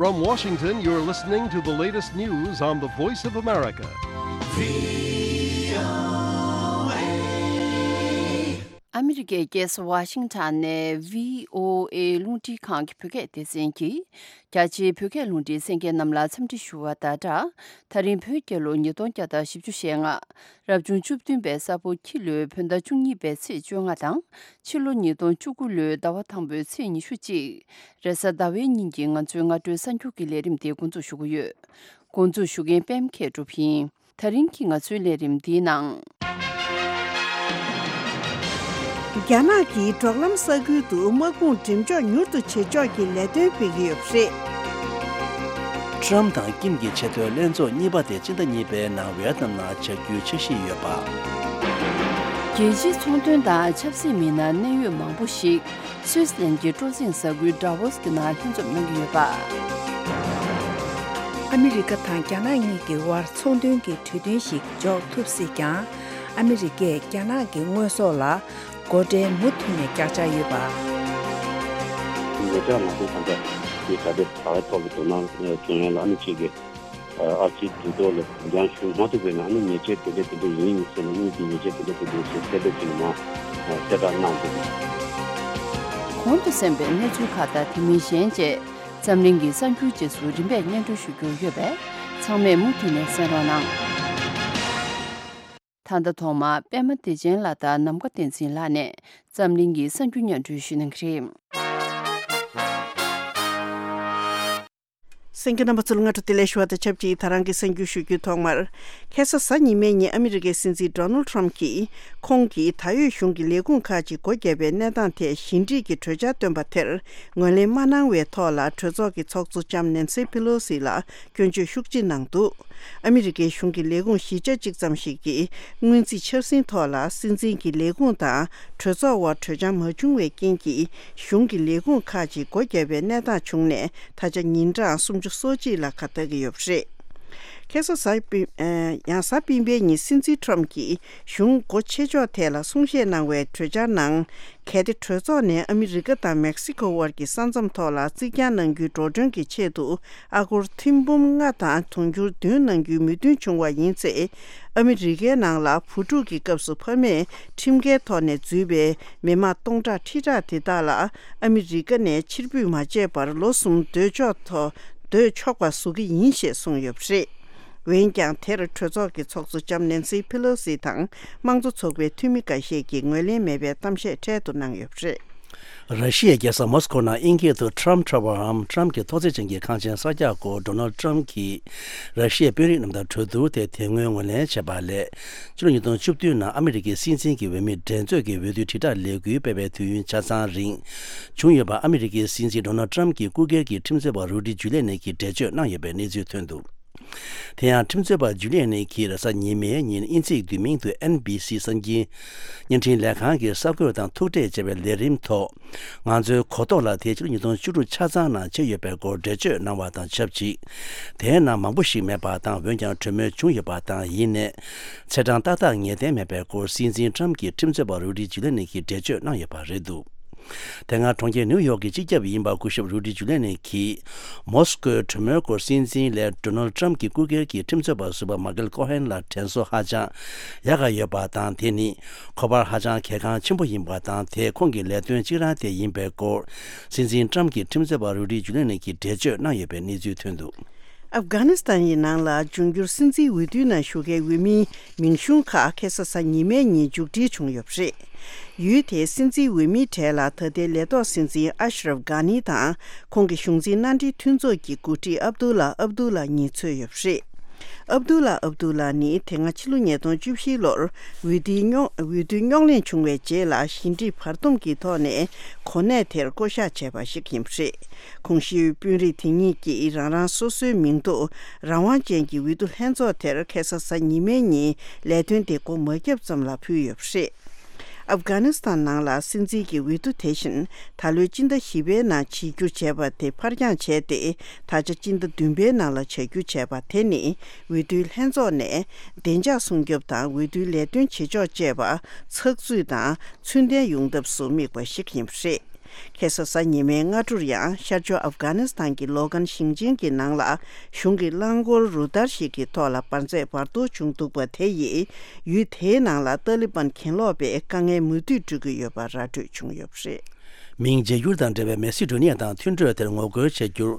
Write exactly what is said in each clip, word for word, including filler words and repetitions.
From Washington, you're listening to the latest news on the Voice of America. ཨ་མི་རི་ཀའི་རྒྱལ་ས་ཝ་ཤིང་ཊོན་ནས་བྷི་ཨོ་ཨེ་རླུང་འཕྲིན་ཁང་གི་བོད་སྐད་སྡེ་ཚན་གྱིས། རྒྱ་ཆེའི་བོད་སྐད་རླུང་འཕྲིན་གསན་མཁན་རྣམས་ལ་འཚམས་འདྲི་ཞུ་བ་དང་སྦྲགས། ད་རིང་བོད་རྒྱལ་ལོ་ཉིས་སྟོང་བརྒྱ་དང་བཞི་བཅུ་ཞེ་ལྔ། རབ་བྱུང་བཅུ་བདུན་པའི་ས་ཕོ་ཁྱི་ལོའི་བོད་ཟླ་བཅུ་གཉིས་པའི་ཚེས་བཅོ་ལྔ་དང་། ཕྱི་ལོ་ཉིས་སྟོང་བཅུ་དགུ་ལོའི་ཟླ་བ་དང་པོའི་ཚེས་ཉི་ཤུ་གཅིག་རེས་གཟའ་ཟླ་བའི་ཉིན་གྱི་ང་ཚོའི་སྔ་དྲོའི་གསར་འགྱུར་གྱི་ལས་རིམ་དེ་འགོ་འཛུགས་ཞུ་གི་ཡོད། འགོ་འཛུགས་ཞུ་མཁན་པད་མ་མཁས་གྲུབ་ཡིན། ད་རིང་གི་ང་ཚོའི་ལས་རིམ་འདིའི་ནང་། རྒྱ་ནག་གིས་འབྲོག་ལམ་ས་ཁུལ་དུ་དམག་དཔུང་འགྲེམས་འཇོག་མྱུར་དུ་བྱེད་ཕྱོགས་ཀྱི་ལས་དོན་སྤེལ་གྱི་ཡོད་པ་རེད། ཊམ་དང་ཀིམ་གྱི་ཆེས་མཐོའི་ལྷན་ཚོགས་གཉིས་པ་དེ་སྤྱི་ཟླ་གཉིས་པའི་ནང་ཝི་ཡེད་ནམ་ནང་བྱ་རྒྱུའི་འཆར་གཞི་ཡོད་པ། རྒྱལ་སྤྱིའི་ཚོང་དོན་དང་ཆབ་སྲིད་མི་སྣ་གནད་ཡོད་མང་པོ་ཞིག་སུད་སི་ལན་གྱི་སྤྲོ་གསེང་གཟའ་ཁུལ་ཌ་ཝོ་སི་གི་ནང་ལྷན་འཛོམས་གནང་གི་ཡོད་པ། ཨ་མི་རི་ཀ་དང་རྒྱ་ནག་གཉིས་ཀྱི་དབར་ཚོང་དོན་གྱི་གྲོས་མཐུན་ཞིག་འཇོག་ཐུབ་སྲིད་ཀྱང་། ཨ་མི་རི་ཀས་རྒྱ་ནག་གི་དངོས་ཟོག་ལ་སྒོ་ཁྲལ་མུ་མཐུད་ནས་བཀག་འཇགས་ཡོད་པ། ཉེ་ཆར་ང་ཚོའི་ས་ཆ་དེ་ག་དེ་ད་ལྟ་ཐོག་གི་དོ་སྣང་བྱུང་ཡོད་ལ། ཨ་ནི་གཅིག་གི་ཨ་ཕྱིའི་འགྲུལ་ཐོག་ལ་འགྲོ་འགྲུལ་ཞུ་མ་ཐུབ་པའི་ནང་ཨ་ནི་ཉེས་ཆད་དེ་འདྲ་དེ་འདྲ་ཡིན་ཟེར་ནས་དངུལ་གྱི་ཉེས་ཆད་དེ་འདྲ་དེ་འདྲ་ཞིག་གསལ་བསྒྲགས་ཅིག་ནང་གསལ་བསྒྲགས་གནང་འདུག་གོང་དུ་གསན་པའི་གནས་ཚུལ་ཁག་དང་དེ་མིན་གཞན་བཅས་འཛམ་གླིང་གི་གསར་འགྱུར་རྗེས་སུ་རིམ་པས་སྙན་སྒྲོན་ཞུ་རྒྱུ་ཡོད་པས། ཚང་མས་མུ་མཐུད་ནས་གསན་རོགས་གནང་། ད་ལྟ་ཐོག་མར་པད་མ་བདེ་ཆེན་ལགས་དང་ནམ་མཁའ་བསྟན་འཛིན་ལགས་ནས་འཛམ་གླིང་གི་གསར་འགྱུར་སྙན་སྒྲོན་ཞུ་གནང་གི་རེད། གསན་མཁན་རྣམ་པ་ཚོ་ལ་སྔ་དྲོ་བདེ་ལེགས་ཞུ་བ་དང་ཆབས་ཅིག་ད་རང་གི་གསར་འགྱུར་ཞུ་རྒྱུའི་ཐོག་མར། ཁ་སང་གཟའ་ཉི་མའི་ཉིན་ཨ་མི་རི་ཀའི་སྲིད་འཛིན་ཌོ་ནལ་ཊམ་གྱིས་ཁོང་གིས་ད་ཡོད་གཞུང་གི་ལས་ཁུངས་ཁག་ཅིག་སྒོ་བརྒྱབ་པའི་གནས་སྟངས་ཐད་ཞི་འགྲིག་གི་གྲོས་འཆར་བཏོན་པ་དེར་ངོས་ལེན་མ་གནང་བའི་ཐོག་ལ་གྲོས་ཚོགས་ཀྱི་ཚོགས་གཙོ་ལྕམ་ནེན་སི་ཕི་ལོ་སི་ལ་སྐྱོན་བརྗོད་ཤུགས་ཆེ་གནང་འདུག་ཨ་མི་རི་ཀའི་གཞུང་གི་ལས་ཁུངས་བཞི་ཆ་གཅིག་ཙམ་ཞིག་གིས་སྔོན་རྩིས་འཆར་ཟིན་ཐོག་ལ་སྲིད་འཛིན་གྱི་ལས་ཁུངས་དང་གྲོས་ཚོགས་དབར་གྲོས་འཆར་མ་བྱུང་བའི་རྐྱེན་གྱིས་གཞུང་གི་ལས་ཁུངས་ཁག་ཅིག་སྒོ་བརྒྱབ་པའི་གནས་སྟངས་བྱུང་ནས་ད་ཆ་ཉིན་གྲངས་སུམ་ཅུ་སོ་གཅིག་ལ་ཁ་གཏད་ཀྱི་ཡོད་པ་རེད། ཁ་སང་གཟའ་སྤེན་ཨ་ཡང་གཟའ་སྤེན་པའི་ཉིན་སྲིད་འཛིན་ཊམ་གྱིས་གཞུང་སྒོ་ཕྱེ་ཕྱོགས་ཐད་ལ་གསུང་བཤད་གནང་བའི་གྲོས་འཆར་ནང་། གལ་ཏེ་གྲོས་ཚོགས་ནས་ཨ་མི་རི་ཀ་དང་མེག་སི་ཀོ་དབར་གྱི་ས་མཚམས་ཐོག་ལ་རྩིག་གྱང་གནང་རྒྱུའི་འགྲོ་གྲོན་གྱི་ཆེད་དུ་ཨ་སྒོར་ཐེར་འབུམ་ལྔ་དང་དུང་ཕྱུར་བདུན་གནང་རྒྱུའི་མོས་མཐུན་བྱུང་བ་ཡིན་ཚེ། ཨ་མི་རི་ཀའི་ནང་ལ་བུ་ཕྲུག་གི་སྐབས་སུ་ཕ་མས་ཁྲིམས་འགལ་ཐོག་ནས་འཛུལ་བའི་མི་མང་སྟོང་ཕྲག་ཁྲི་ཕྲག་དེ་དག་ལ་ཨ་མི་རི་ཀ་ནས་ཕྱིར་འབུད་མ་བྱས་པར་ལོ་གསུམ་སྡོད་ཆོག་ཐོག་སྡོད་ཆོག་པ་བཟོ་གི་ཡིན་ཞེས་གསུངས་ཡོད་པ་རེད། འོན་ཀྱང་། དེར་གྲོས་ཚོགས་ཀྱི་ཚོགས་གཙོ་ལྕམ་ནེན་སི་ཕི་ལོ་སི་དང་དམངས་གཙོ་ཚོགས་པའི་འཐུས་མི་འགའ་ཤས་ཀྱིས་ངོས་ལེན་མེད་པའི་གཏམ་བཤད་འཕྲལ་དུ་གནང་ཡོད་པ་རེད། ར་ཤི་ཡའི་རྒྱལ་ས་མོ་སི་ཀོ་ནང་དབྱིན་སྐད་དུ་Trump Tower འམ་ཊམ་གྱི་ཐོག་བརྩེགས་ཅན་གྱི་ཁང་ཆེན་གསར་རྒྱག་སྐོར་ཌོ་ནལ་ཊམ་གྱིས་ར་ཤི་ཡའི་དཔོན་རིགས་རྣམས་དང་གྲོས་བསྡུར་དེ་དེ་སྔོན་ངོས་ལེན་བྱས་པ་ལས། ཕྱི་ལོ་ཉིས་སྟོང་བཅུ་བདུན་ནང་ཨ་མི་རི་ཀའི་སྲིད་འཛིན་གྱི་འོས་མི་འགྲན་རྩོད་ཀྱི་འོས་བསྡུའི་དྲིལ་བསྒྲགས་ལས་འགུལ་སྤེལ་བའི་དུས་ཡུན་ཆ་ཚང་རིང་བྱུང་ཡོད་པ་ཨ་མི་རི་ཀའི་སྲིད་འཛིན་ཌོ་ནལ་ཊམ་གྱི་སྐུ་སྒེར་གྱི་ཁྲིམས་རྩོད་པ་རུ་ཌི་ཇུ་ལི་ནི་གིས་འགྲེལ་བརྗོད་གནང་ཡོད་པའི་གནས་ཚུལ་ཐོན་འདུག་དེ་ཡང་ཁྲིམས་རྩོད་པ་ཇུ་ལི་ནི་གིས་རེས་གཟའ་ཉི་མའི་ཉིན་དབྱིན་ཚིག་བསྡུས་མིང་དུ་ཨེན་བྷི་སི་གསར་འགྱུར་བརྙན་འཕྲིན་ལས་ཁང་གི་གསར་འགོད་དང་ཐུག་འཕྲད་བྱས་པའི་ལས་རིམ་ཐོག་ང་ཚོའི་གོ་རྟོགས་ལ་དེ་ཕྱི་ལོ་ཉིས་སྟོང་བཅུ་དྲུག་ཆ་ཚང་ནང་བྱས་ཡོད་པའི་སྐོར་འགྲེལ་བརྗོད་གནང་བ་དང་ཆབས་ཅིག་དེའི་ནང་མང་པོ་ཞིག་མེད་པ་དང་། འོན་ཀྱང་གྲོས་མོལ་བྱུང་ཡོད་པ་དང་། ཡིན་ནའི་ཚེས་གྲངས་ཏག་ཏག་ངེས་གཏན་མེད་པའི་སྐོར་སྲིད་འཛིན་ཊམ་གྱི་ཁྲིམས་རྩོད་པ་རུ་ཌི་ཇུ་ལི་ནི་གིས་འགྲེལ་བརྗོད་གནང་ཡོད་པ་རེད་འདུག་དེ་སྔ་གྲོང་ཁྱེར་ནིའུ་ཡོག་གི་སྤྱི་ཁྱབ་ཡིན་པ་སྐུ་ཞབས་རུ་ཌི་ཇུ་ལི་ནི་གིས་མོ་སི་ཀོའི་གྲོས་མོལ་སྐོར་སྲིད་འཛིན་ལས་ཌོ་ནལ་ཊམ་གྱི་སྐུ་སྒེར་གྱི་ཁྲིམས་རྩོད་པ་ཟུར་པ་མ་ཀལ་ཀོ་ཧན་ལ་དྲན་གསོ་ཧ་ཅང་ཡག་ག་ཡོད་པ་དང་། དེ་ནི་ཁོ་པར་ཧ་ཅང་གལ་འགངས་ཆེན་པོ་ཡིན་པ་དང་། དེ་ཁོང་གི་ལས་དོན་གཅིག་རང་དེ་ཡིན་པའི་སྐོར་སྲིད་འཛིན་ཊམ་གྱི་ཁྲིམས་རྩོད་པ་རུ་ཌི་ཇུ་ལི་ནི་གིས་འགྲེལ་བརྗོད་གནང་ཡོད་པའི་གནས་ཚུལ་ཐོན་འདུག་ཨབ་གྷ་ནི་སི་ཐན་ཡི་ནང་ལ་འབྱུང་འགྱུར་སྲིད་འཛིན་འོས་བསྡུའི་ནང་ཞུགས་མཁན་འོས་མིའི་མིང་གཞུང་ཁག་ཁ་སང་གཟའ་ཉི་མའི་ཉིན་མཇུག་སྒྲིལ་བྱུང་ཡོད་པ་རེད། ཡུལ་དེའི་སྲིད་འཛིན་འོས་མིའི་གྲས་ལ་ད་ལྟའི་ལས་ཐོག་སྲིད་འཛིན་ཨ་ཤ་རབ་གྷ་ནི་དང་། ཁོང་གི་གཞུང་འཛིན་མནའ་འབྲེལ་མཐུན་ཚོགས་ཀྱི་འགོ་ཁྲིད་ཨབ་དུ་ལ་ཨབ་དུ་ལ་གཉིས་ཚུད་ཡོད་པ་རེད། ཨབ་དུ་ལ་ཨབ་དུ་ལ་ནི་དེ་སྔ་ཕྱི་ལོ་ཉིས་སྟོང་བཅུ་བཞི་ལོར་འོས་བསྡུའི་རྙོག་འོས་བསྡུ་རྙོག་གླེང་བྱུང་བའི་རྗེས་ལ་ཞི་འགྲིག་བར་འདུམ་གྱི་ཐོག་ནས་གོ་གནས་དེར་བསྐོ་གཞག་བྱས་པ་ཞིག་ཡིན་པ་རེད། གོང་ཞུས་དཔོན་རིགས་དེ་གཉིས་ཀྱིས་རང་རང་སོ་སོའི་མིང་ཐོ་རང་དབང་ཅན་གྱི་འོས་བསྡུ་ལྷན་ཚོགས་དེར་ཁ་སང་གཟའ་ཉི་མའི་ཉིན་ལས་དོན་དེ་འགོ་མ་བརྒྱབ་ཙམ་ལ་ཕུལ་ཡོད་པ་རེད། ཨབ་གྷ་ནི་སི་ཐན་ནང་ལ་སྲིད་འཛིན་གྱི་འོས་བསྡུ་དེ་བཞིན་ད་ལོའི་སྤྱི་ཟླ་བཞི་པའི་ནང་བྱེད་རྒྱུ་བྱས་པ་དེ་ཕར་འགྱངས་བྱས་ཏེ། ད་ཆ་སྤྱི་ཟླ་བདུན་པའི་ནང་ལ་བྱ་རྒྱུ་བྱས་པ་དེ་ནི་འོས་བསྡུའི་ལྷན་ཚོགས་ནས་བདེ་འཇགས་སྲུང་སྐྱོབ་དང་འོས་བསྡུའི་ལས་དོན་བྱེད་ཕྱོགས་བཅས་པ་ཚགས་ཚུད་དང་ཚུལ་ལྡན་ཡོང་ཐབས་སུ་དམིགས་པ་ཞིག་ཡིན་པ་རེད། ཁ་སང་གཟའ་ཉི་མའི་སྔ་དྲོར་ཡང་ཤར་ཕྱོགས་ཨབ་གྷ་ནི་སི་ཐན་གྱི་ལོ་གན་ཞིང་ཆེན་གྱི་ནང་ལ་གཞུང་གི་རླངས་འཁོར་རུ་སྟར་ཞིག་གི་ཐོག་ལ་འབར་རྫས་འབར་གཏོར་བྱུང་འདུག་པ་དེ་ཡིས་ཡུལ་དེའི་ནང་ལ་ཏཱ་ལི་བན་གྱེན་ལོག་པས་དཀའ་ངལ་མུ་མཐུད་སྤྲོད་ཀྱི་ཡོད་པ་ར་སྤྲོད་བྱུང་ཡོད་པ་རེད། མིང་བརྗེ་བསྒྱུར་དང་འབྲེལ་བའི་མེ་སི་ཌོ་ནི་ཡ་དང་མཐུན་གྲོས་དེར་ངོ་རྒོལ་བྱ་རྒྱུར།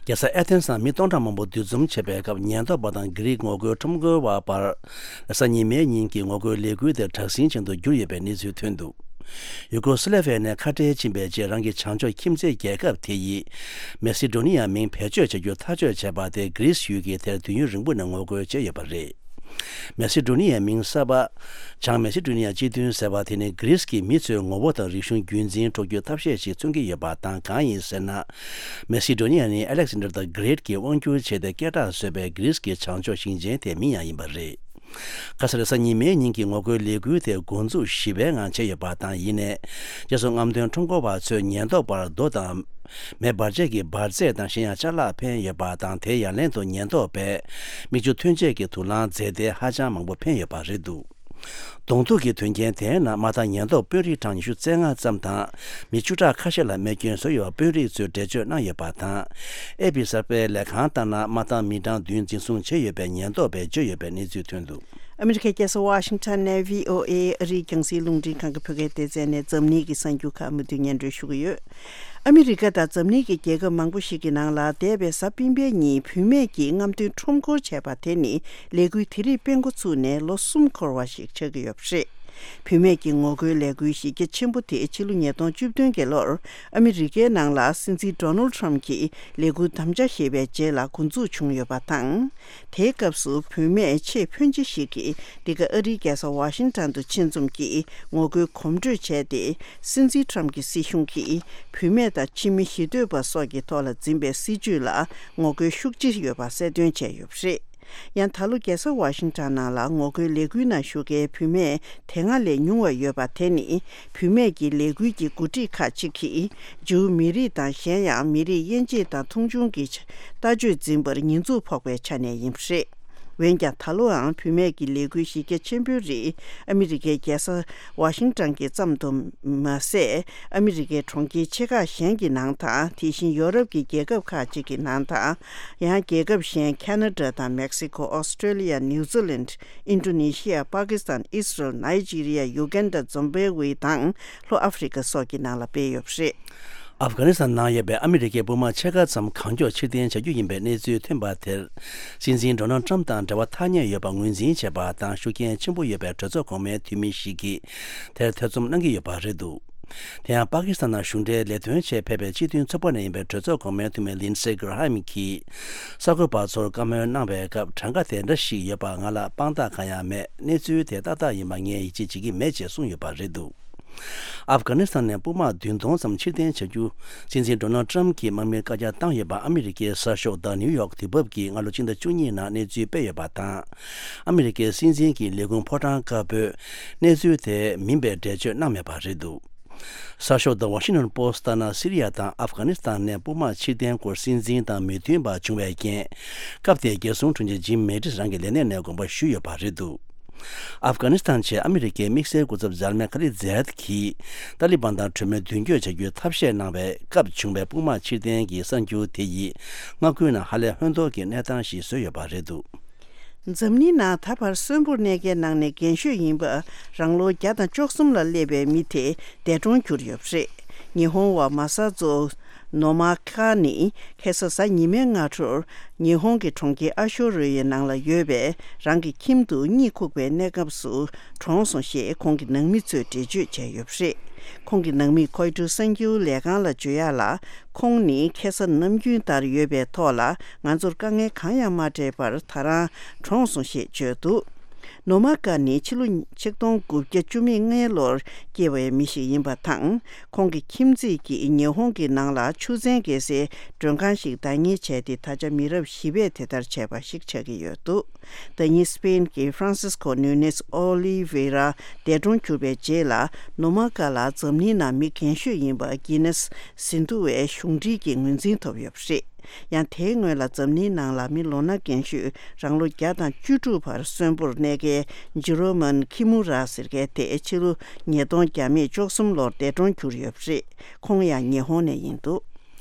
རྒྱལ་ས་ཨེ་ཐེན་སར་མི་སྟོང་ཕྲག་མང་པོ་འདུ་འཛོམས་བྱས་པའི་སྐབས། ཉེན་རྟོག་པ་དང་གྷི་རིག་ངོ་རྒོལ་ཁྲོམ་སྐོར་བ་བར་གཟའ་ཉི་མའི་ཉིན་གྱི་ངོ་རྒོལ་ལས་འགུལ་དེ་དྲག་ཟིང་ཅན་དུ་གྱུར་ཡོད་པའི་གནས་ཚུལ་ཐོན་འདུག་ཡུ་གོ་སི་ལེ་བྷི་ཡ་ནས་ཁ་བྲལ་ཕྱིན་པའི་རྗེས། རང་གི་བྱང་ཕྱོགས་ཁྱིམ་མཚེས་རྒྱལ་ཁབ་དེ་ཡིས་མེ་སི་ཌོ་ནི་ཡ་མིང་བེད་སྤྱོད་བྱ་རྒྱུ་ཐག་གཅོད་བྱས་པ་དེ། གྷི་རིས་ཡུལ་གྱིས་དེར་དུས་ཡུན་རིང་པོ་ནས་ངོ་རྒོལ་བྱས་ཡོད་པ་རེད། མེ་སི་ཌོ་ནི་ཡའི་མིང་གསར་པ། བྱང་མེ་སི་ཌོ་ནི་ཡ་སྤྱི་མཐུན་ཟེར་བ་དེ་ནི་གྷི་རིས་ཀྱི་མི་ཚོའི་ངོ་བོ་དང་རིག་གཞུང་རྒྱུན་འཛིན་འགྲོ་རྒྱུའི་ཐབས་ཤེས་ཤིག་མཚོན་གྱི་ཡོད་པ་དང་། གང་ཡིན་ཟེར་ན། མེ་སི་ཌོ་ནི་ཡ་ནི་ཨ་ལེག་སན་ཌར་ད་གྷི་རེ་ཊ་གྱིས་དབང་བསྒྱུར་བྱས་ཏེ་སྐད་གྲགས་བཟོས་པའི་གྷི་རིས་ཀྱི་བྱང་ཕྱོགས་ཞིང་ཆེན་དེའི་མིང་ཡང་ཡིན་པ་རེད། ཁ་སང་གཟའ་ཉི་མའི་ཉིན་གྱི་ངོ་རྒོལ་ལས་འགུལ་དེ་འགོ་འཛུགས་ཞི་བའི་ངང་བྱས་ཡོད་པ་དང་། ཡིན་ནའི། རྗེས་སུ་རྔམ་སྟོན་ཁྲོམ་སྐོར་བ་ཚོས་ཉེན་རྟོག་པར་རྡོ་དང་། མེ་འབར་ཆས་ཀྱི་འབར་རྫས་དང་གཞན་ཡང་ཅ་ལག་འཕེན་ཡོད་པ་དང་། དེའི་ཡ་ལན་དུ་ཉེན་རྟོག་པས་མིག་ཆུ་ཐོན་ཆས་ཀྱི་དུག་རླངས་རྫས་དེ་ཧ་ཅང་མང་པོ་འཕེན་ཡོད་པ་རེད་འདུག་གདོང་ཐུག་གི་དོན་རྐྱེན་དེའི་ནང་མ་མཐའ་ཉེན་རྟོག་དཔོན་རིགས་གྲངས་ཉི་ཤུ་རྩ་ལྔ་ཙམ་དང་། མི་བཅུ་ཕྲག་ཁ་ཤས་ལ་རྨས་སྐྱོན་བཟོས་ཡོད་པ་དཔོན་རིགས་ཚོས་འགྲེལ་བརྗོད་གནང་ཡོད་པ་དང་། ཨེ་པི་གསར་པའི་ལས་ཁང་ལྟར་ན། མ་མཐའ་མི་གྲངས་བདུན་འཛིན་བཟུང་བྱས་ཡོད་པའི་ཉེན་རྟོག་པས་བརྗོད་ཡོད་པའི་གནས་ཚུལ་ཐོན་འདུག་ཨ་མི་རི་ཀའི་རྒྱལ་ས་ཝ་ཤིང་ཊོན་ནས་བྷི་ཨོ་ཨེ་ཨ་རིའི་རྒྱང་སྲིང་རླུང་འཕྲིན་ཁང་གི་བོད་སྐད་སྡེ་ཚན་ནས་འཛམ་གླིང་གི་གསར་འགྱུར་ཁག་མུ་མཐུད་སྙན་སྒྲོན་ཞུ་གི་ཡོད། ཨ་མི་རི་ཀ་དང་འཛམ་གླིང་གི་རྒྱལ་ཁབ་མང་པོ་ཞིག་གི་ནང་ལ་འདས་པའི་གཟའ་སྤེན་པའི་ཉིན་བུད་མེད་ཀྱིས་རྔམ་སྟོན་ཁྲོམ་སྐོར་བྱས་པ་དེ་ནི་ལས་འགུལ་དེ་རིགས་སྤེལ་འགོ་ཚུགས་ནས་ལོ་གསུམ་འཁོར་བ་ཞིག་ཆགས་ཀྱི་ཡོད་པ་རེད། བུད་མེད་ཀྱི་ངོ་རྒོལ་ལས་འགུལ་གཞི་རྒྱ་ཆེན་པོ་དེ་ཕྱི་ལོ་ཉིས་སྟོང་བཅུ་བདུན་གྱི་ལོར་ཨ་མི་རི་ཀའི་ནང་ལ་སྲིད་འཛིན་ཌོ་ནལ་ཌི་ཊརམ་གྱིས་ལས་འགུལ་དམ་བཅའ་བཞེས་པའི་རྗེས་ལ་འགོ་འཛུགས་བྱུང་ཡོད་པ་དང་། དེའི་སྐབས་སུ་བུད་མེད་ཆེས་ཕོན་ཆེ་ཞིག་གིས་འདི་ག་ཨ་རིའི་རྒྱལ་ས་ཝ་ཤིང་ཊོན་དུ་ཆེད་འཛོམས་ཀྱིས་ངོ་རྒོལ་གོམ་བགྲོད་བྱས་ཏེ། སྲིད་འཛིན་ཊརམ་གྱི་སྲིད་གཞུང་གིས་བུད་མེད་དང་ཕྱི་མི་ཞི་འདོད་པ་སོགས་ཀྱི་ཐོག་ལ་འཛིན་པའི་སྲིད་བྱུས་ལ་ངོ་རྒོལ་ཤུགས་ཆེ་ཡོད་པ་གསལ་སྟོན་བྱས་ཡོད་པ་རེད། ཡང་ད་ལོ་རྒྱལ་ས་ཝ་ཤིང་ཊོན་ནང་ལ་ངོ་རྒོལ་ལས་འགུལ་ནང་ཞུགས་མཁན་བུད་མེད་དེ་སྔ་ལས་ཉུང་བ་ཡོད་པ་དེ་ནི། བུད་མེད་ཀྱི་ལས་འགུལ་གྱི་འགོ་ཁྲིད་ཁག་ཅིག་གིས་ཇིའུ་མི་རིགས་དང་གཞན་ཡང་མི་རིགས་དབྱེ་འབྱེད་དང་མཐོང་ཆུང་གི་ལྟ་སྤྱོད་འཛིན་པར་ཉེས་འཛུགས་ཕོག་པའི་ཆ་ནས་ཡིན་པ་རེད། འོན་ཀྱང་ད་ལོའང་བུད་མེད་ཀྱི་ལས་འགུལ་གཞི་རྒྱ་ཆེན་པོའི་རིགས་ཨ་མི་རི་ཀའི་རྒྱལ་ས་ཝ་ཤིང་ཊོན་གྱི་ཙམ་དུ་མ་ཟད། ཨ་མི་རི་ཀའི་གྲོང་ཁྱེར་ཆེ་ཁག་གཞན་གྱི་ནང་དང་། དེ་བཞིན་ཡོ་རོབ་ཀྱི་རྒྱལ་ཁབ་ཁག་ཅིག་གི་ནང་དང་། ཡང་རྒྱལ་ཁབ་གཞན་ཁ་ན་ཌ་དང་མེག་སི་ཀོ། ཨོ་སི་ཀྲོ་ལི་ཡ། ནིའུ་ཛི་ལན། ཨིན་ཌོ་ནེ་ཤི་ཡ། པ་ཀི་སི་ཐན། ཨི་སི་རལ། ནཱི་ཇི་རི་ཡ། ཡུ་གན་ཌ། ཛིམ་བྷེ་ཝེ་དང་ལྷོ་ཨ་ཧྥི་རི་ཀ་སོགས་ཀྱི་ནང་ལ་སྤེལ་ཡོད་པ་རེད། ཨབ་གྷ་ནི་སི་ཐན་ནང་ཡོད་པའི་ཨ་མི་རི་ཀའི་དཔུང་དམག་ཕྱེད་ཀ་ཙམ་གང་མགྱོགས་ཕྱིར་འཐེན་བྱ་རྒྱུ་ཡིན་པའི་གནས་ཚུལ་ཐོན་པ་དེར། སྲིད་འཛིན་ཌོ་ནལ་ཌི་ཊརམ་དང་འབྲེལ་བ་ཐག་ཉེ་ཡོད་པ་ངོས་འཛིན་བྱས་པ་དང་། ཤུགས་རྐྱེན་ཆེན་པོ་ཡོད་པའི་གྲོས་ཚོགས་གོང་མའི་འཐུས་མི་ཞིག་གིས་དེར་ཐེ་ཚོམ་གནང་གི་ཡོད་པ་རེད་འདུག་དེ་ཡང་པ་ཀི་སི་ཐན་ནང་གཞུང་འབྲེལ་ལས་དོན་ཆེད་ཕེབས་པའི་སྤྱི་མཐུན་ཚོགས་པ་ནས་ཡིན་པའི་གྲོས་ཚོགས་གོང་མའི་འཐུས་མི་ལིན་སེ་གྷི་ར་ཧམ་གྱིས་གསར་འགོད་པ་ཚོར་བཀའ་མོལ་གནང་བའི་སྐབས། གྲངས་ཀ་དེ་འདྲ་ཞིག་ཡོད་པ་ང་ལ་དཔང་རྟགས་གང་ཡང་མེད། གནས་ཚུལ་དེ་ཏག་ཏག་ཡིན་པ་ངས་ཡིད་ཆེས་བྱེད་ཀྱི་མེད་ཅེས་གསུངས་ཡོད་པ་རེད་འདུག་ཨབ་གྷ་ནི་སི་ཐན་ནས་དཔུང་དམག་བདུན་སྟོང་ཙམ་ཕྱིར་འཐེན་བྱ་རྒྱུ་སྲིད་འཛིན་ཌོ་ནལ་ཌི་ཊརམ་གྱིས་དམག་མིར་བཀའ་རྒྱ་བཏང་ཡོད་པ་ཨ་མི་རི་ཀའི་གསར་ཤོག་The New York གྱིས་སྔ་ལོ་སྤྱི་ཟླ་བཅུ་གཉིས་ནང་གནས་ཚུལ་སྤེལ་ཡོད་པ་དང་། ཨ་མི་རི་ཀའི་སྲིད་འཛིན་གྱི་ལས་ཁུངས་ཕོ་བྲང་དཀར་པོས་གནས་ཚུལ་དེ་མིན་པའི་འགྲེལ་བརྗོད་གནང་མེད་པ་རེད་འདུག་གསར་ཤོག་The Washington Post ལྟར་ན། སི་རི་ཡ་དང་ཨབ་གྷ་ནི་སི་ཐན་ནས་དཔུང་དམག་ཕྱིར་འཐེན་སྐོར་སྲིད་འཛིན་དང་མོས་མཐུན་པ་བྱུང་བའི་རྐྱེན། སྐབས་དེའི་རྒྱལ་སྲུང་དྲུང་ཆེ་ཇིམ་མེ་ཏིས་རང་གི་ལས་གནས་ནས་དགོངས་པ་ཞུས་ཡོད་པ་རེད་འདུག་ཨབ་གྷ་ནི་སི་ཐན་ཆེད་ཨ་མི་རི་ཀའི་དམིགས་བསལ་སྐུ་ཚབ་ཛལ་མེ་ཁ་ལི་ཛད་ཀྱིས་ཏཱ་ལི་བན་དང་གྲོས་མོལ་མདུན་སྐྱོད་བྱ་རྒྱུའི་ཐབས་ཤེས་གནང་བའི་སྐབས་བྱུང་བའི་དཔུང་དམག་ཕྱིར་འཐེན་གྱི་གསར་འགྱུར་དེ་ཡིས་མངའ་ཁུལ་ནང་ཧ་ལས་ཧོན་ཐོར་གྱི་གནས་སྟངས་ཤིག་བཟོས་ཡོད་པ་རེད་འདུག་འཛམ་གླིང་ནང་ད་བར་གསོན་པོར་གནས་མཁན་ནང་ནས་རྒན་ཤོས་ཡིན་པ། རང་ལོ་བརྒྱ་དང་བཅུ་གསུམ་ལ་སླེབས་པའི་མི་དེ་འདས་གྲོངས་གྱུར་ཡོད་པ་རེད། ཉི་ཧོང་བ་མ་ས་ཛོ་ནོ་མ་ཀ་ནི་ཁ་སང་གཟའ་ཉི་མའི་སྔ་དྲོར་ཉི་ཧོང་གི་གྲོང་ཁྱེར་ཨ་ཤོ་རི་ཡའི་ནང་ལ་ཡོད་པའི་རང་གི་ཁྱིམ་དུ་གཉིད་ཁུག་པའི་གནས་སྐབས་སུ་གྲོངས་སོང་ཞེས་ཁོང་གི་ནང་མི་ཚོས་འགྲེལ་བརྗོད་བྱས་ཡོད་པ་རེད། ཁོང་གི་ནང་མིས་ཁོའི་ཊར་གསར་འགྱུར་ལས་ཁང་ལ་བརྗོད་ཡག་ལ། ཁོང་ནི་ཁ་སང་ནམ་རྒྱུན་ལྟར་ཡོད་པའི་ཐོག་ལ་ང་ཚོར་དཀའ་ངལ་གང་ཡང་མ་སྤྲད་པར་ད་རང་གྲོངས་སོང་ཞེས་བརྗོད་འདུག་ནོ་མ་ཀ་ནི་ཕྱི་ལོ་ཆིག་སྟོང་དགུ་བརྒྱ་བཅུ་མེད་ལྔའི་ལོར་སྐྱེས་པའི་མི་ཞིག་ཡིན་པ་དང་། ཁོང་གི་ཁྱིམ་མཚེས་ཀྱིས་ཉི་ཧོང་གི་ནང་ལ་ཆུ་ཚན་བརྒལ་སའི་མགྲོན་ཁང་ཞིག་བདག་གཉེར་བྱས་ཏེ། ད་ཆ་མི་རབས་བཞི་པས་དེ་ལྟར་བྱས་པ་ཞིག་ཆགས་ཀྱི་ཡོད་འདུག་ཟླ་ཉིན་སི་པེན་གྱི་ཧྥ་རན་སིས་ཀོ་ནུ་ནེས་ཨོ་ལི་ཝེ་ར་འདས་གྲོངས་གྱུར་པའི་རྗེས་ལ། ནོ་མ་ཀ་ལ་འཛམ་གླིང་ནང་མི་རྒན་ཤོས་ཡིན་པ་གྷི་ནེས་ཟིན་ཐོ་བའི་གཞུང་འབྲེལ་གྱི་ངོས་འཛིན་ཐོབ་ཡོད་པ་རེད། ཡང་དེའི་སྔོན་ལ་འཛམ་གླིང་ནང་ལ་མི་ལོ་ན་རྒན་ཤོས་རང་ལོ་བརྒྱ་དང་བཅུ་དྲུག་བར་གསོན་པོར་གནས་མཁན་ཇི་རོ་མན་ཁི་མུ་ར་ཟེར་མཁན་དེ་ཕྱི་ལོ་ཉིས་སྟོང་བརྒྱ་མེད་བཅུ་གསུམ་ལོར་འདས་གྲོངས་གྱུར་ཡོད་པ་རེད། ཁོང་ཡང་ཉི་ཧོང་ནས་ཡིན་འདུག་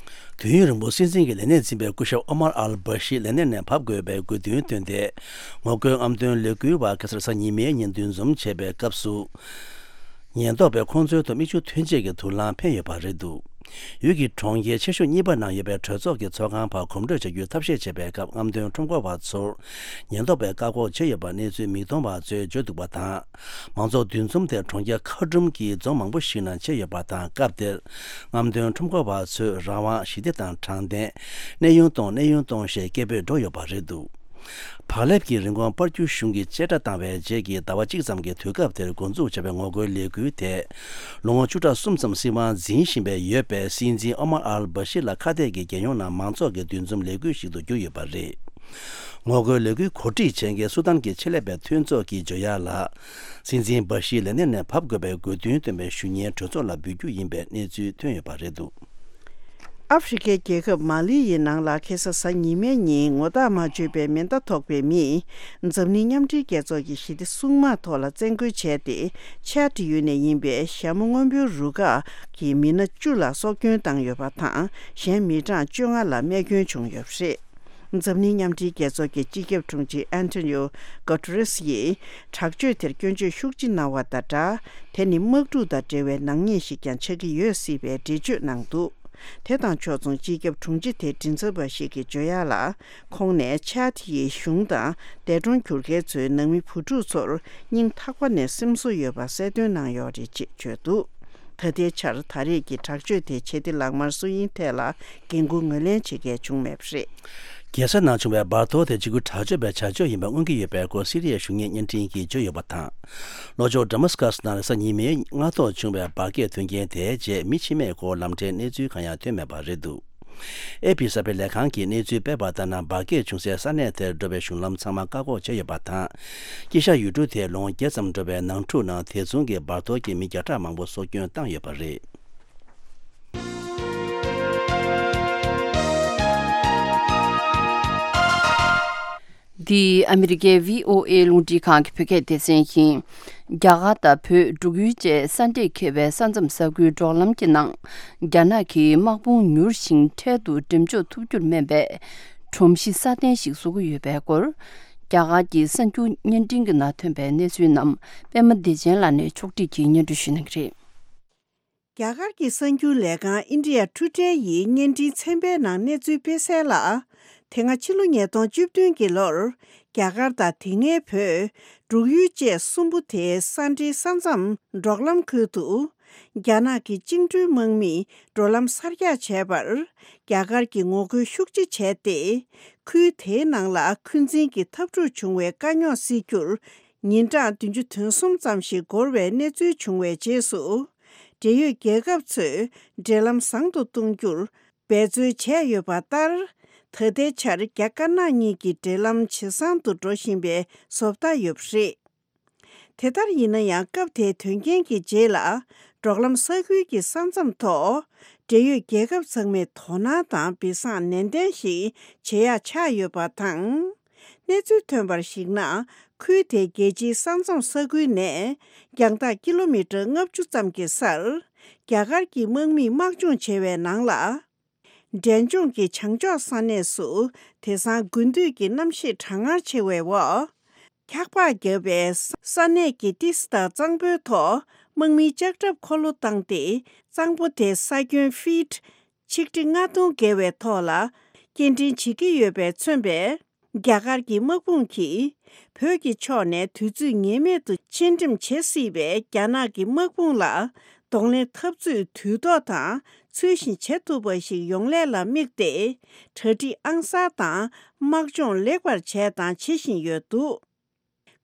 དུས་ཡུན་རིང་པོ་སྲིད་འཛིན་གྱི་ལས་གནས་འཛིན་པའི་སྐུ་ཞབས་ཨོ་མར་ཨལ་བྷ་ཤི་ལས་གནས་ནས་བབས་དགོས་པའི་དགོས་འདུན་བཏོན་ཏེ། ངོ་རྒོལ་རྔམ་སྟོན་ལས་འགུལ་བ་ཁ་སང་གཟའ་ཉི་མའི་ཉིན་འདུ་འཛོམས་བྱས་པའི་སྐབས་སུ། ཉེན་རྟོག་པས་ཁོང་ཚོའི་ཐོག་མིག་ཆུ་ཐོན་སྐྱེད་ཀྱི་དུག་རླངས་འཕེན་ཡོད་པ་རེད་འདུག་ཡུལ་གྱི་གྲོང་ཁྱེར་ཆེ་ཤོས་གཉིས་པ་ནང་ཡོད་པའི་གྲོས་ཚོགས་ཀྱི་ཚོགས་ཁང་བར་གོམ་བགྲོད་བྱ་རྒྱུའི་ཐབས་ཤེས་བྱེད་པའི་སྐབས་རྔམ་སྟོན་ཁྲོམ་སྐོར་བ་ཚོར་ཉེན་རྟོག་པས་བཀག་འགོག་བྱས་ཡོད་པ་གནས་ཚུལ་མིག་མཐོང་བ་ཚོས་བརྗོད་འདུག་པ་དང་། མང་ཚོགས་འདུ་འཛོམས་དེ་གྲོང་ཁྱེར་ཁ་ཀྲུམ་གྱི་རྫོང་མང་པོ་ཞིག་ནང་བྱས་ཡོད་པ་དང་། སྐབས་དེར་རྔམ་སྟོན་ཁྲོམ་སྐོར་བ་ཚོས་རང་དབང་། ཞི་བདེ་དང་དྲང་བདེན། གནས་དབྱུང་གཏོང་། གནས་དབྱུང་གཏོང་ཞེས་སྐད་འབོད་སྒྲོག་ཡོད་པ་རེད་འདུག་བག་ལེབ་ཀྱི་རིན་གོང་སྤར་རྒྱུ་གཞུང་གིས་བཅད་ཁྲ་བཏང་བའི་རྗེས་ཀྱི་ཟླ་བ་གཅིག་ཙམ་གྱི་དུས་སྐབས་དེར་འགོ་འཛུགས་བྱས་པའི་ངོ་རྒོལ་ལས་འགུལ་དེ། ལོ་ངོ་བཅུ་ཕྲག་གསུམ་ཙམ་སྲིད་དབང་འཛིན་བཞིན་པའི་ཡོད་པའི་སྲིད་འཛིན་ཨོ་མར་ཨལ་བྷ་ཤི་ལ་ཁ་གཏད་ཀྱིས་རྒྱལ་ཡོངས་ནང་མང་ཚོགས་ཀྱི་འདུ་འཛོམས་ལས་འགུལ་ཞིག་ཏུ་གྱུར་ཡོད་པ་རེད། ངོ་རྒོལ་ལས་འགུལ་གོ་སྒྲིག་བྱེད་མཁན་སུ་དཱན་གྱི་ཆེད་ལས་པའི་མཐུན་ཚོགས་ཀྱིས་ཇོ་ཡ་ལ། སྲིད་འཛིན་བྷ་ཤི་ལས་གནས་ནས་བབས་དགོས་པའི་དགོས་འདུན་བཏོན་པའི་ཞུ་སྙན་གྲོས་ཚོགས་ལ་འབུལ་རྒྱུ་ཡིན་པའི་གནས་ཚུལ་ཐོན་ཡོད་པ་རེད་འདུག་ཨ་ཧྥེ་རི་ཁའི་རྒྱལ་ཁབ་མ་ལི་ཡི་ནང་ལ་ཁ་སང་གཟའ་ཉི་མའི་ཉིན་ངོ་རྟགས་མ་བརྗོད་པའི་མེ་མདའ་ཐོགས་པའི་མིས་འཛམ་གླིང་མཉམ་འབྲེལ་རྒྱལ་ཚོགས་ཀྱི་ཞི་བདེ་སྲུང་དམག་ཐོག་ལ་བཙན་རྒོལ་བྱས་ཏེ། ཆ་ཏི་ཡུལ་ནས་ཡིན་པའི་ཞྭ་མོ་སྔོན་པོའི་རུ་ཁག་གི་མི་སྣ་བཅུ་ལ་སྲོག་སྐྱོན་བཏང་ཡོད་པ་དང་། གཞན་མི་གྲངས་བཅོ་ལྔ་ལ་རྨས་སྐྱོན་བྱུང་ཡོད་པ་རེད། འཛམ་གླིང་མཉམ་འབྲེལ་རྒྱལ་ཚོགས་ཀྱི་སྤྱི་ཁྱབ་དྲུང་ཆེ་ཨན་ཐོ་ནིའོ་གྷོ་ཏེ་རེས་ཡིས་དྲག་སྤྱོད་དེར་སྐྱོན་བརྗོད་ཤུགས་ཆེ་གནང་བ་དང་སྦྲགས། དེ་ནི་དམག་འཁྲུག་དང་འབྲེལ་བའི་ནག་ཉེས་ཤིག་ཀྱང་ཆགས་ཀྱི་ཡོད་སྲིད་པའི་འགྲེལ་བརྗོད་གནང་འདུག་དེ་དང་ཕྱོགས་མཚུངས་སྤྱི་ཁྱབ་དྲུང་ཆེ་དེ་མགྲིན་ཚབ་པ་ཞིག་གིས་བརྗོད་ཡག་ལ། ཁོང་ནས་ཆཱ་ཏི་ཡི་གཞུང་དང་འདས་གྲོངས་གྱུར་མཁན་ཚོའི་ནང་མི་བུ་ཕྲུག་ཚོར་སྙིང་ཐག་པ་ནས་སེམས་གསོ་ཡོད་པ་གསལ་སྟོན་གནང་ཡོད་རེད་ཅེས་བརྗོད་འདུག་ད་ལྟའི་ཆར་ད་རེས་ཀྱི་དྲག་སྤྱོད་དེ་ཇེ་བདེ་ལག་དམར་སུ་ཡིན་ཐད་ལ་འགན་འཁུར་ངོས་ལེན་བྱེད་མཁན་བྱུང་མེད་པ་རེད། རྒྱལ་ས་ནང་བྱུང་བའི་འབར་གཏོར་དེ་འཇིགས་སྐུལ་དྲག་སྤྱོད་པའི་བྱ་སྤྱོད་ཡིན་པ་མངོན་གྱི་ཡོད་པའི་སྐོར་སི་རི་ཡའི་གཞུང་གཉེར་བརྙན་འཕྲིན་གྱིས་བརྗོད་ཡོད་པ་དང་། ལྷོ་ཕྱོགས་ཌ་མཱ་སི་ཀ་སི་ནང་གཟའ་ཉི་མའི་སྔ་ཐོག་བྱུང་བའི་འབར་གས་ཐོན་རྐྱེན་དེའི་རྗེས་མི་འཆི་རྨས་སྐོར་ལམ་འཕྲལ་གནས་ཚུལ་གང་ཡང་ཐོན་མེད་པ་རེད་འདུག་ཨེ་པི་གསར་སྤེལ་ལས་ཁང་གིས་གནས་ཚུལ་སྤེལ་བ་ལྟར་ན། འབར་གས་བྱུང་སའི་ས་གནས་དེར་འགྲོ་བའི་གཞུང་ལམ་ཚང་མ་བཀག་འགོག་བྱས་ཡོད་པ་དང་། དཀྱིལ་ཤར་ཡུལ་གྲུ་དེའི་ལོ་ངོ་བརྒྱད་ཙམ་འགྲོ་བའི་ནང་འཁྲུག་ནང་དེ་མཚུངས་ཀྱི་འབར་གཏོར་གྱིས་མི་བརྒྱ་ཕྲག་མང་པོ་སྲོག་སྐྱོན་བཏང་ཡོད་པ་རེད། འདི་ཨ་མི་རི་ཀའི་བྷི་ཨོ་ཨེ་རླུང་འཕྲིན་ཁང་གི་བོད་སྐད་སྡེ་ཚན་ཡིན། རྒྱ་གར་དང་བོད་འབྲུག་ཡུལ་བཅས་ས་འདྲེས་ཁེལ་བའི་ས་མཚམས་ས་ཁུལ་འབྲོག་ལམ་གྱི་ནང་། རྒྱ་ནག་གི་དམག་དཔུང་མྱུར་ཞིང་འཕྲལ་དུ་འགྲེམས་འཇོག་ཐུབ་རྒྱུར་སྨན་པའི་སྒྲོམ་གཞི་སྲ་བརྟན་ཞིག་བཟོ་གི་ཡོད་པའི་སྐོར། རྒྱ་གར་གྱི་གསར་འགྱུར་བརྙན་འཕྲིན་གྱི་ནང་ཐོན་པའི་གནས་ཚུལ་རྣམས་པད་མ་བདེ་ཆེན་ལགས་ནས་ཕྱོགས་སྒྲིག་གིས་སྙན་སྒྲོན་ཞུ་གནང་གི་རེད། རྒྱ་གར་གྱི་གསར་འགྱུར་ལས་ཁང་India Today ཡིས་བརྙན་འཕྲིན་ཚན་པའི་ནང་གནས་ཚུལ་སྤེལ་གསལ་ལ། དེ་སྔ་ཕྱི་ལོ་ཉིས་སྟོང་བཅུ་བདུན་གྱི་ལོར། རྒྱ་གར་དང་དེ་སྔའི་བོད། འབྲུག་ཡུལ་བཅས་གསུམ་པོ་དེའི་ས་འབྲེལ་ས་མཚམས་འབྲོག་ལམ་ཁུལ་དུ། རྒྱ་ནག་གི་བཅིངས་འགྲོལ་དམག་མིས་འགྲོ་ལམ་གསར་རྒྱག་བྱས་པར། རྒྱ་གར་གྱིས་ངོ་རྒོལ་ཤུགས་ཆེ་བྱས་ཏེ། ཁུལ་དེའི་ནང་ལ་འཁོན་འཛིན་གྱི་འཐབ་འཁྲུག་བྱུང་བའི་དཀའ་རྙོག་སེལ་རྒྱུར། ཉིན་གྲངས་བདུན་ཅུ་དོན་གསུམ་ཙམ་ཞིག་འགོར་བའི་གནས་ཚུལ་བྱུང་བའི་རྗེས་སུ། འབྲེལ་ཡོད་རྒྱལ་ཁབ་ཚོས་འབྲེལ་ལམ་བཟང་དུ་གཏོང་རྒྱུར་འབད་རྩོལ་བྱས་ཡོད་པ་ལྟར། ད་ལྟའི་ཆར་རྒྱ་དཀར་ནག་གཉིས་ཀྱི་འབྲེལ་ལམ་ཇེ་བཟང་དུ་འགྲོ་བཞིན་པའི་བཟོ་ལྟ་ཡོད་པ་རེད། དེ་ལྟར་ཡིན་ན་ཡང་། སྐབས་དེའི་དོན་རྐྱེན་གྱི་རྗེས་ལ། འབྲོག་ལམ་ས་ཁུལ་གྱི་ས་མཚམས་ཐོག་འབྲེལ་ཡོད་རྒྱལ་ཁབ་ཚང་མས་དོ་སྣང་དང་སྦས་གསང་ནན་ཏན་ཞིག་བྱེད་ཡག་ཆགས་ཡོད་པ་དང་། གནས་ཚུལ་ཐོན་པར་གཞིགས་ན། ཁུལ་དེའི་རྒྱལ་སྤྱིའི་ས་མཚམས་ས་ཁུལ་ནས། རྒྱང་ཐག་ཀི་ལོ་མི་ཊར་ལྔ་བཅུ་ཙམ་གྱི་སར། རྒྱ་གར་གྱི་དམག་མིས་དམག་སྦྱོང་བྱེད་པའི་ནང་ལ། འབྲས་ལྗོངས་ཀྱི་བྱང་ཕྱོགས་ས་གནས་སུ། དེང་སང་དགུན་དུས་ཀྱི་གནམ་གཤིས་གྲང་ངར་ཆེ་བའི་འོག་འཁྱགས་པ་བརྒྱབ་པའི་ས་གནས་ཀྱི་ཏི་སེ་དང་གཙང་པོའི་ཐོག་དམག་མིའི་ལྕགས་ཁྲབ་འཁོར་ལོ་བཏང་སྟེ། གཙང་པོ་དེ་ས་ཁྱོན་ཕིཊ་ཆིག་ཁྲི་ལྔ་སྟོང་བརྒལ་བའི་ཐོག་ལ་སྐྱེལ་འདྲེན་བྱེད་ཀྱི་ཡོད་པས་མཚོན་པའི། རྒྱ་གར་གྱི་དམག་དཔུང་གིས། བོད་ཀྱི་ཕྱོགས་ནས་དུས་ཚོད་ངེས་མེད་དུ་ཕྱིར་འགྲེམས་བྱེད་སྲིད་པའི་རྒྱ་ནག་གི་དམག་དཔུང་ལ། གདོང་ལེན་འཐབ་རྩོད་དུས་ཐོག་དང་ཚུལ་བཞིན་བྱེད་ཐུབ་པ་ཞིག་ཡོང་སླད་ལ་དམིགས་ཏེ། གྲ་སྒྲིག་ཨང་གསར་དང་དམག་སྦྱོང་ལེགས་པར་བྱས་དང་བྱེད་བཞིན་ཡོད་འདུག་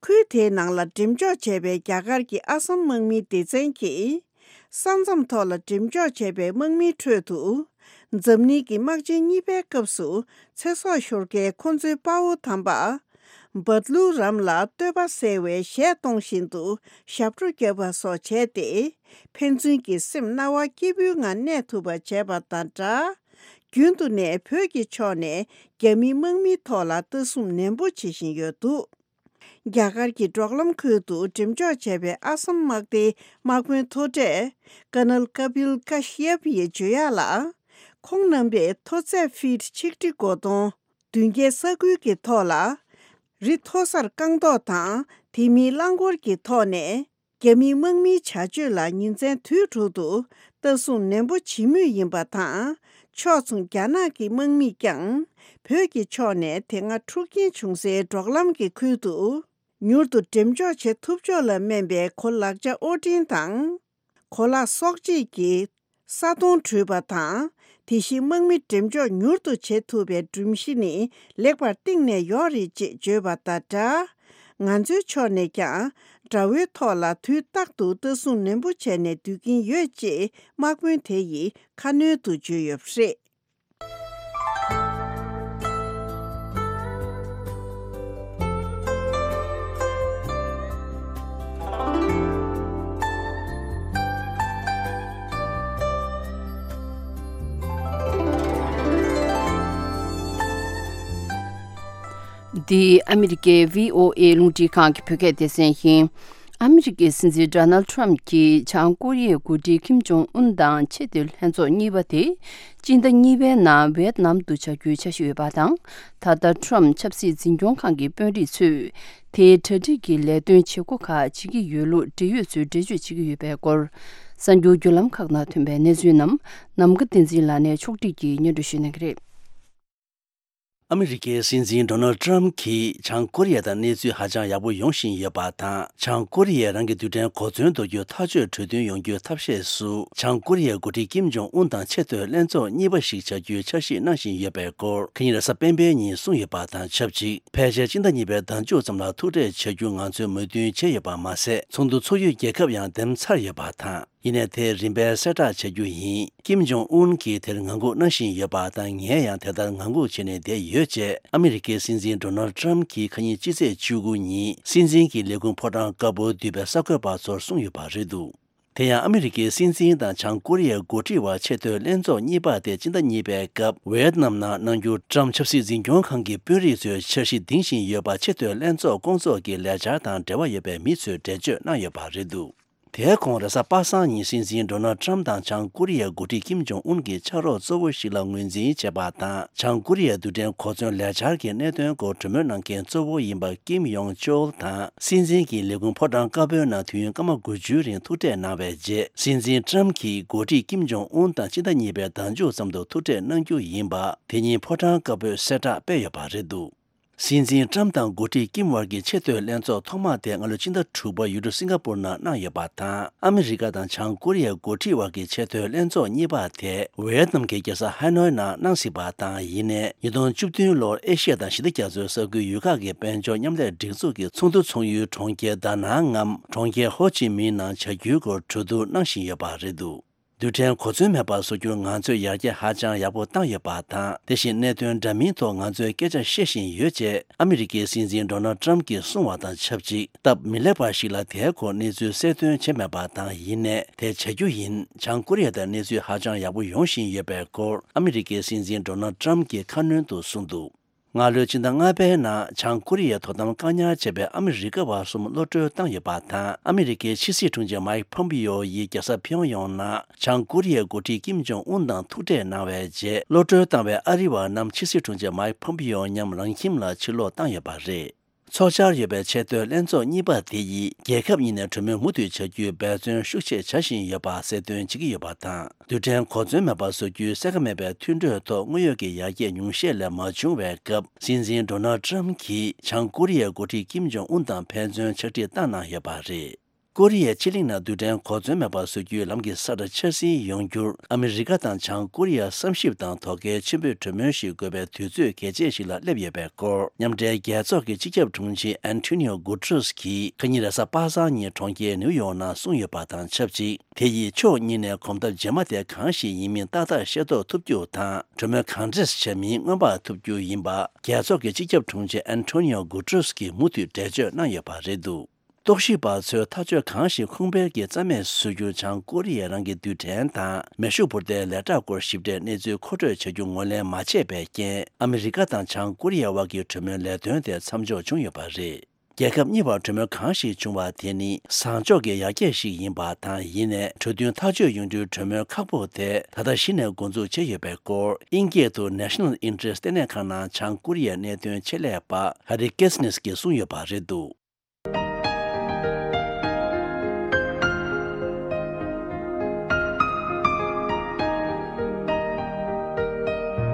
ཁུལ་དེའི་ནང་ལ་འགྲེམས་འཇོག་བྱས་པའི་རྒྱ་གར་གྱི་ཨ་སམ་དམག་མིའི་སྡེ་ཚན་གྱིས། ས་མཚམས་ཐོག་ལ་འགྲེམས་འཇོག་བྱས་པའི་དམག་མིའི་ཁྲོད་དུ། འཛམ་གླིང་གི་དམག་ཆེན་གཉིས་པའི་སྐབས་སུ་ཚེ་སྲོག་ཤོར་མཁན་ཁོ་ཚོའི་དཔའ་བོ་དམ་པ། བཱ་ཏི་ལུ་རམ་ལ་བསྟོད་པ་གསལ་བའི་གཞས་གཏོང་བཞིན་དུ་ཞབས་བྲོ་བརྒྱབ་པ་སོགས་བྱས་ཏེ། ཕན་ཚུན་གྱི་སེམས་རྣ་བ་སྐྱིད་པོའི་ངང་གནས་ཐུབ་པ་བྱས་པ་དང་སྦྲགས། རྒྱུན་དུ་ནས་བོད་ཀྱི་ཕྱོགས་ནས་རྒྱ་མིའི་དམག་མིའི་ཐོག་ལ་ལྟ་སྲུང་ནན་པོ་བྱེད་བཞིན་ཡོད་འདུག་རྒྱ་གར་གྱི་འབྲོག་ལམ་ཁུལ་དུ་འགྲེམས་འཇོག་བྱས་པའི་ཨ་སམ་དམག་སྡེའི་དམག་དཔོན་མཐོ་གྲས་ཀར་ནལ་ཀ་པིལ་ཀ་ཤི་ཡབ་ཡིས་བརྗོད་ཡག་ལ། ཁོང་རྣམ་པས་མཐོ་ཚད་ཕིཊ་ཆིག་ཁྲི་གོ་སྟོང་། བདུན་བརྒྱའི་ས་ཁུལ་གྱི་ཐོག་ལ། རི་མཐོ་སར་རྐང་ཐོག་དང་དེ་མིན་རླངས་འཁོར་གྱི་ཐོག་ནས། རྒྱ་མིའི་དམག་མིའི་བྱ་སྤྱོད་ལ་ཉིན་མཚན་དུས་དྲུག་ཏུ་ལྟ་སྲུང་ནན་པོ་བྱེད་མུས་ཡིན་པ་དང་། ཕྱོགས་མཚུངས་རྒྱ་ནག་གི་དམག་མིས་ཀྱང་། བོད་ཀྱི་ཕྱོགས་ནས་དེ་སྔ་འཁྲུག་རྐྱེན་བྱུང་སའི་འབྲོག་ལམ་གྱི་ཁུལ་དུ། མྱུར་དུ་འགྲེམས་འཇོག་བྱེད་ཐུབ་ཕྱོགས་ལ་སྨན་པའི་གོ་ལག་ཆ་དབོར་འདྲེན་དང་། གོ་ལག་གསོག་བྱེད་ཀྱི་ས་དོང་བྲུས་པ་དང་། དེ་བཞིན་དམག་མི་འགྲེམས་འཇོག་མྱུར་དུ་བྱེད་ཐུབ་པའི་སྒྲོམ་གཞི་ནི་ལེགས་པར་བཏིང་ནས་ཡོད་རེད་ཅེས་བརྗོད་པ་དང་སྦྲགས། ང་ཚོའི་ཕྱོགས་ནས་ཀྱང་དགྲ་བོའི་ཐོག་ལ་དུས་རྟག་ཏུ་ལྟ་སྲུང་ནན་པོ་བྱས་ནས་སྡོད་ཀྱིན་ཡོད་ཅེས་དམག་དཔོན་དེ་ཡིས་ཁ་སྣོན་དུ་བརྗོད་ཡོད་པ་རེད། འདི་ཨ་མི་རི་ཀའི་བྷི་ཨོ་ཨེ་རླུང་འཕྲིན་ཁང་གི་བོད་སྐད་སྡེ་ཚན་ཡིན། ཨ་མི་རི་ཀའི་སྲིད་འཛིན་ཌོ་ནལ་ཊམ་གྱིས་བྱང་ཀོ་རི་ཡའི་འགོ་ཁྲིད་ཀིམ་ཇོང་ཨུན་དང་ཆེས་མཐོའི་ལྷན་ཚོགས་གཉིས་པ་དེ། སྤྱི་ཟླ་གཉིས་པའི་ནང་ཝེད་ནམ་དུ་བྱ་རྒྱུའི་འཆར་གཞི་ཡོད་པ་དང་། ད་ལྟ་ཊམ་ཆབ་སྲིད་འཛིན་སྐྱོང་ཁང་གི་དཔོན་རིགས་ཚོས་དེའི་གྲ་སྒྲིག་གི་ལས་དོན་བྱེད་སྒོ་ཁག་བྱེད་ཀྱི་ཡོད་ལུགས་འབྲེལ་ཡོད་ཚོས་འགྲེལ་བརྗོད་བྱེད་ཀྱི་ཡོད་པའི་སྐོར། གསར་འགྱུར་བརྒྱུད་ལམ་ཁག་ནང་ཐོན་པའི་གནས་ཚུལ་རྣམས་ནམ་མཁའ་བསྟན་འཛིན་ལགས་ནས་ཕྱོགས་སྒྲིག་གིས་སྙན་སྒྲོན་ཞུ་གནང་གི་རེད། ཨ་མི་རི་ཀའི་སྲིད་འཛིན་ཌོ་ནལ་ཊམ་གྱིས་བྱང་ཀོ་རི་ཡ་དང་གནས་ཚུལ་ཧ་ཅང་ཡག་པོ་ཡོང་བཞིན་ཡོད་པ་དང་། བྱང་ཀོ་རི་ཡས་རང་གི་རྡུལ་ཕྲན་གོ་མཚོན་འདོགས་རྒྱུ་ཐག་གཅོད་གྲོས་མཐུན་ཡོང་རྒྱུའི་ཐབས་ཤེས་སུ། བྱང་ཀོ་རི་ཡའི་འགོ་ཁྲིད་ཀིམ་ཇོང་ཨུན་དང་ཆེས་མཐོའི་ལྷན་ཚོགས་གཉིས་པ་ཞིག་བྱ་རྒྱུའི་འཆར་གཞི་གནང་བཞིན་ཡོད་པའི་སྐོར། ཁ་ཉིན་རེས་གཟའ་སྤེན་པའི་ཉིན་གསུངས་ཡོད་པ་དང་ཆབས་ཅིག་ཕལ་ཆེར་སྤྱི་ཟླ་གཉིས་པའི་ཟླ་མཇུག་ཙམ་ལ་ཐུག་འཕྲད་བྱ་རྒྱུ་ང་ཚོས་མོས་མཐུན་བྱས་ཡོད་པ་མ་ཟད། ཚོགས་འདུ་ཚོགས་ཡུལ་རྒྱལ་ཁབ་ཡང་འདེམས་ཚར་ཡོད་པ་དང་། ཡིན་ནའི་དེ་རིམ་པས་གསལ་བསྒྲགས་བྱ་རྒྱུ་ཡིན། ཀིམ་ཇོང་ཨུན་གྱིས་དེར་ངང་སྒུག་གནང་བཞིན་ཡོད་པ་དང་། ངས་ཡང་དེ་ལྟར་ངང་སྒུག་བྱས་ནས་བསྡད་ཡོད་ཅེས་ཨ་མི་རི་ཀའི་སྲིད་འཛིན་ཌོ་ནལ་ཊམ་གྱིས་ཁ་ཉིན་སྤྱི་ཚེས་བཅུ་དགུ་ཉིན་སྲིད་འཛིན་གྱི་ལས་ཁུངས་ཕོ་བྲང་དཀར་པོར་འདུས་པའི་གསར་འགོད་པ་ཚོར་གསུངས་ཡོད་པ་རེད་འདུག་དེ་ཡང་ཨ་མི་རི་ཀའི་སྲིད་འཛིན་དང་བྱང་ཀོ་རི་ཡའི་འགོ་ཁྲིད་དབར་ཆེས་མཐོའི་ལྷན་ཚོགས་གཉིས་པ་དེ་སྤྱི་ཟླ་གཉིས་པའི་སྐབས་ཝེད་ནམ་ནང་གནང་རྒྱུ། ཊམ་ཆབ་སྲིད་འཛིན་སྐྱོང་ཁང་གི་དཔོན་རིགས་ཚོས་འཆར་གཞི་འདིང་བཞིན་ཡོད་པ། ཆེས་མཐོའི་ལྷན་ཚོགས་སྐོང་ཚོགས་ཀྱི་ལས་འཆར་དང་འབྲེལ་བ་ཡོད་པའི་མི་ཚོས་འགྲེལ་བརྗོད་གནང་ཡོད་པ་རེད་འདུག་དེའི་གོང་རེས་གཟའ་པ་སངས་ཉིན་སྲིད་འཛིན་ཌོ་ནལ་ཊམ་དང་བྱང་ཀོ་རི་ཡའི་འགོ་ཁྲིད་ཀིམ་ཇོང་ཨུན་གྱིས་ཕྱག་རོགས་གཙོ་བོ་ཞིག་ལ་ངོས་འཛིན་བྱས་པ་དང་། བྱང་ཀོ་རི་ཡའི་རྡུལ་ཕྲན་གོ་མཚོན་ལས་འཆར་གྱི་གནད་དོན་སྐོར་གྲོས་མོལ་གནང་མཁན་གཙོ་བོ་ཡིན་པ་ཀིམ་ཡོང་ཅོལ་དང་སྲིད་འཛིན་གྱི་ལས་ཁུངས་ཕོ་བྲང་དཀར་པོའི་ནང་དུས་ཡུན་སྐར་མ་དགུ་བཅུའི་རིང་ཐུག་འཕྲད་གནང་བའི་རྗེས། སྲིད་འཛིན་ཊམ་གྱིས་འགོ་ཁྲིད་ཀིམ་ཇོང་ཨུན་དང་སྤྱི་ཟླ་གཉིས་པའི་ཟླ་མཇུག་ཙམ་དུ་ཐུག་འཕྲད་གནང་རྒྱུ་ཡིན་པ་དེ་ཉིན་ཕོ་བྲང་དཀར་པོས་གསལ་བསྒྲགས་སྤེལ་ཡོད་པ་རེད་འདུག་སྲིད་འཛིན་ཊམ་དང་འགོ་ཁྲིད་ཀིམ་དབར་གྱི་ཆེས་མཐོའི་ལྷན་ཚོགས་ཐོག་མ་དེ་སྔ་ལོའི་ཕྱི་ཟླ་དྲུག་པར་ཡུལ་གྲུ་སིང་ག་པུར་ནང་གནང་ཡོད་པ་དང་། ཨ་མི་རི་ཀ་དང་བྱང་ཀོ་རི་ཡའི་འགོ་ཁྲིད་དབར་གྱི་ཆེས་མཐོའི་ལྷན་ཚོགས་གཉིས་པ་དེ་ཝེ་ཡེད་ནམ་གྱི་རྒྱལ་ས་ཧ་ནོའི་ནང་གནང་སྲིད་པ་དང་། ཡིན་ནའི་ཉིས་སྟོང་བཅུ་བདུན་ལོར་ཨེ་ཤི་ཡ་དང་ཞི་བདེ་རྒྱ་མཚོའི་ས་ཁུལ་ཡུལ་ཁག་གི་དཔལ་འབྱོར་མཉམ་ལས་སྒྲིག་འཛུགས་ཀྱི་ཚོགས་འདུ་ཚོགས་ཡུལ་གྲོང་ཁྱེར་ད་ནང་ངམ་གྲོང་ཁྱེར་ཧོ་ཅི་མིན་ནང་བྱ་རྒྱུའི་སྐོར་གྲོས་བསྡུར་གནང་བཞིན་ཡོད་པ་རེད་འདུག་རྡུལ་ཕྲན་གོ་མཚོན་མེད་པ་བཟོ་རྒྱུར་ང་ཚོས་ཡར་རྒྱས་ཧ་ཅང་ཡག་པོ་བཏང་ཡོད་པ་དང་། དེ་བཞིན་གནད་དོན་འདྲ་མིན་ཐོག་ང་ཚོས་སྐད་ཆ་བཤད་བཞིན་ཡོད་ཅེས་ཨ་མི་རི་ཀའི་སྲིད་འཛིན་ཌོ་ནལ་ཊམ་གྱིས་གསུངས་བ་དང་ཆབས་ཅིག་སྟབས་མི་ལེགས་པ་ཞིག་ལ་དེའི་སྐོར་གནས་ཚུལ་གསལ་སྟོན་བྱས་མེད་པ་དང་། ཡིན་ནའི་དེ་བྱ་རྒྱུ་ཡིན། བྱང་ཀོ་རི་ཡ་དང་གནས་ཚུལ་ཧ་ཅང་ཡག་པོ་ཡོང་བཞིན་ཡོད་པའི་སྐོར་ཨ་མི་རི་ཀའི་སྲིད་འཛིན་ཌོ་ནལ་ཊམ་གྱིས་ཁ་སྣོན་དུ་གསུངས་འདུག་སྔ་ལོའི་ཕྱི་ཟླ་ལྔ་པའི་ནང་བྱང་ཀོ་རི་ཡའི་དོ་དམ་བཀག་ཉར་བྱས་པའི་ཨ་མི་རི་ཀ་བ་གསུམ་གློད་གྲོལ་བཏང་ཡོད་པ་དང་། ཨ་མི་རི་ཀའི་ཕྱི་སྲིད་དྲུང་ཆེ་མའིག་ཕོམ་པིའོ་ཡིས་རྒྱལ་ས་ཕིའོ་ཡོང་ནང་བྱང་ཀོ་རི་ཡའི་འགོ་ཁྲིད་ཀིམ་ཇོང་ཨུན་དང་ཐུག་འཕྲད་གནང་བའི་རྗེས། གློད་གྲོལ་བཏང་བའི་ཨ་རི་བ་རྣམས་ཕྱི་སྲིད་དྲུང་ཆེ་མའིག་ཕོམ་པིའོ་མཉམ་རང་ཁྱིམ་ལ་ཕྱིར་ལོག་བཏང་ཡོད་པ་རེད། འཚོགས་འཆར་ཡོད་པའི་ཆེས་མཐོའི་ལྷན་ཚོགས་གཉིས་པ་དེ་ཡིས་རྒྱལ་ཁབ་གཉིས་ནས་གྲོས་མོལ་མུ་མཐུད་བྱ་རྒྱུའི་འབད་བརྩོན་ཤུགས་ཆེ་བྱ་བཞིན་ཡོད་པ་གསལ་སྟོན་བྱེད་ཀྱི་ཡོད་པ་དང་། རྡུལ་ཕྲན་གོ་མཚོན་མེད་པ་བཟོ་རྒྱུའི་གསལ་ཁ་མེད་པའི་མཐུན་གྲོས་ཐོག་དངོས་ཡོད་ཀྱི་ཡར་རྒྱས་ཉུང་ཤས་ལས་མ་བྱུང་བའི་སྐབས། སྲིད་འཛིན་ཌོ་ནལ་ཊམ་གྱིས་བྱང་ཀོ་རི་ཡའི་འགོ་ཁྲིད་ཀིམ་ཇོང་ཨུན་དང་ཕན་ཚུན་ཕྱག་བྲིས་བཏང་གནང་ཡོད་པ་རེད། ཀོ་རི་ཡའི་ཕྱེད་གླིང་ནང་རྡུལ་ཕྲན་གོ་མཚོན་མེད་པ་བཟོ་རྒྱུའི་ལམ་གྱི་ས་ཁྲ་འཆར་ཟིན་ཡོང་རྒྱུར་ཨ་མི་རི་ཀ་དང་བྱང་ཀོ་རི་ཡ་བསམ་ཞིབ་དང་དོ་གལ་ཆེན་པོས་གྲོས་མོལ་ཞིག་དགོས་པའི་དུས་ཚོད་གལ་ཆེ་ཞིག་ལ་སླེབས་ཡོད་པའི་སྐོར། མཉམ་འབྲེལ་རྒྱལ་ཚོགས་ཀྱི་སྤྱི་ཁྱབ་དྲུང་ཆེ་ཨན་ཐོ་ནིའོ་གུ་ཏྲེས་ཀྱིས་ཁ་ཉིན་རེས་གཟའ་པ་སངས་ཉིན་གྲོང་ཁྱེར་ནིའུ་ཡོག་ནང་གསུངས་ཡོད་པ་དང་ཆབས་ཅིག་དེ་ཡིས་ཕྱོགས་གཉིས་ནས་གོམ་སྟབས་རྗེས་མ་དེ་གང་ཞིག་ཡིན་མིན་ཏག་ཏག་ཤེས་རྟོགས་ཐུབ་རྒྱུ་དང་། གྲོས་མོལ་གང་འདྲས་བྱ་མིན་སྔོན་དཔག་ཐུབ་རྒྱུ་ཡིན་པ། རྒྱལ་ཚོགས་ཀྱི་སྤྱི་ཁྱབ་དྲུང་ཆེ་ཨན་ཐོ་ནིའོ་གུ་ཏྲེས་ཀྱིས་མུ་མཐུད་འགྲེལ་བརྗོད་གནང་ཡོད་པ་རེད་འདུག་རྟོག་ཞིབ་པ་ཚོས་ཐག་གཅོད་གང་ཞིག་ཁུངས་སྤེལ་གྱིས་རྩ་མེད་བཟོ་རྒྱུ། བྱང་ཀོ་རི་ཡ་རང་གི་རྡུལ་ཕྲན་དང་མེ་ཤུགས་འཕུར་མདེལ་ལས་གྲྭ་སྐོར་ཞིབ་ཕྲའི་གནས་ཚུལ་མཁོ་སྤྲོད་བྱ་རྒྱུ་ངོས་ལེན་མ་བྱས་པའི་རྐྱེན། ཨ་མི་རི་ཀ་དང་བྱང་ཀོ་རི་ཡ་དབར་གྱི་གྲོས་མོལ་ལས་དོན་དེ་མཚམས་འཇོག་བྱུང་ཡོད་པ་རེད། རྒྱལ་ཁབ་གཉིས་བར་གྲོས་མོལ་གང་ཞིག་བྱུང་བ་དེ་ནི་བཟང་ཕྱོགས་ཀྱི་ཡར་རྒྱས་ཤིག་ཡིན་པ་དང་། ཡིན་ནའི་གྲོས་མཐུན་ཐག་གཅོད་ཡོང་དུས་གྲོས་མོལ་ཁག་པོ་དེ་ད་ལྟ་གཞི་ནས་འགོ་འཛུགས་བྱས་ཡོད་པའི་སྐོར། དབྱིན་སྐད་དུ་National Interest ལྟེ་གནས་ཁང་ནང་བྱང་ཀོ་རི་ཡའི་གནད་དོན་ཆེད་ལས་པ་Harry Kessniss གྱིས་གསུངས་ཡོད་པ་རེད་འདུག།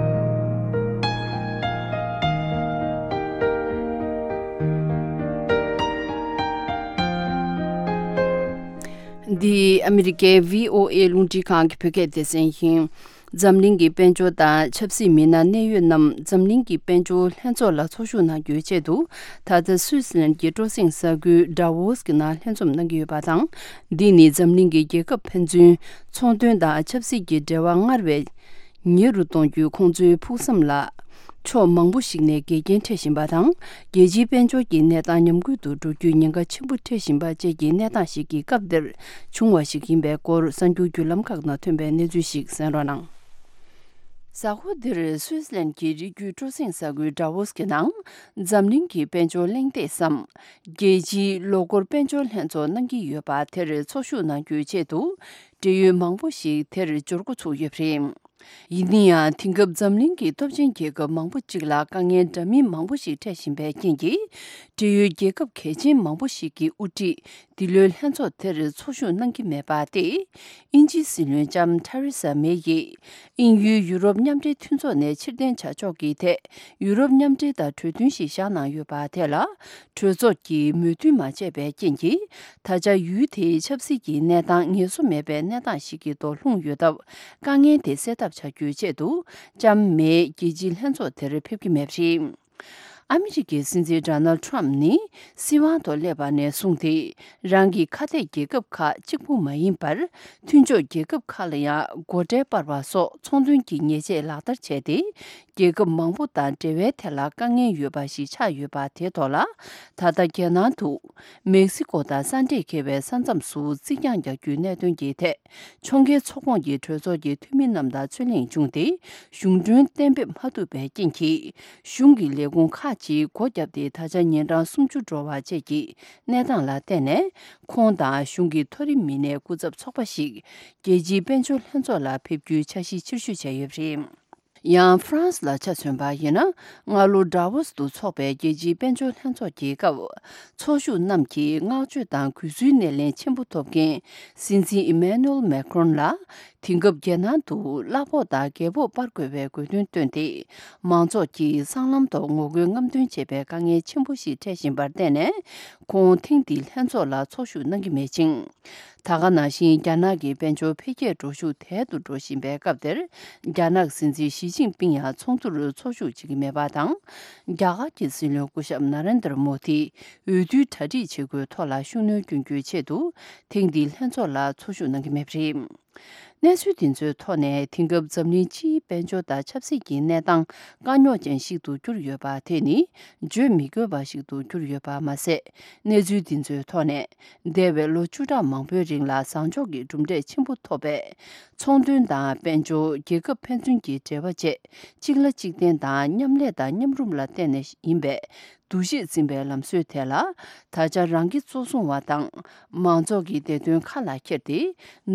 འདི་ཨ་མི་རི་ཀའི་བྷི་ཨོ་ཨེ་རླུང་འཕྲིན་ཁང་གི་བོད་སྐད་སྡེ་ཚན་ཡིན། འཛམ་གླིང་གི་དཔལ་འབྱོར་དང་ཆབ་སྲིད་མི་སྣ་གནད་ཡོད་རྣམས་འཛམ་གླིང་གི་དཔལ་འབྱོར་ལྷན་ཚོགས་ལ་ཚོགས་ཞུགས་གནང་རྒྱུའི་ཆེད་དུ། ད་ལྟ་སུད་སི་ལན་གྱི་སྤྲོ་གསེང་ས་ཁུལ་ཌ་ཝོ་སི་གི་ནང་ལྷན་འཛོམས་གནང་གི་ཡོད་པ་དང་། འདི་ནི་འཛམ་གླིང་གི་རྒྱལ་ཁབ་ཕན་ཚུན་ཚོང་དོན་དང་ཆབ་སྲིད་ཀྱི་འབྲེལ་བ་སྔར་བས་ཉེ་རུ་གཏོང་རྒྱུའི་ཁོང་ཚོའི་ཕུགས་བསམ་ལ་ཕྱོགས་མང་པོ་ཞིག་ནས་འགལ་རྐྱེན་འཕྲད་བཞིན་པ་དང་། རྒྱལ་སྤྱིའི་དཔལ་འབྱོར་གྱི་གནས་སྟངས་ཉམས་རྒུད་དུ་འགྲོ་རྒྱུའི་ཉེན་ཁ་ཆེན་པོ་འཕྲད་བཞིན་པ་བཅས་ཀྱི་གནས་སྟངས་ཤིག་གི་སྐབས་འདིར་བྱུང་བ་ཞིག་ཡིན་པའི་སྐོར། གསར་འགྱུར་བརྒྱུད་ལམ་ཁག་ནང་ཐོན་པའི་གནས་ཚུལ་ཞིག་གསན་རོགས་གནང་། གཟའ་འཁོར་འདིར་སུད་སི་ལན་གྱི་རི་རྒྱུད་སྤྲོ་གསེང་ས་ཁུལ་ཌ་ཝོ་སི་གི་ནང་འཛམ་གླིང་གི་དཔལ་འབྱོར་གླེང་སྟེགས་སམ། རྒྱལ་སྤྱིའི་ལོ་འཁོར་དཔལ་འབྱོར་ལྷན་ཚོགས་གནང་གི་ཡོད་པ་དེར་ཚོགས་ཞུགས་གནང་རྒྱུའི་ཆེད་དུ། འབྲེལ་ཡོད་མང་པོ་ཞིག་དེར་འབྱོར་འགོ་ཚུགས་ཡོད་པ་རེད། ཡིན་ན་ཡང་། དེང་སྐབས་འཛམ་གླིང་གི་སྟོབས་ཆེན་རྒྱལ་ཁབ་མང་པོ་གཅིག་ལ་དཀའ་ངལ་འདྲ་མིན་མང་པོ་ཞིག་འཕྲད་བཞིན་པའི་རྐྱེན་གྱིས། འབྲེལ་ཡོད་རྒྱལ་ཁབ་གལ་ཆེན་མང་པོ་ཞིག་གི་དབུ་ཁྲིད་འདི་ལོའི་ལྷན་ཚོགས་དེར་ཚོགས་ཞུགས་གནང་གི་མེད་པ་སྟེ། དབྱིན་ཇིའི་སྲིད་བློན་ལྕམ་ཐ་རི་ས་མེ་ཡིས་དབྱིན་ཡུལ་ཡུ་རོབ་མཉམ་འབྲེལ་མཐུན་ཚོགས་ནས་ཕྱིར་འཐེན་བྱ་ཕྱོགས་ཀྱི་ཐད་ཡུ་རོབ་མཉམ་འབྲེལ་དང་གྲོས་མཐུན་ཞིག་བཞག་གནང་ཡོད་པ་དེ་ལ། གྲོས་ཚོགས་ཀྱིས་མོས་མཐུན་མ་བྱས་པའི་རྐྱེན་གྱིས། ད་ཆ་ཡུལ་དེའི་ཆབ་སྲིད་ཀྱི་གནས་སྟངས་ངལ་གསོ་མེད་པའི་གནས་སྟངས་ཤིག་གི་ཐོག་ལྷུང་ཡོད་སྟབས། དཀའ་ངལ་དེ་སེལ་ཐབས་བྱ་རྒྱུའི་ཆེད་དུ། ལྕམ་མེ་རྒྱལ་སྤྱིའི་ལྷན་ཚོགས་དེར་ཕེབས་ཀྱི་མེད་པ་རེད། ཨ་མི་རི་ཀའི་སྲིད་འཛིན་ཌོ་ནལ་ཊམ་ནི་སྲིད་དབང་ཐོག་སླེབས་པ་ནས་བཟུང་སྟེ། རང་གི་ཁ་གཏད་རྒྱལ་ཁབ་ཁག་གཅིག་པུ་མ་ཡིན་པར། མཐུན་ཕྱོགས་རྒྱལ་ཁབ་ཁག་ལ་ཡང་སྒོ་ཁྲལ་སྤར་བ་སོགས་ཚོང་དོན་གྱི་ཉེས་ཆད་ལག་བསྟར་བྱས་ཏེ། རྒྱལ་ཁབ་མང་པོ་དང་འབྲེལ་བའི་ཐད་ལ་དཀའ་ངལ་ཡོད་པ་ཞིག་ཆགས་ཡོད་པ་དེ་ཐོག་ལ། ད་ལྟ་རྒྱལ་ནང་དུ་མེག་སི་ཀོ་དང་ས་འབྲེལ་འཁེལ་བའི་ས་མཚམས་སུ་རྩིག་གྱང་རྒྱག་རྒྱུའི་གནད་དོན་གྱི་ཐད། ཕྱོགས་འགལ་ཚོགས་ཁོངས་ཀྱི་གྲོས་ཚོགས་ཀྱི་འཐུས་མི་རྣམས་དང་རྩོད་གླེང་བྱུང་སྟེ། གཞུང་གྲོན་གཏན་འབེབས་མ་ཐུབ་པའི་རྐྱེན་གྱིས། གཞུང་གི་ལས་ཁུངས་ཁག་ཅིག་སྒོ་བརྒྱབ་སྟེ། ད་ཆ་ཉིན་གྲངས་སུམ་ཅུ་འགྲོ་བ་བཅས་ཀྱི་གནས་སྟངས་ལ་བརྟེན་ནས། ཁོང་དང་གཞུང་གི་མཐོ་རིམ་མི་སྣའི་སྐུ་ཚབ་ཚོགས་པ་ཞིག་རྒྱལ་སྤྱིའི་དཔལ་འབྱོར་ལྷན་ཚོགས་ལ་ཕེབས་རྒྱུའི་འཆར་གཞི་ཕྱིར་བཤོལ་བྱས་ཡོད་པ་རེད། ཡང་ཧྥ་རན་སི་ལ་ཆ་མཚོན་པ་ཡིན་ན། སྔ་ལོ་ཌ་ཝོ་སི་ཏུ་འཚོགས་པའི་རྒྱལ་སྤྱིའི་དཔལ་འབྱོར་ལྷན་ཚོགས་ཀྱི་སྐབས། ཚོགས་ཞུགས་རྣམས་ཀྱིས་བསྔགས་བརྗོད་དང་གུས་བསུའི་སྣེ་ལེན་ཆེན་པོ་ཐོབ་མཁན་སྲིད་འཛིན་ཨི་མེ་ནུ་ཨེལ་མེ་ཁོན་ལ། དེང་སྐབས་རྒྱལ་ནང་དུ་གླ་ཕོགས་དང་རྒྱལ་ཕོགས་སྤར་དགོས་པའི་དགོས་འདུན་བཏོན་ཏེ། མང་ཚོགས་ཀྱིས་སྲང་ལམ་ཐོག་ངོ་རྒོལ་རྔམ་སྟོན་བྱེད་པའི་དཀའ་ངལ་ཆེན་པོ་ཞིག་འཕྲད་བཞིན་པར་བརྟེན་ནས། ཁོང་ཐེངས་འདིའི་ལྷན་ཚོགས་ལ་ཚོགས་ཞུགས་གནང་གི་མེད་ཅིང་། ད་ག་ནང་བཞིན་རྒྱ་ནག་གི་དཔལ་འབྱོར་འཕེལ་རྒྱས་འགྲོ་ཤུགས་དལ་དུ་འགྲོ་བཞིན་པའི་སྐབས་དེར། རྒྱ་ནག་སྲིད་འཛིན་ཞི་ཅིན་ཕིང་ཡང་ཚོགས་འདུར་ཚོགས་ཞུགས་བྱེད་ཀྱི་མེད་པ་དང་། རྒྱ་གར་གྱི་སྲིད་བློན་སྐུ་ཞབས་ན་རེན་དར་མོ་དི་འོས་བསྡུའི་གྲ་སྒྲིག་བྱེད་དགོས་ཐོག་ལ་ཤུགས་སྣོན་སྐྱོན་རྒྱུའི་ཆེད་དུ། ཐེངས་འདིའི་ལྷན་ཚོགས་ལ་ཚོགས་ཞུགས་གནང་གི་མེད་པ་རེད། གནས་ཚུལ་འདི་ཚོའི་ཐོག་ནས། དེང་སྐབས་འཛམ་གླིང་སྤྱིའི་དཔལ་འབྱོར་དང་ཆབ་སྲིད་ཀྱི་གནས་སྟངས་དཀའ་རྙོག་ཅན་ཞིག་ཏུ་གྱུར་ཡོད་པ་དེ་ནི་བརྗོད་མི་དགོས་པ་ཞིག་ཏུ་གྱུར་ཡོད་པ་མ་ཟད། གནས་ཚུལ་འདི་ཚོའི་ཐོག་ནས། འདས་པའི་ལོ་བཅུ་ཕྲག་མང་པོའི་རིང་ལ་བཟང་ཕྱོགས་ཀྱི་གྲུབ་འབྲས་ཆེན་པོ་ཐོབ་པའི་ཚོང་དོན་དང་དཔལ་འབྱོར། རྒྱལ་ཁབ་ཕན་ཚུན་གྱི་འབྲེལ་བ་བཅས་གཅིག་ལ་གཅིག་བརྟེན་དང་མཉམ་ལས་དང་མཉམ་རུབ་ལ་བརྟེན་ནས་ཡིན་པའི་འདུ་ཤེས་འཛིན་པའི་ལམ་སྲོལ་དེ་ལ། ད་ཆ་རང་གི་གཙོ་བཟུང་བ་དང་མང་ཚོགས་ཀྱི་བདེ་དོན་ཁ་ལ་འཁྱེར་ཏེ།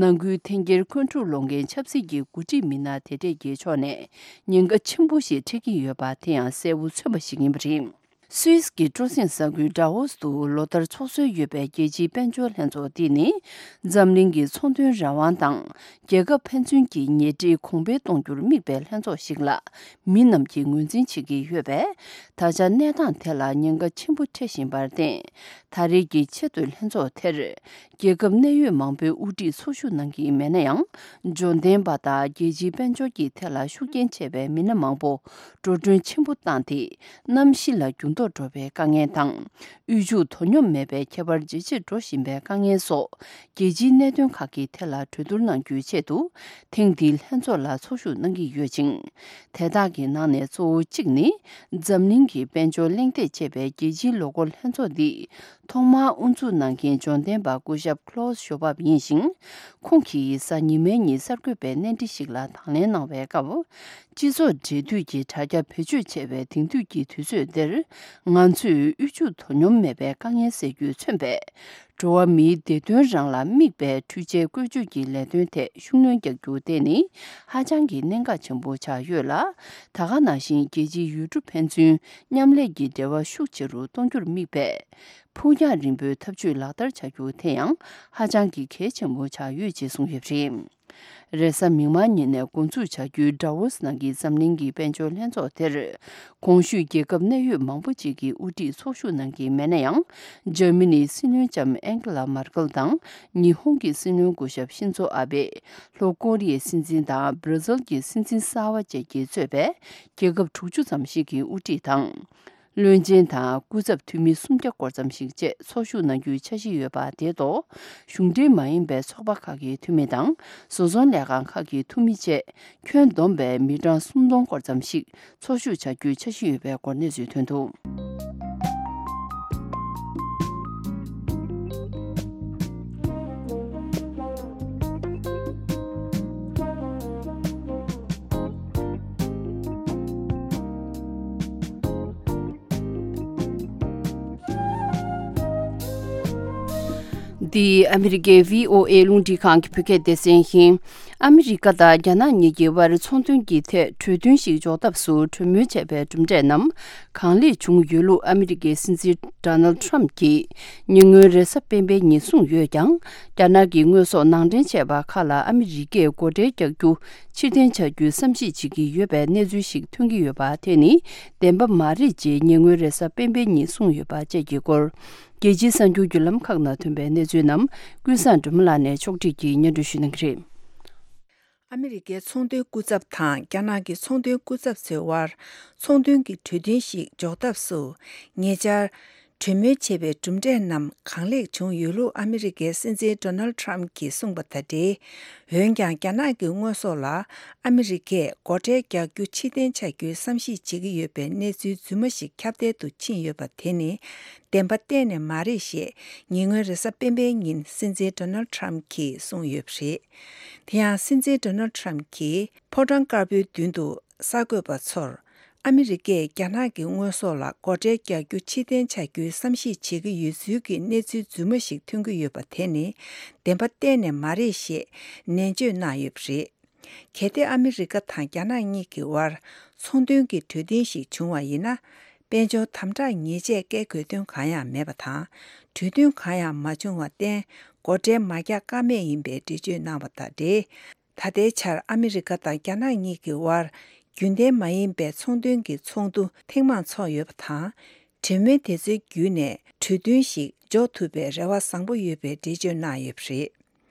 ནང་ཁུལ་འཐེན་འཁྱེར་འཁོན་འཁྲུག་སློང་མཁན་ཆབ་སྲིད་ཀྱི་འགོ་ཁྲིད་མི་སྣ་དེ་འདྲས་ཀྱི་ཕྱོགས་ནས་ཉེན་ཁ་ཆེན་པོ་ཞིག་འཕྲད་ཀྱི་ཡོད་པ་དེ་ཡང་གསལ་པོ་མཚོན་པ་ཞིག་ཡིན་པ་རེད། སུད་སི་གི་སྤྲོ་གསེང་ས་ཁུལ་ཌ་ཝོ་སི་ཏུ་ལོ་ལྟར་ཚོགས་སྲོལ་ཡོད་པའི་རྒྱལ་སྤྱིའི་དཔལ་འབྱོར་ལྷན་ཚོགས་འདི་ནི། འཛམ་གླིང་གི་ཚོང་དོན་རང་དབང་དང་། རྒྱལ་ཁབ་ཕན་ཚུན་གྱི་ཉེ་འབྲེལ་གོང་འཕེལ་གཏོང་རྒྱུར་དམིགས་པའི་ལྷན་ཚོགས་ཤིག་ལ། མི་རྣམས་ཀྱིས་ངོས་འཛིན་བྱེད་ཀྱི་ཡོད་པས། ད་ཆ་གནས་སྟངས་དེ་ལ་ཉེན་ཁ་ཆེན་པོ་འཕྲད་བཞིན་པར་བརྟེན། ད་རེས་ཀྱི་ཆེས་མཐོའི་ལྷན་ཚོགས་དེར། རྒྱལ་ཁབ་གནད་ཡོད་མང་པོའི་དབུ་ཁྲིད་ཚོགས་ཞུགས་གནང་གི་མེད་ན་ཡང་། འབྱོར་ལྡན་པ་དང་རྒྱལ་སྤྱིའི་དཔལ་འབྱོར་གྱི་ཐད་ལ་ཤུགས་རྐྱེན་ཆེ་བའི་མི་སྣ་མང་པོ་འགྲོ་གྲོན་ཆེན་པོ་བཏང་སྟེ། གནམ་གཤིས་ལ་འགྱུར་ལྡོག་འགྲོ་བའི་དཀའ་ངལ་དང་། དབུལ་ཕྱུག་དོ་སྙོམས་མེད་པའི་ཁྱད་པར་ཇེ་ཆེར་འགྲོ་བཞིན་པའི་དཀའ་ངལ་སོགས། རྒྱལ་སྤྱིའི་གནད་དོན་ཁག་གི་ཐད་ལ་གྲོས་བསྡུར་གནང་རྒྱུའི་ཆེད་དུ། ཐེངས་འདིའི་ལྷན་ཚོགས་ལ་ཚོགས་ཞུགས་གནང་གི་ཡོད་ཅིང་། དེ་དག་གི་ནང་ནས་གཙོ་བོ་གཅིག་ནི། འཛམ་གླིང་གི་དཔལ་འབྱོར་གླེང་སྟེགས་ཅེས་པའི་རྒྱལ་སྤྱིའི་ལོ་འཁོར་ལྷན་ཚོགས་འདི། ཐོག་མར་དབུ་འཛུགས་གནང་མཁན་འབྱོར་ལྡན་པ་སྐུ་ཞབས་Klaus Schwab་ཡིན་ཞིང་། ཁོང་གིས་གཟའ་ཉི་མའི་ཉིན་གསར་འགོད་པའི་གནས་འདྲི་ཞིག་ལ་དང་ལེན་གནང་བའི་སྐབས། སྤྱི་ཚོགས་འབྲེལ་མཐུད་ཀྱི་དྲ་རྒྱ་བེད་སྤྱོད་བྱས་པའི་དེང་དུས་ཀྱི་དུས་ཚོད་འདིར། ང་ཚོས་དབུལ་ཕྱུག་དོ་སྙོམས་མེད་པའི་དཀའ་ངལ་སེལ་རྒྱུས་མཚོན་པའི། འགྲོ་བ་མིའི་བདེ་དོན་རང་ལ་དམིགས་པའི་འཕྲུལ་ཆས་བཀོལ་སྤྱོད་ཀྱི་ལས་དོན་ཐད་ཤུགས་སྣོན་རྒྱག་རྒྱུ་དེ་ནི་ཧ་ཅང་གི་གནད་འགག་ཆེན་པོ་ཆགས་ཡོད་ལ། ད་ག་ནང་བཞིན་རྒྱལ་སྤྱིའི་ཡུལ་གྲུ་ཕན་ཚུན་མཉམ་ལས་ཀྱི་འབྲེལ་བ་ཤུགས་ཆེ་རུ་གཏོང་རྒྱུར་དམིགས་པའི་ཕུགས་རྒྱང་རིང་པོའི་འཐབ་ཇུས་ལག་བསྟར་བྱ་རྒྱུ་དེ་ཡང་ཧ་ཅང་གི་གལ་ཆེན་པོ་ཆགས་ཡོད་ཅེས་གསུངས་ཡོད་པ་རེད། རེས་གཟའ་མིག་དམར་ཉིན་ནས་འགོ་འཛུགས་བྱ་རྒྱུའི་ཌ་ཝོ་སི་ནང་གི་འཛམ་གླིང་གི་དཔལ་འབྱོར་ལྷན་ཚོགས་དེར། གོང་ཞུས་རྒྱལ་ཁབ་གནད་ཡོད་མང་པོ་ཅིག་གི་དབུ་ཁྲིད་ཚོགས་ཞུགས་གནང་གི་མེད་ན་ཡང་། འཇར་མ་ནིའི་སྲིད་བློན་ལྕམ་ཨན་ཀེ་ལ་མར་ཀེལ་དང་། ཉི་ཧོང་གི་སྲིད་བློན་སྐུ་ཞབས་ཤིན་ཛོ་ཨ་བྷེ། ལྷོ་ཀོ་རི་ཡའི་སྲིད་འཛིན་དང་། བྷར་ཛིལ་གྱི་སྲིད་འཛིན་གསར་བ་བཅས་ཀྱིས་གཙོས་པའི་རྒྱལ་ཁབ་དྲུག་ཅུ་ཙམ་ཞིག་གི་དབུ་ཁྲིད་དང་། བློན་ཆེན་དང་སྐུ་ཚབ་འཐུས་མི་སུམ་བརྒྱ་སྐོར་ཙམ་ཞིག་བཅས་ཚོགས་ཞུགས་གནང་རྒྱུའི་འཆར་གཞི་ཡོད་པ་དེ་གཏོགས། གཞུང་འབྲེལ་མ་ཡིན་པའི་ཚོགས་པ་ཁག་གི་འཐུས་མི་དང་། བཟོ་ཚོང་ལས་ཁང་ཁག་གི་འཐུས་མི་བཅས་ཁྱོན་བསྡོམས་པའི་མི་གྲངས་སུམ་སྟོང་སྐོར་ཙམ་ཞིག་ཚོགས་ཞུགས་བྱ་རྒྱུའི་འཆར་གཞི་ཡོད་པའི་སྐོར་གནས་ཚུལ་ཐོན་འདུག། འདི་ཨ་མི་རི་ཀའི་བྷི་ཨོ་ཨེ་རླུང་འཕྲིན་ཁང་གི་བོད་སྐད་སྡེ་ཚན་ཡིན། ཨ་མི་རི་ཀ་དང་རྒྱ་ནག་གཉིས་ཀྱི་དབར་ཚོང་དོན་གྱི་ཐད་གྲོས་མཐུན་ཞིག་འཇོག་ཐབས་སུ་གྲོས་མོལ་བྱས་པའི་གྲུབ་འབྲས་རྣམས་གང་ལེགས་བྱུང་ཡོད་ལུགས་ཨ་མི་རི་ཀའི་སྲིད་འཛིན་ཌོ་ནལ་ཁྲམ་གྱིས་ཉེ་སྔོན་རེས་གཟའ་སྤེན་པའི་ཉིན་གསུངས་ཡོད་ཀྱང་། རྒྱ་ནག་གི་དངོས་ཟོག་ནང་འདྲེན་བྱས་པ་ཁག་ལ་ཨ་མི་རི་ཀས་སྒོ་ཁྲལ་རྒྱག་རྒྱུ་ཕྱིར་འཐེན་བྱ་རྒྱུའི་བསམ་གཞིག་བྱེད་ཀྱི་ཡོད་པའི་གནས་ཚུལ་ཞིག་ཐོན་གྱི་ཡོད་པ་དེ་ནི་བདེན་པ་མ་རེད་ཅེས་ཉེ་སྔོན་རེས་གཟའ་སྤེན་པའི་ཉིན་གསུངས་ཡོད་པ་བཅས་ཀྱི་སྐོར། རྒྱལ་སྤྱིའི་གསར་འགྱུར་བརྒྱུད་ལམ་ཁག་ནང་ཐོན་པའི་གནས་ཚུལ་རྣམས་ཀུན་བཟང་སྒྲོལ་མ་ལགས་ནས་ཕྱོགས་སྒྲིག་གིས་སྙན་སྒྲོན་ཞུ་གནང་གི་རེད། ཨ་མི་རི་ཀའི་ཚོང་དོན་སྐུ་ཚབ་དང་རྒྱ་ནག་གི་ཚོང་དོན་སྐུ་ཚབ་ཚོའི་དབར་ཚོང་དོན་གྱི་གྲོས་མཐུན་ཞིག་འཇོག་ཐབས་སུ་ཉེ་ཆར་གྲོས་མོལ་བྱས་པའི་གྲུབ་འབྲས་རྣམས་གང་ལེགས་བྱུང་ཡོད་ལུགས་ཨ་མི་རི་ཀའི་སྲིད་འཛིན་ཌོ་ནལ་ཁྲམ་གྱིས་གསུངས་པ་དང་འབྲེལ། འོན་ཀྱང་རྒྱ་ནག་གི་དངོས་ཟོག་ལ་ཨ་མི་རི་ཀས་སྒོ་ཁྲལ་རྒྱག་རྒྱུ་ཕྱིར་འཐེན་བྱ་རྒྱུའི་བསམ་གཞིག་བྱེད་ཀྱི་ཡོད་པའི་གནས་ཚུལ་རྫུན་མ་ཞིག་ཁྱབ་གདལ་དུ་ཕྱིན་ཡོད་པ་དེ་ནི་བདེན་པ་གཏན་ནས་མ་རེད་ཞེས་ཉེ་སྔོན་རེས་གཟའ་སྤེན་པའི་ཉིན་སྲིད་འཛིན་ཌོ་ནལ་ཁྲམ་གྱིས་གསུངས་ཡོད་པ་རེད། དེ་ཡང་སྲིད་འཛིན་ཌོ་ནལ་ཁྲམ་གྱིས་ཕོ་བྲང་དཀར་པོའི་མདུན་དུ་གསར་འགོད་པ་ཚོར། ཨ་མི་རི་ཀས་རྒྱ་ནག་གི་དངོས་ཟོག་ལ་སྒོ་ཁྲལ་རྒྱག་རྒྱུ་ཕྱིར་འཐེན་བྱ་རྒྱུའི་བསམ་གཞིག་བྱེད་ཀྱི་ཡོད་ཚུལ་གྱི་གནས་ཚུལ་རྫུན་མ་ཞིག་ཐོན་གྱི་ཡོད་པ་དེ་ནི་བདེན་པ་གཏན་ནས་མ་རེད་ཞེས་ནན་བརྗོད་གནང་ཡོད་པ་རེད། གལ་ཏེ་ཨ་མི་རི་ཀ་དང་རྒྱ་ནག་གཉིས་ཀྱི་དབར་ཚོང་དོན་གྱི་གྲོས་མཐུན་ཞིག་བྱུང་བ་ཡིན་ན། དཔལ་འབྱོར་དམ་དྲག་ཉེས་ཆད་བཀལ་དགོས་དོན་གང་ཡང་མེད་པ་དང་། གྲོས་མཐུན་གང་ཡང་མ་བྱུང་བར་བརྟེན་སྒོ་ཁྲལ་མ་རྒྱག་ཀ་མེད་ཡིན་པའི་འགྲེལ་བརྗོད་གནང་བ་དང་འབྲེལ། ད་ལྟའི་ཆར་ཨ་མི་རི་ཀ་དང་རྒྱ་ནག་གཉིས་ཀྱི་དབར་རྒྱུན་ལྡན་མ་ཡིན་པའི་ཚོང་དོན་གྱི་ཚོགས་འདུ་ཐེངས་མང་འཚོགས་ཡོད་པ་དང་། གྲོས་མོལ་དེ་ཚོའི་བརྒྱུད་ནས་གྲོས་མཐུན་ཞིག་འཇོག་ཐུབ་པའི་རེ་བ་བཟང་པོ་ཡོད་པའི་འགྲེལ་བརྗོད་གནང་ཡོད་པ་རེད།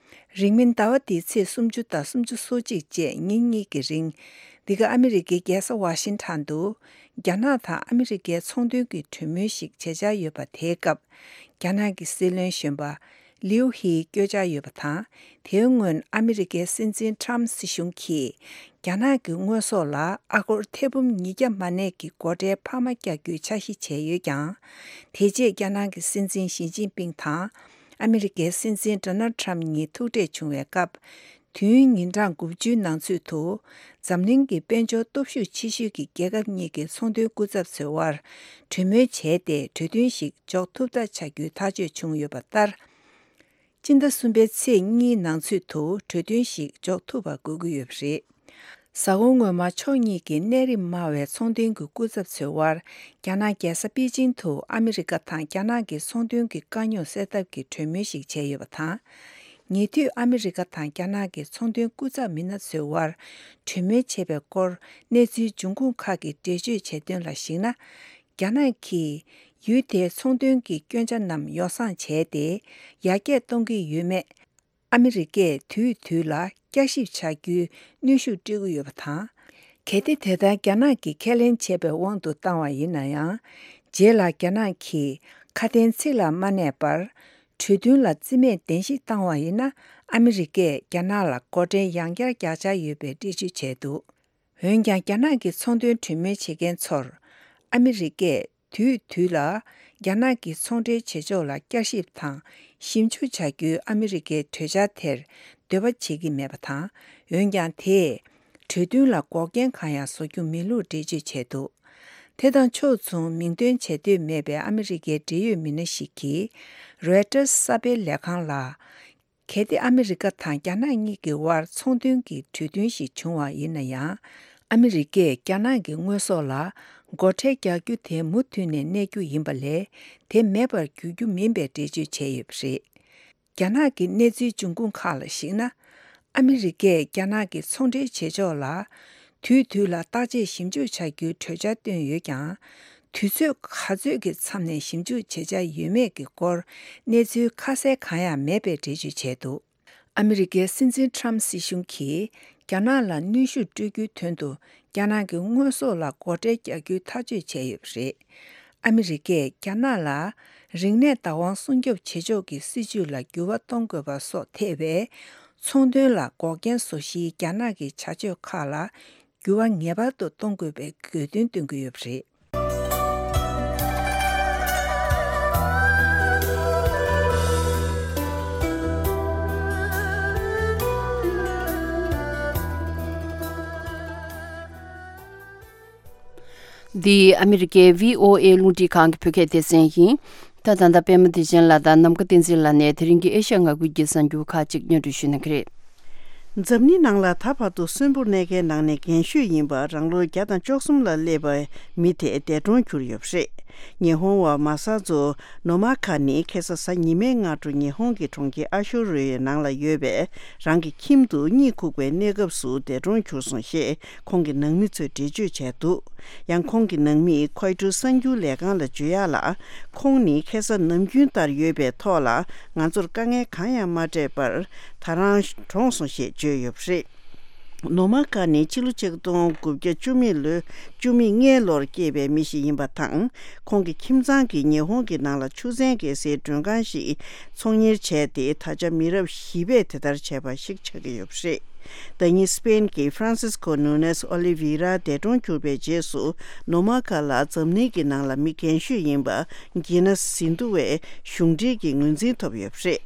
རིང་མིན་ཟླ་བ་འདིའི་ཚེས་སུམ་ཅུ་དང་སུམ་ཅུ་སོ་གཅིག་བཅས་ཉིན་གཉིས་ཀྱི་རིང་། འདི་ག་ཨ་མི་རི་ཀའི་རྒྱལ་ས་ཝ་ཤིང་ཊོན་དུ། རྒྱ་ནག་དང་ཨ་མི་རི་ཀའི་ཚོང་དོན་གྱི་གྲོས་མོལ་ཞིག་བྱེད་འཆར་ཡོད་པ་དེའི་སྐབས། རྒྱ་ནག་གི་སྲིད་བློན་གཞོན་པ་ལིའུ་ཧིའི་བསྐྱོད་འཆར་ཡོད་པ་དང་། དེའི་སྔོན་ཨ་མི་རི་ཀའི་སྲིད་འཛིན་ཁྲམ་སྲིད་གཞུང་གིས། རྒྱ་ནག་གི་དངོས་ཟོག་ལ་ཨ་སྒོར་ཐེར་འབུམ་ཉིས་བརྒྱ་མ་གནས་ཀྱི་སྒོ་ཁྲལ་འཕར་མ་རྒྱག་རྒྱུའི་འཆར་གཞི་བྱས་ཡོད་ཀྱང་། དེ་རྗེས་རྒྱ་ནག་གི་སྲིད་འཛིན་ཞི་ཅིན་ཕིང་དང་། ཨ་མི་རི་ཀའི་སྲིད་འཛིན་ཌོ་ནལ་ཁྲམ་གཉིས་ཐུག་འཕྲད་བྱུང་བའི་སྐབས། དུས་ཡུན་ཉིན་གྲངས་དགུ་བཅུའི་ནང་ཚུད་དུ། འཛམ་གླིང་གི་དཔལ་འབྱོར་སྟོབས་ཤུགས་ཆེ་ཤོས་ཀྱི་རྒྱལ་ཁབ་གཉིས་ཀྱི་ཚོང་དོན་སྐུ་ཚབ་ཚོའི་དབར་གྲོས་མོལ་བྱས་ཏེ། གྲོས་མཐུན་ཞིག་འཇོག་ཐུབ་ཐབས་བྱ་རྒྱུའི་ཐག་གཅོད་བྱུང་ཡོད་པ་ལྟར། སྤྱི་ཟླ་གསུམ་པའི་ཚེས་གཉིས་ནང་ཚུད་དུ་གྲོས་མཐུན་ཞིག་འཇོག་ཐུབ་པ་དགོས་ཀྱི་ཡོད་པ་རེད། གཟའ་འཁོར་སྔོན་མ་ཕྱོགས་གཉིས་ཀྱི་གནས་རིམ་དམའ་བའི་ཚོང་དོན་གྱི་སྐུ་ཚབ་ཚོའི་དབར། རྒྱ་ནག་རྒྱལ་ས་པེ་ཅིང་དུ་ཨ་མི་རི་ཀ་དང་རྒྱ་ནག་གི་ཚོང་དོན་གྱི་དཀའ་རྙོག་སེལ་ཐབས་ཀྱི་གྲོས་མོལ་ཞིག་བྱས་ཡོད་པ་དང་། ཉེ་དུས་ཨ་མི་རི་ཀ་དང་རྒྱ་ནག་གི་ཚོང་དོན་སྐུ་ཚབ་མི་སྣ་ཚོའི་དབར་གྲོས་མོལ་བྱས་པའི་སྐོར་གནས་ཚུལ་འབྱུང་ཁུངས་ཁག་གིས་འགྲེལ་བརྗོད་བྱས་དོན་ལ་གཞིགས་ན། རྒྱ་ནག་གིས་ཡུལ་དེའི་ཚོང་དོན་གྱི་སྐྱོན་ཆ་རྣམས་ཡོ་བསྲང་བྱས་ཏེ། ཡར་རྒྱས་གཏོང་གི་ཡོད་མེད། ཨ་མི་རི་ཀས་དུས་དུས་ལ་བསྐྱར་ཞིབ་བྱ་རྒྱུའི་གནོན་ཤུགས་སྤྲོད་ཀྱི་ཡོད་པ་དང་། གལ་ཏེ་དེ་ལྟར་རྒྱ་ནག་གིས་ཁས་ལེན་བྱས་པའི་དབང་དུ་བཏང་བ་ཡིན་ན་ཡང་། རྗེས་ལ་རྒྱ་ནག་གིས་ཁ་དན་ཚིག་ལ་མ་གནས་པར། གྲོས་མཐུན་ལ་རྩིས་མེད་གཏན་ཞིབ་བཏང་བ་ཡིན་ན། ཨ་མི་རི་ཀས་རྒྱ་ནག་ལ་སྒོ་ཁྲལ་ཡང་བསྐྱར་རྒྱག་འཆར་ཡོད་པའི་འགྲེལ་བརྗོད་བྱས་འདུག་འོན་ཀྱང་། རྒྱ་ནག་གི་ཚོང་དོན་གྲོས་མོལ་བྱེད་མཁན་ཚོར། ཨ་མི་རི་ཀས་དུས་དུས་ལ་རྒྱ་ནག་གི་ཚོང་འབྲེལ་བྱེད་ཕྱོགས་ལ་བསྐྱར་ཞིབ་དང་ཞིབ་འཇུག་བྱ་རྒྱུའི་ཨ་མི་རི་ཀའི་གྲོས་འཆར་དེར་འདོད་པ་བྱེད་ཀྱི་མེད་པ་དང་། འོན་ཀྱང་། དེས་གྲོས་མཐུན་ལ་འགོག་རྐྱེན་གང་ཡང་བཟོ་རྒྱུ་མིན་ལུགས་འགྲེལ་བརྗོད་བྱས་འདུག་དེ་དང་ཕྱོགས་མཚུངས། མིང་འདོན་བྱེད་འདོད་མེད་པའི་ཨ་མི་རི་ཀའི་འབྲེལ་ཡོད་མི་སྣ་ཞིག་གིས། རོའི་ཊར་གསར་སྤེལ་ལས་ཁང་ལ། གལ་ཏེ་ཨ་མི་རི་ཀ་དང་རྒྱ་ནག་གཉིས་ཀྱི་དབར་ཚོང་དོན་གྱི་གྲོས་མཐུན་ཞིག་བྱུང་བ་ཡིན་ན་ཡང་། ཨ་མི་རི་ཀས་རྒྱ་ནག་གི་དངོས་ཟོག་ལ་སྒོ་ཁྲལ་རྒྱག་རྒྱུ་དེ་མུ་མཐུད་ནས་གནས་རྒྱུ་ཡིན་པ་ལས། དེ་མེད་པར་འགྱུར་རྒྱུ་མིན་པའི་འགྲེལ་བརྗོད་བྱས་ཡོད་པ་རེད། རྒྱ་ནག་གི་གནས་ཚུལ་འབྱུང་ཁུངས་ཁག་ལ་གཞིགས་ན། ཨ་མི་རི་ཀས་རྒྱ་ནག་གི་ཚོང་འབྲེལ་བྱེད་ཕྱོགས་ལ། དུས་དུས་ལ་བརྟག་དཔྱད་ཞིབ་འཇུག་བྱ་རྒྱུའི་གྲོས་འཆར་བཏོན་ཡོད་ཀྱང་། དུས་ཚོད་ག་ཚོད་ཀྱི་མཚམས་ནས་ཞིབ་འཇུག་བྱེད་འཆར་ཡོད་མེད་ཀྱི་སྐོར། གནས་ཚུལ་ཁ་གསལ་གང་ཡང་མེད་པའི་འགྲེལ་བརྗོད་བྱས་འདུག་ཨ་མི་རི་ཀའི་སྲིད་འཛིན་ཊརམ་སྲིད་གཞུང་གིས། རྒྱ་ནག་ལ་གནོན་ཤུགས་སྤྲོད་རྒྱུའི་དོན་དུ། རྒྱ་ནག་གི་དངོས་ཟོག་ལ་སྒོ་ཁྲལ་རྒྱག་རྒྱུའི་ཐག་གཅོད་བྱས་ཡོད་པ་རེད། ཨ་མི་རི་ཀས་རྒྱ་ནག་ལ་རིག་གནས་བདག་དབང་སྲུང་སྐྱོབ་བྱེད་ཕྱོགས་ཀྱི་སྲིད་ཇུས་ལ་འགྱུར་བ་གཏོང་དགོས་པ་སོགས་ཐེ་བའི་ཚོང་དོན་ལ་འགོག་རྐྱེན་བཟོ་གཞིའི་རྒྱ་ནག་གི་བྱ་སྤྱོད་ཁག་ལ་འགྱུར་བ་ངེས་པར་དུ་གཏོང་དགོས་པའི་དགོས་འདུན་བཏོན་གྱི་ཡོད་པ་རེད། འདི་ཨ་མི་རི་ཀའི་བྷི་ཨོ་ཨེ་རླུང་འཕྲིན་ཁང་གི་བོད་སྐད་སྡེ་ཚན་ཡིན། ད་ད་ལྟ་པད་མ་བདེ་ཆེན་ལགས་དང་ནམ་མཁའ་བསྟན་འཛིན་ལགས་ནས་དེ་རིང་གི་ཨེ་ཤ་ཡ་ང་ཁུལ་གྱི་གསར་འགྱུར་ཁག་ཅིག་སྙན་སྒྲོན་ཞུ་གནང་གི་རེད། འཛམ་གླིང་ནང་ལ་ད་བར་དུ་གསོན་པོར་གནས་མཁན་ནང་ནས་རྒན་ཤོས་ཡིན་པ་རང་ལོ་བརྒྱ་དང་བཅུ་གསུམ་ལ་སླེབས་པའི་མི་དེ་འདས་གྲོངས་གྱུར་ཡོད་པ་རེད། ཉི་ཧོང་བ་མ་ས་ཛོ་ནོ་མ་ཁ་ནི་ཁ་སང་གཟའ་ཉི་མའི་སྔ་དྲོ་ཉི་ཧོང་གི་གྲོང་ཁྱེར་ཨ་ཤོ་རོའི་ནང་ལ་ཡོད་པའི་རང་གི་ཁྱིམ་དུ་གཉིད་ཁུག་པའི་གནས་སྐབས་སུ་འདས་གྲོངས་གྱུར་སོང་ཞེས་ཁོང་གི་ནང་མི་ཚོས་འགྲེལ་བརྗོད་བྱས་འདུག་ཡང་ཁོང་གི་ནང་མིས་ཁོའི་ཊར་གསར་འགྱུར་ལས་ཁང་ལ་བརྗོད་ཡག་ལ། ཁོང་ནི་ཁ་སང་ནམ་རྒྱུན་ལྟར་ཡོད་པའི་ཐོག་ལ་ང་ཚོར་དཀའ་ངལ་གང་ཡང་མ་སྤྲད་པར་ད་རང་གྲོངས་སོང་ཞེས་བརྗོད་ཡོད་པ་རེད། ནོ་མ་ཀ་ནི་ཕྱི་ལོ་ཆིག་སྟོང་དགུ་བརྒྱ་བཅུ་མེད་ལོའི་བཅུ་མེད་ལྔའི་ལོར་སྐྱེས་པའི་མི་ཞིག་ཡིན་པ་དང་། ཁོང་གི་ཁྱིམ་ཚང་གིས་ཉི་ཧོང་གི་ནང་ལ་ཆུ་ཚན་བརྒལ་སའི་མགྲོན་ཁང་ཞིག་ཚོང་གཉེར་བྱས་ཏེ། ད་ཆ་མི་རབས་བཞི་པས་དེ་ལྟར་བྱས་པ་ཞིག་ཆགས་ཀྱི་ཡོད་པ་རེད། ཟླ་ཉིན་སི་པེན་གྱི་ཧྥ་རན་སིས་ཀོ་ནུ་ནེས་ཨོ་ལི་ཝི་ར་འདས་གྲོངས་གྱུར་པའི་རྗེས་སུ། ནོ་མ་ཀ་ལ་འཛམ་གླིང་གི་ནང་ལ་མི་རྒན་ཤོས་ཡིན་པ་གྷི་ནེ་སི་ཟིན་ཐོ་བའི་གཞུང་འབྲེལ་གྱི་ངོས་འཛིན་ཐོབ་ཡོད་པ་རེད།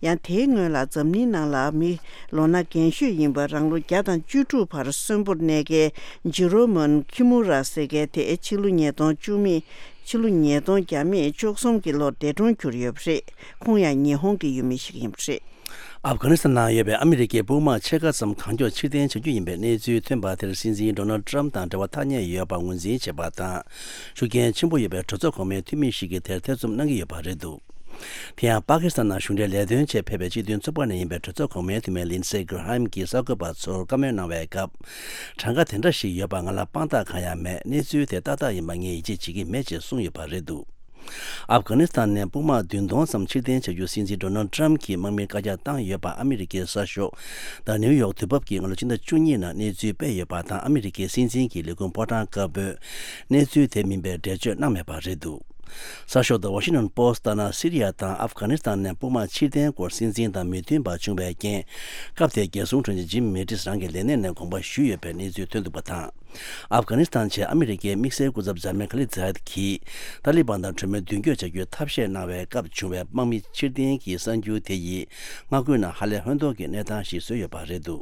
ཡང་དེའི་སྔོན་ལ་འཛམ་གླིང་ནང་ལ་མི་ལོ་ན་རྒན་ཤོས་ཡིན་པ་རང་ལོ་བརྒྱ་དང་བཅུ་དྲུག་བར་གསོན་པོར་གནས་མཁན་ཇི་རོ་མོན་ཁི་མུ་ར་ཟེར་མཁན་དེ་ཕྱི་ལོ་ཉིས་སྟོང་བཅུ་མེད། ཕྱི་ལོ་ཉིས་སྟོང་བརྒྱ་མེད་བཅུ་གསུམ་གྱི་ལོར་འདས་གྲོངས་གྱུར་ཡོད་པ་རེད། ཁོང་ཡང་ཉི་ཧོང་གི་ཡུལ་མི་ཞིག་ཡིན་པ་རེད། ཨབ་གྷ་ནི་སི་ཐན་ནང་ཡོད་པའི་ཨ་མི་རི་ཀའི་དཔུང་དམག་ཕྱེད་ཀ་ཙམ་གང་མགྱོགས་ཕྱིར་འཐེན་བྱ་རྒྱུ་ཡིན་པའི་གནས་ཚུལ་ཐོན་པ་དེར་སྲིད་འཛིན་ཌོ་ནལ་ཌི་ཊརམ་དང་འབྲེལ་བ་ཐག་ཉེ་ཡོད་པ་ངོས་འཛིན་བྱས་པ་དང་། ཤུགས་རྐྱེན་ཆེན་པོ་ཡོད་པའི་གྲོས་ཚོགས་གོང་མའི་འཐུས་མི་ཞིག་གིས་དེར་ཐེ་ཚོམ་གནང་གི་ཡོད་པ་རེད་འདུག་དེ་ཡང་པ་ཀི་སི་ཐན་ནང་གཞུང་འབྲེལ་ལས་དོན་ཆེད་ཕེབས་པའི་སྤྱི་མཐུན་ཚོགས་པ་ནས་ཡིན་པའི་གྲོས་ཚོགས་གོང་མའི་འཐུས་མི་ལིན་སེ་གྷི་ར་ཧམ་གྱིས་གསར་འགོད་པ་ཚོར་བཀའ་མོལ་གནང་བའི་སྐབས། གྲངས་ཀ་དེ་འདྲ་ཞིག་ཡོད་པ་ང་ལ་དཔང་རྟགས་གང་ཡང་མེད། གནས་ཚུལ་དེ་ཏག་ཏག་ཡིན་པ་ངས་ཡིད་ཆེས་བྱེད་ཀྱི་མེད་ཅེས་གསུངས་ཡོད་པ་རེད་འདུག་ཨབ་གྷ་ནི་སི་ཐན་ནས་དཔུང་དམག་བདུན་སྟོང་ཙམ་ཕྱིར་འཐེན་བྱ་རྒྱུ་སྲིད་འཛིན་ཌོ་ནལ་ཌི་ཊརམ་གྱིས་དམག་མིར་བཀའ་རྒྱ་བཏང་ཡོད་པ་ཨ་མི་རི་ཀའི་གསར་ཤོག་The New York དུས་བབ་ཀྱིས་སྔ་ལོ་ཕྱི་ཟླ་བཅུ་གཉིས་ནང་གནས་ཚུལ་སྤེལ་ཡོད་པ་དང་། ཨ་མི་རི་ཀའི་སྲིད་འཛིན་གྱི་ལས་ཁུངས་ཕོ་བྲང་དཀར་པོས་གནས་ཚུལ་དེ་མིན་པའི་འགྲེལ་བརྗོད་གནང་མེད་པ་རེད་འདུག་གསར་ཤོག་The Washington Post ལྟར་ན། སི་རི་ཡ་དང་ཨབ་གྷ་ནི་སི་ཐན་ནས་དཔུང་དམག་ཕྱིར་འཐེན་སྐོར་སྲིད་འཛིན་དང་མི་མཐུན་པ་བྱུང་བའི་རྐྱེན། སྐབས་དེའི་རྒྱལ་སྲུང་དྲུང་ཆེ་ཇིམ་མེ་ཏིས་རང་གི་ལས་གནས་ནས་དགོངས་པ་ཞུས་ཡོད་པའི་གནས་ཚུལ་ཐོན་འདུག་པ་དང་། ཨབ་གྷ་ནི་སི་ཐན་ཆེད་ཨ་མི་རི་ཀའི་དམིགས་བསལ་སྐུ་ཚབ་ཇར་མན་ཁ་ལི་ཛ་ཡད་ཀྱིས་ཏཱ་ལི་བན་དང་གྲོས་མོལ་མདུན་སྐྱོད་བྱ་རྒྱུའི་ཐབས་ཤེས་གནང་བའི་སྐབས་བྱུང་བའི་དམག་མི་ཕྱིར་འཐེན་གྱི་གསར་འགྱུར་དེ་ཡིས་མངའ་ཁུལ་ནང་ཧ་ལས་ཧོན་ཐོར་གྱི་གནས་སྟངས་ཤིག་བཟོས་ཡོད་པ་རེད་འདུག་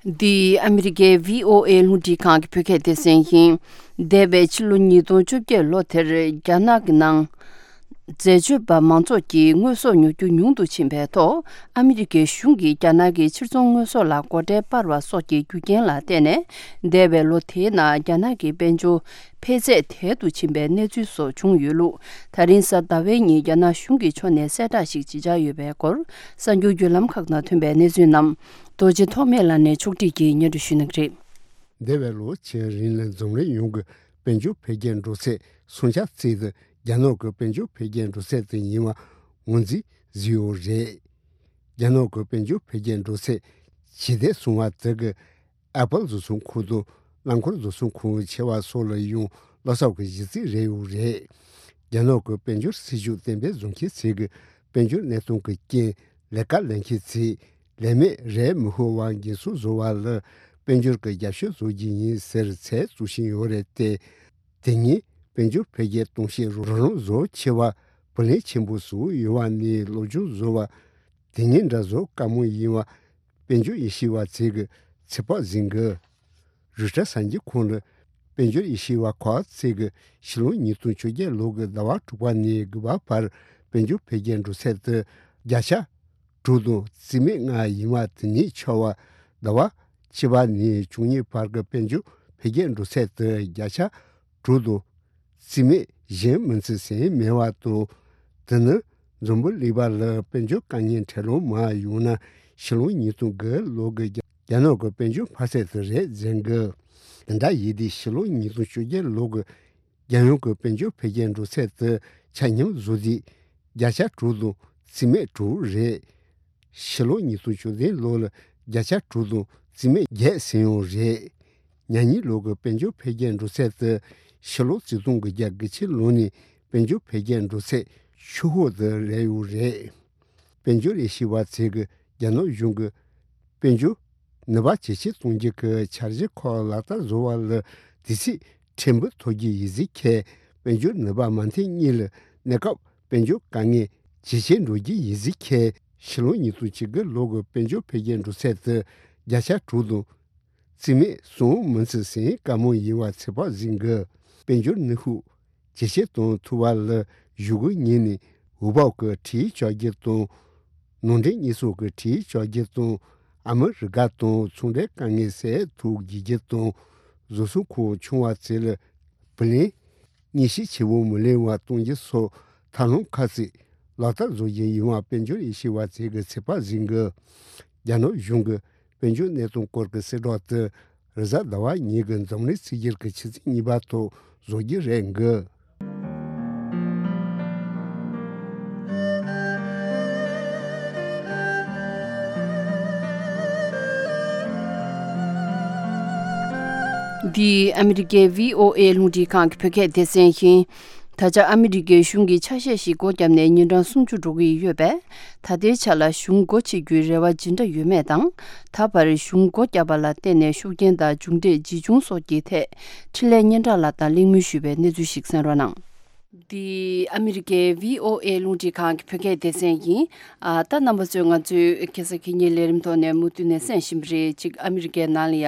འདི་ཨ་མི་རི་ཀའི་བྷི་ཨོ་ཨེ་རླུང་འཕྲིན་ཁང་གི་བོད་སྐད་སྡེ་ཚན་ཡིན། འདས་པའི་ཕྱི་ལོ་ཉིས་སྟོང་བཅོ་བརྒྱད་ལོ་དེར་རྒྱ་ནག་གི་ནང་འཛད་སྤྱོད་པ་མང་ཚོགས་ཀྱིས་དངོས་ཟོག་ཉོ་རྒྱུ་ཉུང་དུ་ཕྱིན་པའི་ཐོག་ཨ་མི་རི་ཀའི་གཞུང་གིས་རྒྱ་ནག་གི་ཕྱིར་ཚོང་དངོས་ཟོག་ལ་སྒོ་ཁྲལ་སྤར་བ་སོགས་ཀྱི་རྒྱུ་རྐྱེན་ལ་བརྟེན་ནས། འདས་པའི་ལོ་དེའི་ནང་རྒྱ་ནག་གི་དཔལ་འབྱོར་འཕེལ་ཚད་དལ་དུ་ཕྱིན་པའི་གནས་ཚུལ་སོགས་བྱུང་ཡོད་ལུགས། ད་རིང་གཟའ་ཟླ་བའི་ཉིན་རྒྱ་ནག་གཞུང་གི་ཕྱོགས་ནས་གསལ་བསྒྲགས་ཤིག་བྱེད་འཆར་ཡོད་པའི་སྐོར། གསར་འགྱུར་བརྒྱུད་ལམ་ཁག་ནང་ཐོན་པའི་གནས་ཚུལ་རྣམས་རྡོ་རྗེ་ཐོགས་མེད་ལགས་ནས་ཕྱོགས་སྒྲིག་གིས་སྙན་སྒྲོན་ཞུ་གནང་གི་རེད། འདས་པའི་ལོ་ཕྱེད་རིང་ལ་འཛམ་གླིང་ཡོངས་ཀྱི་དཔལ་འབྱོར་འཕེལ་རྒྱས་འགྲོ་ཚད་སུམ་ཆ་གཅིག་དེ་རྒྱ་ནག་གི་དཔལ་འབྱོར་འཕེལ་རྒྱས་འགྲོ་ཚད་དེ་ཡིན་པ་ངོས་འཛིན་བཟོས་ཡོད་རེད། རྒྱ་ནག་གི་དཔལ་འབྱོར་འཕེལ་རྒྱས་འགྲོ་ཚད་ ཇི་ལྟར་སོང་བ་དེ་གི་ཨེ་པལ་བཟོ་ཚོང་ཁང་དང་རླངས་འཁོར་བཟོ་ཚོང་ཁང་ཆེ་བ་སོགས་ལ་ཡང་བློ་གསོབ་ཀྱི་གཞི་རྩའི་རེ་ཡོད་རེད། རྒྱ་ནག་གི་དཔལ་འབྱོར་སྲིད་ཇུས་གཏན་འབེབས་བཟོ་མཁན་ཚོས་ཀྱི་དཔལ་འབྱོར་གནས་སྟངས་ཀྱི་རྐྱེན་ལས་ཀ་ལེན་མཁན་ཚོས་ལས་མེད་རེད་མི་ཧུར་བ་འགན་སྲུང་བཟོ་བ་ལ་དཔལ་འབྱོར་གྱི་རྒྱབ་སྐྱོར་བཟོ་རྒྱུ་ཡིན་ཟེར་ཚད་བཙུགས་བཞིན་ཡོད་རེད་དེ། དེ་ཉིན་དཔལ་འབྱོར་འཕེལ་རྒྱས་གཏོང་བྱེད་རོགས་རམ་བཟོ་ཆེ་བ་བུ་ལོན་ཆེན་པོ་སོགས་ཡོད་པ་ནས་སློབ་སྦྱོང་བཟོ་བ་དེ་ཉིན་འདྲ་བཟོ་དཀའ་མོ་ཡིན་པ་དཔལ་འབྱོར་ཡེ་ཤེས་པ་ཚོས་ཀྱི་ཚོད་དཔག་ཟིན་གི་རུ་ཏྲ་གསར་འགྱུར་ཁང་ལ་དཔལ་འབྱོར་ཡེ་ཤེས་པ་ཁག་ཅིག་གིས་ཕྱི་ལོ་ཉིས་སྟོང་བཅོ་བརྒྱད་ལོ་གི་ཟླ་བ་དྲུག་པ་ནས་དགུ་པ་བར་དཔལ་འབྱོར་འཕེལ་རྒྱས་འགྲོ་ཚད་དེ་བརྒྱ་ཆ་དྲུག་དང་རྩིས་མེད་ལྔ་ཡིན་པ་དེ་ཉིད་ཆགས་པ། ཟླ་བ་བཅུ་པ་ནས་བཅུ་གཉིས་བར་གྱི་དཔལ་འབྱོར་འཕེལ་རྒྱས་འགྲོ་ཚད་དེ་བརྒྱ་ཆ་དྲུག་དང་རྩིས་མེད་གཞན་མིན་ཚུལ་ཟིན་མེད་པ་དང་། དེ་ནི་འཛམ་བུ་གླིང་པ་ལ་དཔལ་འབྱོར་དཀའ་ངལ་འཕྲད་ལོང་མ་ཡོང་ན་ཕྱི་ལོ་ཉིས་སྟོང་དགུ་ལོ་གི་རྒྱ་རྒྱ་ནག་གི་དཔལ་འབྱོར་འཕར་ཚད་དེ་རེད་ཟེར་གི་དེ་འདྲ་ཡིན་དུས་ཕྱི་ལོ་ཉིས་སྟོང་བཅོ་བརྒྱད་ལོ་གི་རྒྱལ་ཡོངས་ཀྱི་དཔལ་འབྱོར་འཕེལ་རྒྱས་འགྲོ་ཚད་དེ་ཆ་སྙོམས་བཟོ་དུས་བརྒྱ་ཆ་དྲུག་དང་རྩིས་མེད་དྲུག་རེད། ཕྱི་ལོ་ཉིས་སྟོང་བཅུ་བདུན་ལོ་ལ་བརྒྱ་ཆ་དྲུག་དང་རྩིས་མེད་བརྒྱད་ཟིན་ཡོད་རེད། ཉ་གཉིས་ལོ་གི་དཔལ་འབྱོར་འཕེལ་རྒྱས་འགྲོ་ཚད་དེ་ཕྱི་ལོ་ཆིག་སྟོང་དགུ་བརྒྱ་དགུ་བཅུ་ལོ་ནས་དཔལ་འབྱོར་འཕེལ་རྒྱས་འགྲོ་ཚད་ཆུ་ཧོ་དེ་རེད་ཡོད་རེད། དཔལ་འབྱོར་ལས་བྱེད་པ་ཚོས་ཀྱི་རྒྱ་ནག་གཞུང་གི་དཔལ་འབྱོར་ནུས་པ་ཇེ་ཆེ་གཏོང་རྒྱུ་གི་འཆར་གཞི་ཁག་ལག་བསྟར་བཟོ་བ་ལ་དུས་ཚོད་ཕྲན་བུ་ཐོབ་རྒྱུ་ཡིན་ཟེར་མཁན་དཔལ་འབྱོར་ནུས་པ་མ་མཐུན་གཉིས་ལ་གནས་སྐབས་དཔལ་འབྱོར་དཀའ་ངལ་ཇེ་ཆེར་འགྲོ་རྒྱུ་ཡིན་ཟེར་མཁན་ཕྱི་ལོ་ཉིས་སྟོང་བཅུ་དགུ་ལོ་གི་དཔལ་འབྱོར་འཕེལ་རྒྱས་འགྲོ་ཚད་དེ་བརྒྱ་ཆ་དྲུག་དང་རྩིས་མེད་གསུམ་མིན་ཚུལ་ཟིན་དཀའ་མོ་ཡིན་པ་ཚོད་དཔག་ཟིན་གི་དཔལ་འབྱོར་ནུས་ཤུགས་ཇེ་ཆེར་གཏོང་ཐུབ་པ་ལ་གཞུག་གུ་ཉིན་ནས་འོས་བབ་ཀྱི་ཁྲལ་གཅོག་རྒྱུ་དང་། ནང་འདྲེན་གཉེར་སྐྱོང་གི་ཁྲལ་གཅོག་རྒྱུ་དང་། ཨ་མི་རི་ཀ་དང་ཚོང་འབྲེལ་དཀའ་ངལ་སེལ་ཐུབ་རྒྱུ་དང་། བཟོ་ཚོང་ཁང་ཆུང་བ་ཚོ་ལ་བུ་ལོན་དངོས་གཞི་ཆེ་བོ་མི་ལེན་པ་གཏོང་རྒྱུ་སོགས་ཐབས་ལམ་ཁག་ཅིག་ལག་བསྟར་བཟོ་རྒྱུ་ཡིན་པ་དཔལ་འབྱོར་ཡེ་ཤེས་པ་ཚོས་ཀྱི་ཚོད་དཔག་ཟིན་གི་རྒྱ་ནག་གཞུང་གི་དཔལ་འབྱོར་གནས་སྟངས་སྐོར་གྱི་གསལ་བསྒྲགས་དེ་རེས་གཟའ་ཟླ་བ་ཉིན་གྱི་འཛམ་གླིང་གཅིག་གྱུར་གྱི་ཆུ་ཚོད་གཉིས་པ་ཐོག་བཟོ་རྒྱུ་རེད་འགི། འདི་ཨ་མི་རི་ཀའི་བྷི་ཨོ་ཨེ་རླུང་འཕྲིན་ཁང་གི་བོད་སྐད་སྡེ་ཚན་ཡིན། ད་ཆ་ཨ་མི་རི་ཀའི་གཞུང་གིས་ཆ་ཤས་ཤིག་སྒོ་བརྒྱབ་ནས་ཉིན་གྲངས་སུམ་ཅུ་འགྲོ་གི་ཡོད་པས། ད་ལྟའི་ཆ་ལ་གཞུང་སྒོ་ཕྱེ་རྒྱུའི་རེ་བ་ཇི་འདྲ་ཡོད་མེད་དང་། ད་བར་གཞུང་སྒོ་བརྒྱབ་པ་ལ་བརྟེན་ནས་ཤུགས་རྐྱེན་དང་མཇུག་འབྲས་ཇི་བྱུང་སོགས་ཀྱི་ཐད་འཕྲིན་ལས་སྙན་གྲགས་ལགས་དང་གླེང་མོལ་ཞུས་པའི་གནས་ཚུལ་ཞིག་གསན་རོགས་གནང་། འདི་ཨ་མི་རི་ཀའི་བྷི་ཨོ་ཨེ་རླུང་འཕྲིན་ཁང་གི་བོད་སྐད་སྡེ་ཚན་ཡིན། ཨ། ད་རྣམ་པ་ཚོས་ང་ཚོའི་ཁ་སང་ཁེ་ཉིན་ལས་རིམ་ཐོག་ནས་མུ་མཐུད་ནས་གསན་བཞིན་པ་རེད། གཅིག་ཨ་མི་རི་ཀའི་ནང་ལ་ཡ།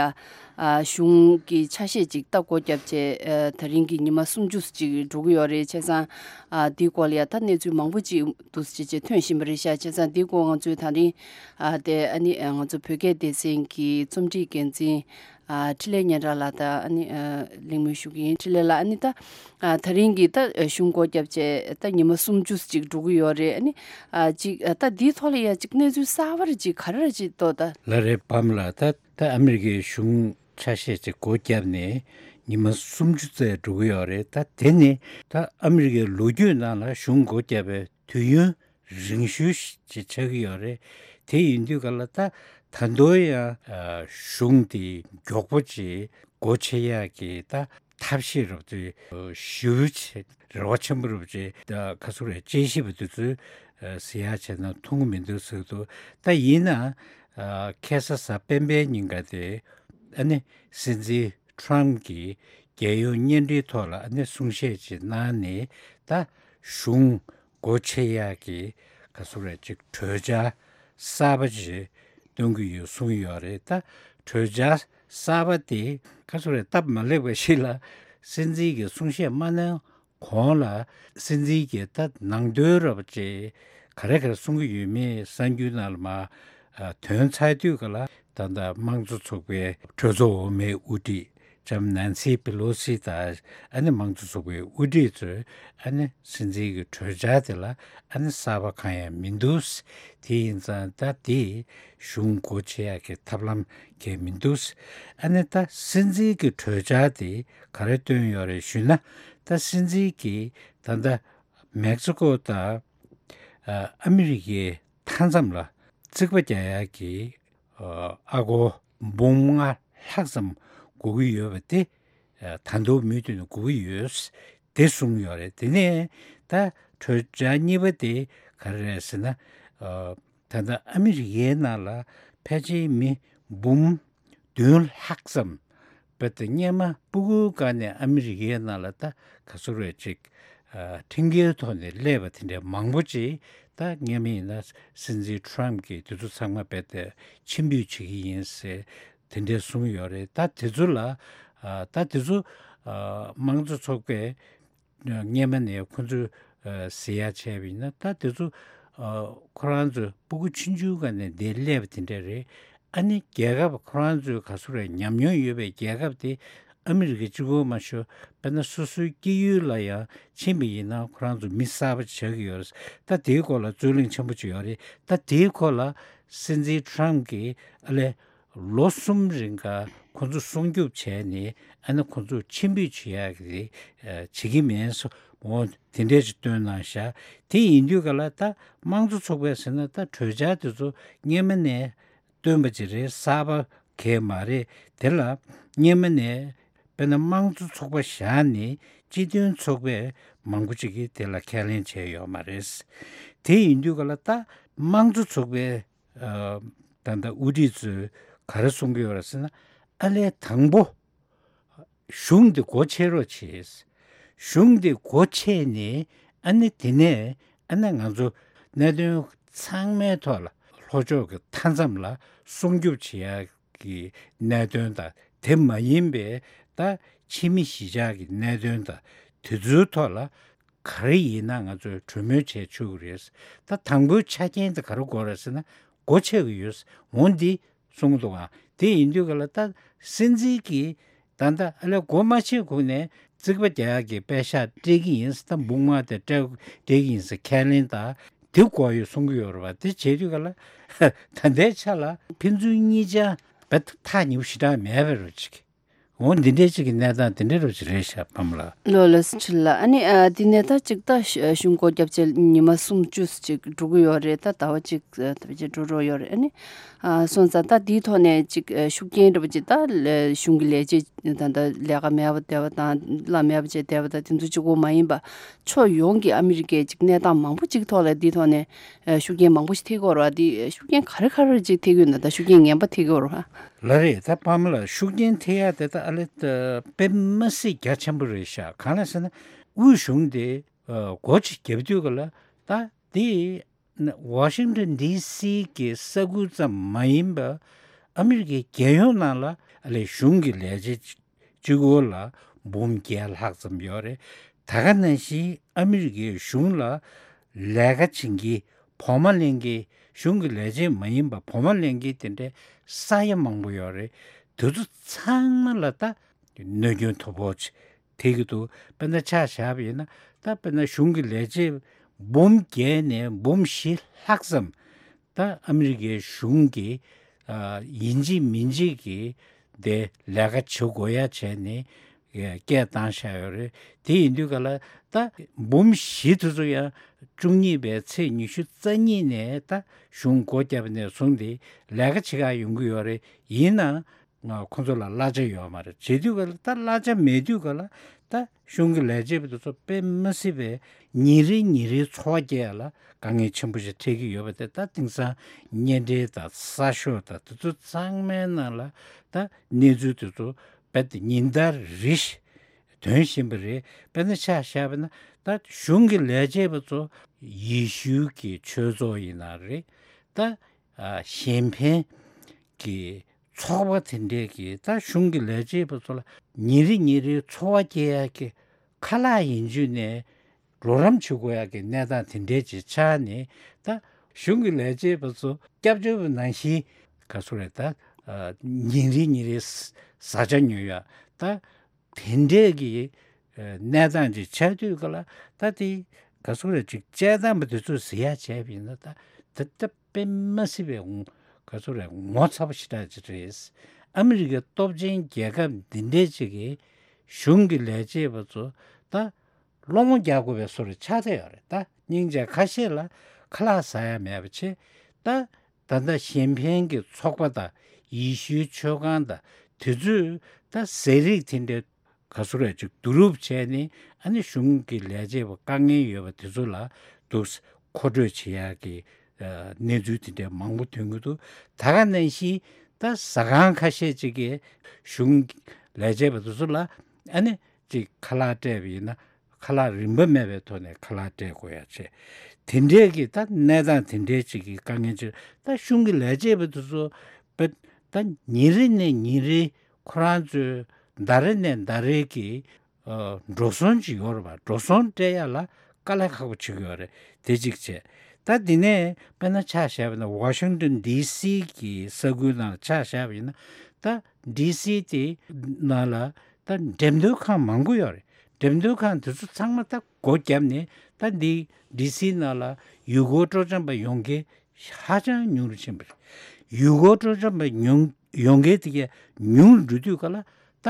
ཨ། གཞུང་གི་ཆ་ཤས་ཅིག་ད་སྒོ་བརྒྱབ་བྱས། ཨ། ད་རིང་གི་ཉི་མ་སུམ་ཅུ་ཅིག་འགྲོ་གི་ཡོད་རེད། བྱས་ཙང་། ཨ། འདིའི་སྐོར་ལ་ཡ་ད་གནས་ཚུལ་མང་པོ་ཅིག་འདུག་སེ་བྱས་བྱས་ཐོན་བཞིན་པ་རེད་ཤག་བྱས་ཙང་འདིའི་སྐོར་ང་ཚོས་ད་རིང་། ཨ། དེ་ཨ་ནི་ང་ཚོ་བོད་སྐད་སྡེ་ཚན་གྱི་རྩོམ་སྒྲིག་འགན་འཛིན། ཨ། འཕྲིན་ལས་སྙན་གྲགས་ལགས་དང་ཨ་ནི། ཨ། གླེང་མོལ་ཞུ་གི་ཡིན། འཕྲིན་ལས་ལགས། ཨ་ནི་ད། ཨ། ད་རིང་གི་ད་གཞུང་སྒོ་བརྒྱབ་བྱས་ད་ཉི་མ་སུམ་ཅུ་ཅིག་འགྲོ་གི་ཡོད་རེད། ཨ་ནི། ཨ། ཅིག་ཨ། ད་འདིའི་ཐོག་ལ་ཡ་ཅིག་གནས་ཚུལ་གསར་པ་རེ་ཅིག་ག་རེ་རེ་ཅིག་འདུག་ད། ལགས་རེད་པཱ་ལགས། ད་ད་ཨ་མི་རི་ཀའི་གཞུང་ཆ་ཤས་ཅིག་སྒོ་བརྒྱབ་ནས་ཉི་མ་སུམ་ཅུ་ཙམ་འགྲོ་གི་ཡོད་རེད། ད་དེ་ནི་ད་ཨ་མི་རི་ཀའི་ལོ་རྒྱུས་ནང་ལ་གཞུང་སྒོ་བརྒྱབ་པའི་དུས་ཡུན་རིང་ཤོས་ཤིག་ཆགས་ཀྱི་ཡོད་རེད། དེ་ཡིན་དུས་ག་ལ་ད་ད་དུང་ཡང་གཞུང་དེ་མགྱོགས་པོ་ཅིག་སྒོ་ཕྱེ་ཡག་གི་ད་ཐབས་ཤེས་རོབ་ཙམ་ཞེ་པོ་ཅིག་རེ་བ་ཆེན་པོ་རོབ་ཅིག་ད་ག་ཚོད་རེད། དཔྱད་ཞིབ་པ་དེ་ཚོས་ཟེར་ཡག་བྱས་ན་མཐོང་གི་མི་འདུག་ཟེར་གི་འདུག་ད་ཡིན་ན་ཁ་སང་གཟའ་སྤེན་པའི་ཉིན་ཀ་དེ་ཨ་ནི་སྲིད་འཛིན་ཊམ་གྱིས་རྒྱལ་ཡོངས་བརྙན་འཕྲིན་ཐོག་ལ་ཨ་ནི་གསུང་བཤད་ཅིག་གནང་ནས་ད་གཞུང་སྒོ་ཕྱེ་ཡག་གི་ག་ཚོད་རེད་ཅིག་གྲོས་འཆར་གསར་པ་ཅིག་གཏོང་གི་ཡོད་གསུངས་ཡོད་རེད། ད་གྲོས་འཆར་གསར་པ་དེ་ག་ཚོད་རེད། སྟབས་མ་ལེགས་པ་ཞིག་ལ་སྲིད་འཛིན་གྱིས་གསུང་བཤད་མ་གནང་གོང་ལ་སྲིད་འཛིན་གྱིས་ད་ནང་དོན་རོབ་ཅིག་ག་རེ་ག་རེ་གསུང་གི་ཡོད་མེད་གསར་འགྱུར་ནང་ལ་མར་ཐོན་ཚར་དུས་ག་ལ་ད་ལྟ་དམངས་གཙོ་ཚོགས་པའི་གྲོས་ཚོགས་འོག་མའི་དབུ་ཁྲིད་ལྕམ་ནན་སི་པེ་ལོ་སི་དང་ཨ་ནི་དམངས་གཙོ་ཚོགས་པའི་དབུ་ཁྲིད་ཚོས་ཨ་ནི་སྲིད་འཛིན་གྱི་གྲོས་འཆར་དེ་ལ་ཨ་ནི་གསར་པ་གང་ཡང་མི་འདུག་དེ་ཡིན་ཙང་ད་དེ་གཞུང་སྒོ་ཕྱེ་ཡག་གི་ཐབས་ལམ་གང་ཡང་མི་འདུག་ཨ་ནི་ད་སྲིད་འཛིན་གྱི་གྲོས་འཆར་དེ་ག་རེ་བཏོན་ཡོད་རེད་ཞུས་ན། ད་སྲིད་འཛིན་གྱིས་ད་ལྟ་མེག་སི་ཀོ་དང་ཨ་མི་རི་ཀའི་མཐའ་མཚམས་ལ་རྩིག་པ་རྒྱག་ཡག་གི་ ཨ་སྒོར་འབུམ་ལྔ་ལྷག་ཙམ་དགོས་ཀྱི་ཡོད་པ་དེ་ད་དུང་མུ་མཐུད་ནས་དགོས་ཀྱི་ཡོད་དེ་གསུངས་ཡོད་རེད། དེ་ནས་ད་གྲོས་འཆར་གཉིས་པ་དེ་ག་རེ་རེད་ཟེར་ན། ད་ལྟ་ཨ་མི་རི་ཀའི་ནང་ལ་ཕལ་ཆེར་མི་འབུམ་བདུན་ལྷག་ཙམ་བོད་དེ་སྔོན་མ་སྤུ་གུའི་སྒང་ནས་ཨ་མི་རི་ཀའི་ནང་ལ་ད་ག་ཚོད་རེད་ཅིག་ཁྲིམས་འགལ་ཐོག་ནས་སླེབས་པ་དེ་འདྲ་མང་པོ་ཅིག་ད་སྔོན་མ་ཡིན་ན་སྲིད་འཛིན་ཊམ་གྱིས་དེ་ཚོ་ཚང་མ་བོད་དེ་ཕྱིར་འབུད་བྱེད་ཀྱི་ཡིན་ཟེར་དེ་འདྲ་གསུངས་ཡོད་རེད། ད་དེ་ཚོ་ལ་ད་དེ་ཚོ་དམངས་གཙོ་ཚོགས་པས་སྔོན་མ་ནས་ཁོང་ཚོས་ཟེར་ཡ་བྱས་པ་ཡིན་ན། ད་དེ་ཚོ་ཁོ་རང་ཚོའི་སྤུ་གུ་ཆུང་ཆུང་སྒང་ནས་འདིར་སླེབས་པ་དེ་འདྲ་རེད། ཨ་ནི་རྒྱལ་ཁབ་ཁོ་རང་ཚོའི་ག་ཚོད་རེད་ཉམས་མྱོང་ཡོད་པའི་རྒྱལ་ཁབ་དེ་ཨ་མི་རི་ཀ་གཅིག་པོ་མ་ཞུ། དཔེར་ན་སོ་སོའི་སྐྱེས་ཡུལ་ལ་ཡང་ཕྱིན་པ་ཡིན་ན་ཁོ་རང་ཚོ་མི་གསར་པ་ཆགས་ཀྱི་ཡོད་རེད། ད་དེའི་སྐོར་ལ་རྩོད་གླེང་ཆེན་པོ་ཅིག་ཡོད་རེད། ད་དེའི་སྐོར་ལ་སྲིད་འཛིན་ཊམ་གྱིས་ཨ་ལས་ལོ་གསུམ་རིང་ག་ཁོ་ཚོ་སྲུང་སྐྱོབ་བྱས་ནས་ཨ་ནི་ཁོ་ཚོ་ཕྱིར་འབུད་བྱེད་ཡག་གི་བྱེད་ཀྱི་མེད་སོ། འོ་དེ་འདྲས་ཅིག་བཏོན་གནང་ཤག་དེ་ཡིན་དུས་ག་ལ་ད་དམངས་གཙོ་ཚོགས་པས་ཟེར་ན་ད་གྲོས་འཆར་དེ་ཚོ་སྔོན་མ་ནས་བཏོན་པ་ཅིག་རེད། གསར་པ་གང་ཡང་མ་རེད། དེ་ལ་སྔོན་མ་ནས་དཔེར་ན་དམངས་གཙོ་ཚོགས་པ་བཞག་ནས་སྤྱི་མཐུན་ཚོགས་པས་མང་པོ་ཅིག་གིས་དེ་ལ་ཁས་ལེན་བྱས་ཡོད་མ་རེད། དེ་ཡིན་དུས་ག་ལ་ད་དམངས་གཙོ་ཚོགས་པའི་ད་ལྟ་དབུ་ཁྲིད་ཚོས་ག་རེ་གསུང་གི་ཡོད་རེད་ཟེར་ན། ཨ་ལས་དང་པོ་གཞུང་འདི་སྒོ་ཕྱེ་རོགས་བྱེད། གཞུང་འདི་སྒོ་ཕྱེ་ནས་ཨ་ནི་དེ་ནས་ཨ་ནི་ང་ཚོ་གནད་དོན་ཚང་མའི་ཐོག་ལ་ལྷོ་ཕྱོགས་ཀྱི་མཐའ་མཚམས་ལ་སྲུང་སྐྱོབ་བྱེད་ཡག་གི་གནད་དོན་དང་དེ་མ་ཡིན་པའི་ད་ཕྱི་མི་གཞིས་ཆགས་ཀྱི་གནད་དོན་དང་དེ་ཚོའི་ཐོག་ལ་ག་རེ་ཡིན་ན་ང་ཚོས་གྲོས་མོལ་བྱས་ཆོག་གི་རེད། ད་དང་པོའི་ཆ་རྐྱེན་དེ་ག་རེ་དགོས་རེད་ཟེར་ན་སྒོ་ཕྱེ་གི་ཡོད། འོ་འདི་གསུངས་འདུག་ཨ། དེ་ཡིན་དུས་ག་ལ་ད་སྲིད་འཛིན་གྱིས་ད་ལྟ་ཨ་ལས་སྒོ་མ་ཕྱེ་གོང་ནས་རྩིག་པ་རྒྱག་ཡག་གི་པད་ཤག་སྤྲད་ཀྱི་ཡིན་ཟེར། ད་འབུམ་ལྔ་དེ་སྤྲད་སྤྲད་ཀྱི་ཡིན་ཟེར་ཁས་ལེན་དང་དེ་དགོས་ཡོད་གསུང་གི་ཡོད་རེད་བ། དེ་བྱེད་དུས་ག་ལ་ད་ལྟའི་ཆ་ལ་ཕན་ཚུན་གཉིས་ཆ་བེད་ཐག་ཉེ་པོ་ཞེ་དྲག་མེད་པའི་རོ་ཅིག་འོ་འདི་འདྲའི་ཅིག་གི་གནས་སྟངས་དེ་འདྲའི་རོ་ཅིག་རེད་ཤག་ཕ་མ་ལགས། ལོ་ལ་སི་ཁྲི་ལ་ཨ་ནི་ཨ་དེ་ནས་ད་ཅིག་ད་གཞུང་སྒོ་བརྒྱབ་བྱས་ཉི་མ་སུམ་ཅུ་ཅིག་འགྲོ་གི་ཡོད་རེད། ད་ཟླ་བ་གཅིག་ད་བར་ཅིག་འགྲོ་རོགས་ཡོད་རེད། ཨ་ནི། སོང་ཙང་ད་འདིའི་ཐོག་ནས་ཅིག་ཤུགས་རྐྱེན་འདྲ་པོ་ཅིག་ད་གཞུང་གི་ལས་བྱེད་ད་ད་ལས་ཀ་མེད་པ་བསྡད་པ་དང་གླ་མེད་པ་བྱས་བསྡད་པ་དང་དེ་ཚོ་གཅིག་པོ་མ་ཡིན་པ་ཕྱོགས་ཡོངས་ཀྱི་ཨ་མི་རི་ཀའི་ཅིག་གནས་སྟངས་མང་པོ་ཅིག་ཐོག་ལ་འདིའི་ཐོག་ནས་ཤུགས་རྐྱེན་མང་པོ་ཞིག་ཐེབས་ཀྱི་ཡོད་རེད་བ། འདི་ཤུགས་རྐྱེན་ག་རེ་ག་རེ་ཅིག་ཐེབས་ཀྱི་ཡོད་ན་ད་ཤུགས་རྐྱེན་ངན་པ་ཐེབས་ཀྱི་ཡོད་རེད་བ། ལགས་རེད། ད་ཕ་མ་ལགས་ཤུགས་རྐྱེན་ཐེབས་ཡ་དེ་ད་ཨ་ལེ་དཔེ་མི་སྲིད་རྒྱ་ཆེན་པོ་རེད་ཤག་གང་ལ་ཟེར་ན་དབུས་གཞུང་དེ་སྒོ་ཅིག་བརྒྱབ་དུས་ག་ལ་ད་དེ། ཝ་ཤིང་ཊོན་ཌི་སི་གི་ས་ཁུལ་ཙམ་མ་ཡིན་པ་ཨ་མི་རི་ཀའི་རྒྱལ་ཡོངས་ནང་ལ་ཨ་ལས་གཞུང་གི་ལས་བྱེད་གཅིག་པོ་ལ་འབུམ་བརྒྱད་ལྷག་ཙམ་ཡོད་རེད། ད་ག་ནང་བཞིན་ཨ་མི་རི་ཀའི་གཞུང་ལ་ལས་ཀ་བྱེད་མཁན་བོགས་མ་ལེན་མཁན་གཞུང་གི་ལས་བྱེད་མ་ཡིན་པ་བོགས་མ་ལེན་མཁན་དེ་འདྲའི་ས་ཡ་མང་པོ་ཡོད་རེད། དེ་ཚོ་ཚང་མ་ལ་ད་གནོད་སྐྱོན་མཐོ་པོ་ཆེ་ཐེབས་ཀྱི་འདུག་དཔེར་ན་ཆ་བཞག་པ་ཡིན་ན་ད་དཔེར་ན་གཞུང་གི་ལས་བྱེད་འབུམ་བརྒྱད་ནས་འབུམ་བཞི་ལྷག་ཙམ་ད་ཨ་མི་རི་ཀའི་གཞུང་གི་ཡིན་གཅིག་མིན་གཅིག་གི་དེ་ལས་ཀ་བྱེད་དགོས་ཡ་བྱས་ནས་སྐད་བཏང་བཞག་ཡོད་རེད། དེ་ཡིན་དུས་ག་ལ་ད་འབུམ་བཞི་དེ་ཚོ་ཡང་བཅུ་གཉིས་པའི་ཚེས་ཉི་ཤུ་རྩ་གཉིས་ནས་ད་གཞུང་སྒོ་བརྒྱབ་ནས་བཟུང་སྟེ་ལས་ཀ་བྱེད་ག་ཡོང་གི་ཡོད་རེད། ཡིན་ན། ང་ཁོང་ཚོ་ལ་གླ་ཆ་ཡོད་མ་རེད། བྱེད་དུས་ག་ལ་ད་གླ་ཆ་མེད་དུས་ག་ལ་ད་གཞུང་གི་ལས་བྱེད་པ་དེ་ཚོ་དཔེ་མི་སྲིད་པའི་ཉིན་རེ་ཉིན་རེའི་འཚོ་བ་སྐྱེལ་ཡ་ལ་དཀའ་ངལ་ཆེན་པོ་ཞིག་འཕྲད་ཀྱི་ཡོད་པ་དེ་ད་དེང་སང་གཉེན་འབྲེལ་དང་གསར་ཤོག་དང་དེ་ཚོ་ཚང་མའི་ནང་ལ་ད་གནས་ཚུལ་དེ་ཚོ་རྦད་དེ་ཉིན་ལྟར་རེ་བཞིན་ཐོན་བཞིན་པ་རེད། དཔེར་ན་ཆ་བཞག་པ་ན་ད་གཞུང་གི་ལས་བྱེད་པ་ཚོ་ཡེ་ཤུའི་གི་ཆོས་ཚོགས་ཡིན་ན་རེད། ད་གཞན་ཕན་གྱི་ཚོགས་པ་དེ་འདྲས་ཀྱིས་ད་གཞུང་གི་ལས་བྱེད་པ་ཚོ་ལ་ཉིན་རེ་ཉིན་རེའི་འཚོ་བ་སྐྱེལ་ཡག་གི་ཁ་ལག་ཡིན་རྒྱུ་ནས་རོགས་རམ་བྱེད་དགོས་ཡག་གི་གནས་སྟངས་དེ་འདྲས་ཅིག་ཆགས་ནས་ད་གཞུང་གི་ལས་བྱེད་པ་ཚོ་སྐྱབས་བཅོལ་བ་ནང་བཞིན་ག་ཚོད་རེད་ད་ཉིན་རེ་ཉིན་རེའི་བཟའ་བཅའ་ཉོ་ཡག་ད། དེ་འདྲས་ཀྱི་གནས་སྟངས་ཅིག་ཆགས་དུས་ག་ལ་ད་དེ་ག་ཚོད་རེད་ཅིག་དཔྱད་གཏམ་པ་དེ་ཚོས་ཟེར་ཡག་བྱས་པ་ཡིན་ན་ད་ད་ད་དཔེ་མ་སྲིད་པའི་ངོ་ག་ཚོད་རེད་ངོ་ཚ་པོ་ཞེ་དྲག་ཅིག་རེད། ཨ་མི་རི་ཀའི་སྟོབས་ཆེན་རྒྱལ་ཁབ་འདི་འདྲས་ཅིག་གིས་གཞུང་གི་ལས་བྱེད་པ་ཚོ་ད་སློང་མོ་རྒྱག་དགོས་པའི་བཟོ་འདྲ་ཆགས་བསྡད་ཡོད་རེད། ད་སྙིང་རྗེ་ཁ་ཤས་ལ་ཁ་ལག་ཟ་ཡག་མེད་པ་བྱས་ད། ད་ལྟ་གཞན་ཕན་གྱི་ཚོགས་པ་དང་ཡེ་ཤུའི་ཆོས་ཁང་དང་དེ་ཚོས་ད་ཟས་རིགས་དེ་འདྲའི་ག་ཚོད་རེ་ཅིག་བསྡུ་རུབ་བྱས་ནས། ཨ་ནི་གཞུང་གི་ལས་བྱེད་པ་དཀའ་ངལ་ཡོད་པ་དེ་ཚོ་ལ་འདུག་མཁོ་སྤྲོད་བྱེད་ཡག་གི་ཨ་གནས་ཚུལ་དེ་འདྲའི་མང་པོ་ཐོན་གྱི་འདུག་ད་ག་ནང་བཞིན་ད་ཟ་ཁང་ཁ་ཤས་ཅིག་གིས་གཞུང་ལས་བྱེད་པ་དེ་ཚོ་ལ་ཨ་ནི་ཅིག་ཁ་ལག་སྤྲད་པ་ཡིན་ན། ཁ་ལག་རིན་པ་མེད་པའི་ཐོག་ནས་ཁ་ལག་སྤྲད་དགོས་ཡ་བྱས། དེ་འདྲའི་གི་ད་གནས་སྟངས་དེ་འདྲའི་ཅིག་གི་དཀའ་ངལ་ཅིག་ད་གཞུང་གི་ལས་བྱེད་པ་དེ་ཚོ་བས་ད་ཉིན་རེ་ནས་ཉིན་རེ་ཁོ་རང་ཚོའི་ཟླ་རེ་ནས་ཟླ་རེ་གི་ཨ་འགྲོ་སོང་ཅིག་ཡོད་རེད་པ། འགྲོ་སོང་སྤྲད་ཡ་ལ་དཀའ་ལས་ཁག་པོ་བྱེད་ཀྱི་ཡོད་རེད། དེ་གཅིག་བྱས། ད་དེ་ནས་དཔེར་ན་ཆ་བཞག་པ་ཡིན་ན་ཝ་ཤིང་ཏོན་ཌི་སི་གི་ས་ཁུལ་ནང་ཆ་བཞག་པ་ཡིན་ན། ད་ཌི་སི་དེ་ནང་ལ་ད་འགྲེམས་སྟོན་ཁང་མང་པོ་ཡོད་རེད། འགྲེམས་སྟོན་ཁང་དེ་ཚོ་ཚང་མ་ད་སྒོ་བརྒྱབ་ནས། ད་འདི་ཌི་སི་ནང་ལ་ཡུལ་སྐོར་སྤྲོ་འཆམ་པ་ཡོང་མཁན་ཧ་ཅང་ཉུང་རུ་ཕྱིན་པ་རེད། ཡུལ་སྐོར་སྤྲོ་འཆམ་པ་ཉུང་ཡོང་མཁན་དེ་གས་ཉུང་རུ་འགྲོ་དུས་ག་ལ་ད་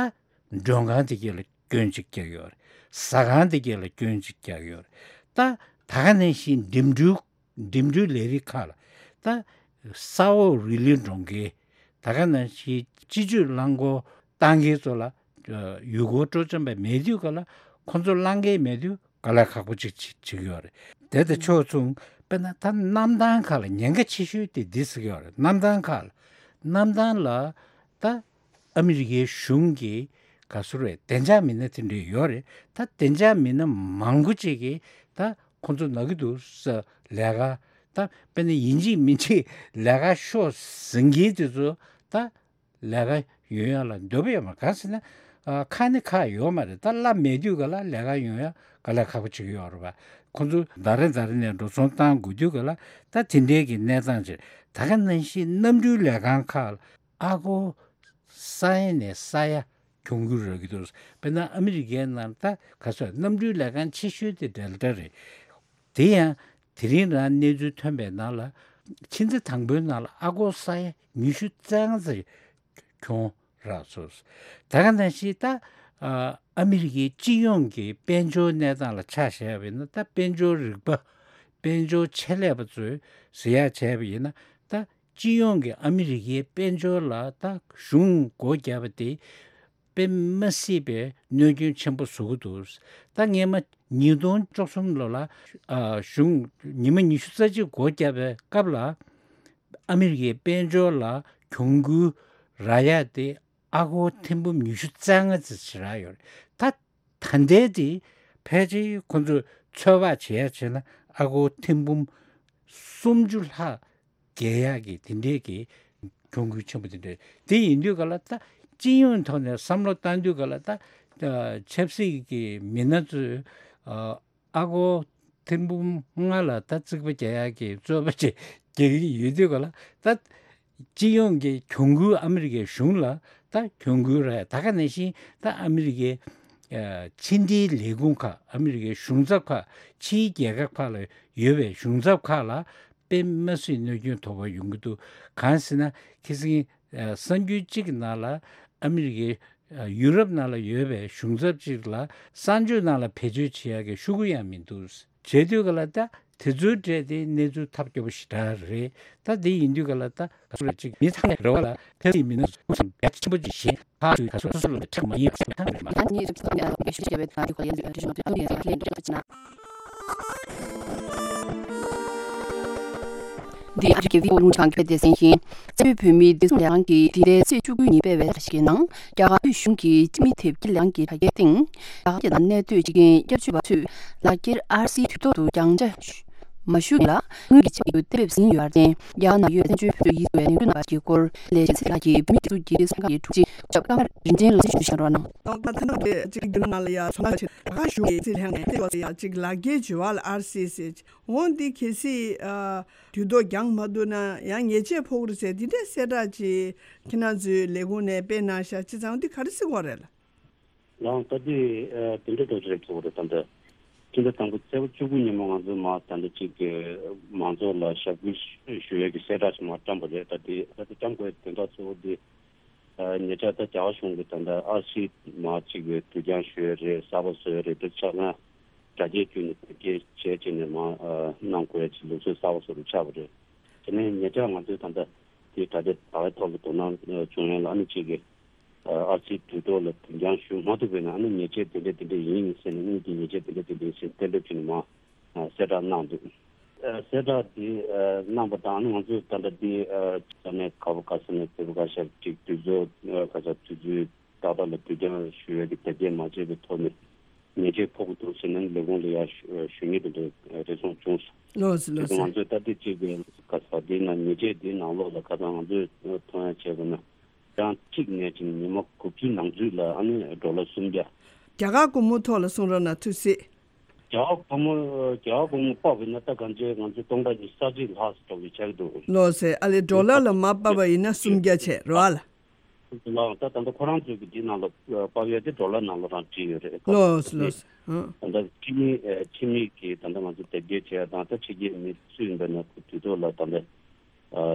མགྲོན་ཁང་དེ་གས་ལ་སྐྱོན་ཅིག་རྒྱག་ཡོད་རེད། ཟ་ཁང་དེ་གས་ལ་སྐྱོན་ཅིག་རྒྱག་ཡོད་རེད། ད་ད་ག་ནང་བཞིན་འགྲིམ་འགྲུལ་འགྲིམ་འགྲུལ་ལས་རིགས་ཁག་ལ་ད་ས་འོག་རི་ལི་འགྲོ་མཁན། ད་ག་ནང་བཞིན་སྤྱི་སྤྱོད་རླངས་འཁོར་བཏང་མཁན་ཚོ་ལ་ཡུལ་སྐོར་སྤྲོ་འཆམ་པ་མེད་དུས་ག་ལ་ཁོང་ཚོ་བླང་མཁན་མེད་དུས་དཀའ་ལས་ཁག་པོ་ཅིག་བྱེད་བྱེད་ཀྱི་ཡོད་རེད། དེ་དང་ཕྱོགས་མཚུངས་དཔེར་ན་ད་གནམ་ཐང་ཁག་ལ་ཉེན་ཁ་ཆེ་ཤོས་དེ་འདི་ཟེར་གྱི་ཡོད་རེད། གནམ་ཐང་ཁག་ལ་གནམ་ཐང་ལ་ད་ཨ་མི་རི་ཀའི་གཞུང་གི་ག་ཚོད་རེད། བདེ་འཇགས་མི་སྣ་དེ་འདྲ་ཡོད་རེད། ད་བདེ་འཇགས་མི་སྣ་མང་པོ་ཅིག་གིས་ད་ཁོང་ཚོ་ན་གི་འདུག་ས་ལས་ཀ་ད་དཔེར་ན་ཡིན་གཅིག་མིན་གཅིག་ལས་ཀ་ཤོག་ཟེར་མཁན་དེ་ཚོ་ད་ལས་ཀ་ཡོང་ཡ་ལ་འདོད་པ་ཡོད་མ་རེད། གང་ཟེར་ན་ཨ་ཁག་ནི་ཁག་ཡོད་མ་རེད། ད་གླ་མེད་དུས་ག་ལ་ལས་ཀ་ཡོང་ཡ་དཀའ་ལས་ཁག་པོ་ཅིག་ཡོད་རེད་པ། ཁོང་ཚོ་ཟླ་རེ་ཟླ་རེ་ནས་འགྲོ་སོང་བཏང་དགོས་དུས་ག་ལ་ད་དེ་འདྲའི་གི་གནས་སྟངས་ཅིག་ད་ག་ནང་བཞིན་གནམ་གྲུའི་ལས་ཁང་ཁག་ལ་ཨ་སྒོར་ས་ཡ་ནས་ས་ཡ་གྱོང་གུན་རག་གི་འདུག་དཔེར་ན་ཨ་མི་རི་ཀའི་ནང་ད་ག་ཚོད་གནམ་གྲུའི་ལས་ཁང་ཆེ་ཤོས་དེ་ཌེལ་ཊ་རེད། དེ་ཡང་དེ་རིང་རང་གནས་ཚུལ་ཐོན་པའི་ནང་ལ་ཕྱི་ཟླ་དང་པོའི་ནང་ལ་ཨ་སྒོར་ས་ཡ་ཉི་ཤུ་རྩ་ལྔ་ཙམ་གྱོང་རག་སོང་། ད་ག་ནང་བཞིན་ད་ཨ་ཨ་མི་རི་ཀའི་སྤྱི་ཡོངས་ཀྱི་དཔལ་འབྱོར་གནས་སྟངས་ལ་ཆ་བཞག་པ་ཡིན་ན། ད་དཔལ་འབྱོར་རིག་པ་དཔལ་འབྱོར་ཆེད་ལས་པ་ཚོས་ཟེར་ཡག་བྱས་པ་ཡིན་ན། ད་སྤྱི་ཡོངས་ཀྱི་ཨ་མི་རི་ཀའི་དཔལ་འབྱོར་ལ་ད་གཞུང་སྒོ་བརྒྱབ་པ་དེ་དཔེ་མ་སྲིད་པའི་གནོད་སྐྱོན་ཆེན་པོ་བཟོ་གི་འདུག་ད་སྔས་མ་ཉིས་སྟོང་བཅུ་གསུམ་ལོ་ལ་ཨ་གཞུང་ཉི་མ་ཉི་ཤུ་རྩ་གཅིག་སྒོ་བརྒྱབ་པའི་སྐབས་ལ་ཨ་མི་རི་ཀའི་དཔལ་འབྱོར་ལ་གྱོང་གུན་རག་ཡ་དེ་ཨ་སྒོར་ཐེར་འབུམ་ཉི་ཤུ་རྩ་ལྔ་ཙམ་ཞིག་རག་ཡོད་རེད། ད་ད་ལྟའི་དེ་ཕལ་ཆེར་ཁོང་ཚོས་ཚོད་དཔག་བྱེད་ཡ་བྱས་ན་ཨ་སྒོར་ཐེར་འབུམ་སུམ་ཅུ་ལྷག་བརྒལ་ཡག་གི་དེ་འདྲའི་གི་གྱོང་གུན་ཆེན་པོ་དེ་འདྲ་དེ་ཡིན་དུས་ག་ལ་ད་སྤྱི་ཡོངས་ཐོག་ནས་བསམ་བློ་བཏང་དུས་ག་ལ་ད་ཆབ་སྲིད་ཀྱི་མི་སྣ་ཚོས་ཨ་སྒོར་ཐེར་འབུམ་ལྔ་ལ་ད་རྩིག་པ་རྒྱག་ཡག་གི་རྩོད་པ་ཅིག་རྒྱག་གི་ཡོད་དུས་ག་ལ་ད་སྤྱི་ཡོངས་ཀྱི་གྱོང་གུན་ཨ་མི་རི་ཀའི་གཞུང་ལ་ད་གྱོང་གུན་རག་ཡ། ད་ག་ནང་བཞིན་ད་ཨ་མི་རི་ཀའི་ཕྱི་འབྲེལ་ལས་ཁུངས་ཁག་ཨ་མི་རི་ཀའི་གཞུང་ཚབ་ཁག་ཕྱིའི་རྒྱལ་ཁབ་ཁག་ལ་ཡོད་པའི་གཞུང་ཚབ་ཁག་ལ་དཔེ་མ་སྲིད་གནོད་སྐྱོན་དོགས་པ་ཡོང་གི་འདུག་གང་ཟེར་ན་ཁ་སང་གསར་འགྱུར་གཅིག་གི་ནང་ལ་ཨ་མི་རི་ཀའི་ཡུ་རོབ་ནང་ལ་ཡོད་པའི་གཞུང་ཚབ་ཅིག་ལ་གསར་འགྱུར་ནང་ལ་བེད་སྤྱོད་བྱེད་ཡག་གི་ཤོག་གུ་ཡང་མི་འདུག་བྱེད་དུས་ག་ལ་ད་དེ་ཚོའི་གྲས་དེ་གནས་ཚུལ་ཐབས་སྐྱོ་པོ་ཞེ་དྲག་རེད། ད་དེ་ཡིན་དུས་ག་ལ་ད་ག་ཚོད་ཅིག་མི་ཚང་མས་རེ་བ་ལ་ཁ་སང་མི་སྣ་ཚོ་ཆེན་པོ་ཅིག་བཞེངས། ཁ་ཚུད་ཁ་སོ་སོ་ལ་ཁྲག་མ་ཡིན་པ་ཞིག་ཐང་རེད་མ། ད་ནི་རིགས་ཚོགས་ནས་ལ་བེད་སྤྱོད་བྱས་པའི་ད་དུས་ཁོ་ཡན་དུ་ཨ་ཏི་ཤོ་དུ་ཡན་དུ་ལེན་འགྲོ་ཅི་ན། འདི་ཨ་རི་གི་བྷི་ཨོ་རླུང་འཕྲིན་ཁང་གི་སྡེ་ཚན་ཡིན། རྩ་བའི་བོད་མིའི་བདེ་སྲུང་ལས་ཁང་གིས་འདི་ཟླའི་ཚེས་བཅུ་དགུ་ཉིན་སྤེལ་བའི་ལས་འཆར་ཞིག་གི་ནང་། རྒྱ་གར་དབུས་གཞུང་གིས་སྤྱི་མི་དེབ་སྐྱེལ་ལས་ཁང་གི་དྲ་རྒྱའི་སྟེང་། རྒྱ་གར་རྒྱལ་ནང་གནས་སྡོད་སྤྱི་རྒན་སྐྱབས་བཅོལ་བ་ཚོས་ལག་འཁྱེར་ཨར་སིའི་དུས་ཐོག་ཏུ་རྒྱང་ཆ་མ་ཞུ་མཁན་ལ་དངུལ་གྱི་ཆད་གཏོང་གཏན་འབེབས་ཟིན་ཡོད་པར་བརྟེན། རྒྱ་གར་ནང་ཡོད་བཙན་བྱོལ་བོད་ཕྲུག་ཡིད་སྐྱོ་བའི་ནོར་འཁྲུལ་གནང་བ་ཞིག་གི་སྐོར་ལས་བྱེད་ཚེ་ལགས་ཀྱིས་བོད་མིའི་སྒྲིག་འཛུགས་ཀྱི་ཚོགས་ཁང་གི་དྲུང་ཆེ་ཇོབ་ཀརྨ་རིན་ཆེན་ལགས་ཀྱིས་གསུངས་གནང་རོགས་གནང་། ད་ཐ་ན་དེ་གཅིག་རྒྱུན་ནང་ལ་ཡ་ཚོང་ལས་བྱེད་རྒྱ་གར་གཞུང་གི་རྩིས་ལྷན་ནས་དེ་ཡོད་ཡ་གཅིག་ལག་འཁྱེར་འབྱོར་བ་ལ་ཨར་སི་ཟེར། འོ་འདི་གལ་སྲིད་ཨ་དུས་ཐོག་རྒྱང་མ་བསྡུ་ན་ཡང་ཉེས་ཆད་ཕོག་གི་རེད་ཟེར་འདི་འདྲའི་གསལ་བསྒྲགས་ཅིག་ཁྱེད་རང་ཚོའི་ལས་ཁུངས་ནས་སྤེལ་གནང་ཤག་བྱས་ཙང་འདི་ག་རེ་ཟེར་དགོས་རེད་ལ། ལའང་ད་འདི་ཨ་དེ་འདྲ་འགྲོ་གི་རེད་ཚོགས་རེད། ད་འདི་སྤྱི་ཟླ་དང་པོ་ཚེས་པ་བཅུ་དགུ་ཉིན་མོ་ང་ཚོ་མ་ད་འདི་གཅིག་གི་མང་ཚོགས་ལ་ཞབས་སྐུལ་ཞུ་ཡས་ཀྱི་གསལ་བསྒྲགས་ཤིག་མ་བཀྲམ་པ་རེད། ད་འདི་ད་འདི་བཀྲམ་དགོས་དོན་དག་གཙོ་བོ་འདི་ཨ་ཉེ་ཆར་ད་རྒྱ་གར་གཞུང་གིས་ད་ལྟ་ཨར་སི་མ་གཅིག་གི་དུས་འགྱངས་ཞུ་ཡས་རེད། གསར་པ་བཟོ་ཡས་རེད། འདི་ཆ་ཚང་དྲ་རྒྱའི་བརྒྱུད་ནས་བེད་སྤྱོད་བྱས་བྱས་ནས་མ་ཨ་གནང་དགོས་ཡས་ཀྱི་ལུགས་སྲོལ་གསར་པ་བཟོ་རུ་ཆགས་པ་རེད། དེ་ནས་ཉེ་ཆར་ང་ཚོས་ད་ལྟ་དེ་གྲ་སྒྲིག་བྱ་བའི་ཐོག་ལ་དོ་སྣང་བྱུང་ཡོད་ལ། ཨ་ནི་གཅིག་གིས་ཨར་སིའི་དུས་ཐོག་ལ་དུས་འགྱངས་ཞུ་མ་ཐུབ་པས་ན། ཨ་ནི་ཉེས་ཆད་དེ་འདྲ་དེ་འདྲ་ཡིན་ཟེར་ནས། དངུལ་གྱི་ཉེས་ཆད་དེ་འདྲ་དེ་འདྲ་ཡིན་ཟེར་གཏན་འབེབས་བྱས་ནས་མར་གསལ་བསྒྲགས་གནང་འདུག་གསལ་བསྒྲགས་དེ་གནང་པ་དང་། ཨ་ནི་ང་ཚོས་ད་ལྟ་དེ་ས་གནས་ག་པར་ག་ས་ནས་དེ་པར་ག་ཤར་ཅིག་དུས་ཚོད་ག་ས་དུས་ཚོད་ཏག་ཏག་ལ་དུས་འགྱངས་ཞུ་ཡས་ཀྱི་དེབ་སྐྱེལ་མ་བྱས་པའི་ཐོག་ནས་ཉེས་ཆད་ཕོག་གི་འདུག་ཟེར་ནས་ལས་ཁུངས་ལ་ཡར་ཞུ་ཞུ་མཁན་དེ་འདྲ་རེ་ཟུང་བྱུང་སོང་། ལགས་སོ། དེ་ལགས་ཚོ་སོ། ང་ཚོས་ད་ལྟ་གཅིག་གི་ག་ས་དེའི་ནང་ཉེས་ཆད་དེའི་ནང་ལོགས་ལ་ཁ་སང་ང་ཚོས་མཐོང་ཡ་བྱས་པ་ན། གྲངས་གཅིག་ནས་བྱས་ནས་ཉི་མ་དགུ་བཅུའི་ནང་ཚུད་ལ་ཨ་ནི་ཌོ་ལར་སུམ་བརྒྱ། རྒྱ་གར་སྒོར་མོ་ཐོག་ལ་གསུང་རོགས་གནང་། ཐུགས་སྲིད། རྒྱ་གར་སྒོར་མོ་རྒྱ་གར་སྒོར་མོ་དཔག་པ་ཡིན་ན་ད་གང་ཅི་ང་ཚོ་སྟོང་ཕྲག་ཉི་ཤུ་རྩ་གཅིག་ལྷག་ཙམ་ཅིག་ཆགས་ཀྱི་འདུག་ལགས་སོ། ཨ་ལས་ཌོ་ལར་ལ་མར་ཕབ་པ་ཡིན་ན་སུམ་བརྒྱ་བྱས་རེད་པ། ལགས། ད་ད་ལྟ་ཁོ་རང་ཚོའི་གི་འདི་ནང་ལ་ཕབ་ཡ་དེ་ཌོ་ལར་ནང་ལོགས་རང་བྲིས་ཡོད་རེད། ལགས་སོ། ལགས་སོ། ཨ། ད་ལྟ་ཕྱི་མི་ཕྱི་མི་གི་ད་ལྟ་ང་ཚོ་དེབ་སྐྱེལ་བྱས་དང་། ད་ཕྱི་རྒྱལ་མི་སུ་ཡིན་པ་ན་ཁོ་དུས་ཐོག་ལ་ད་ལྟ་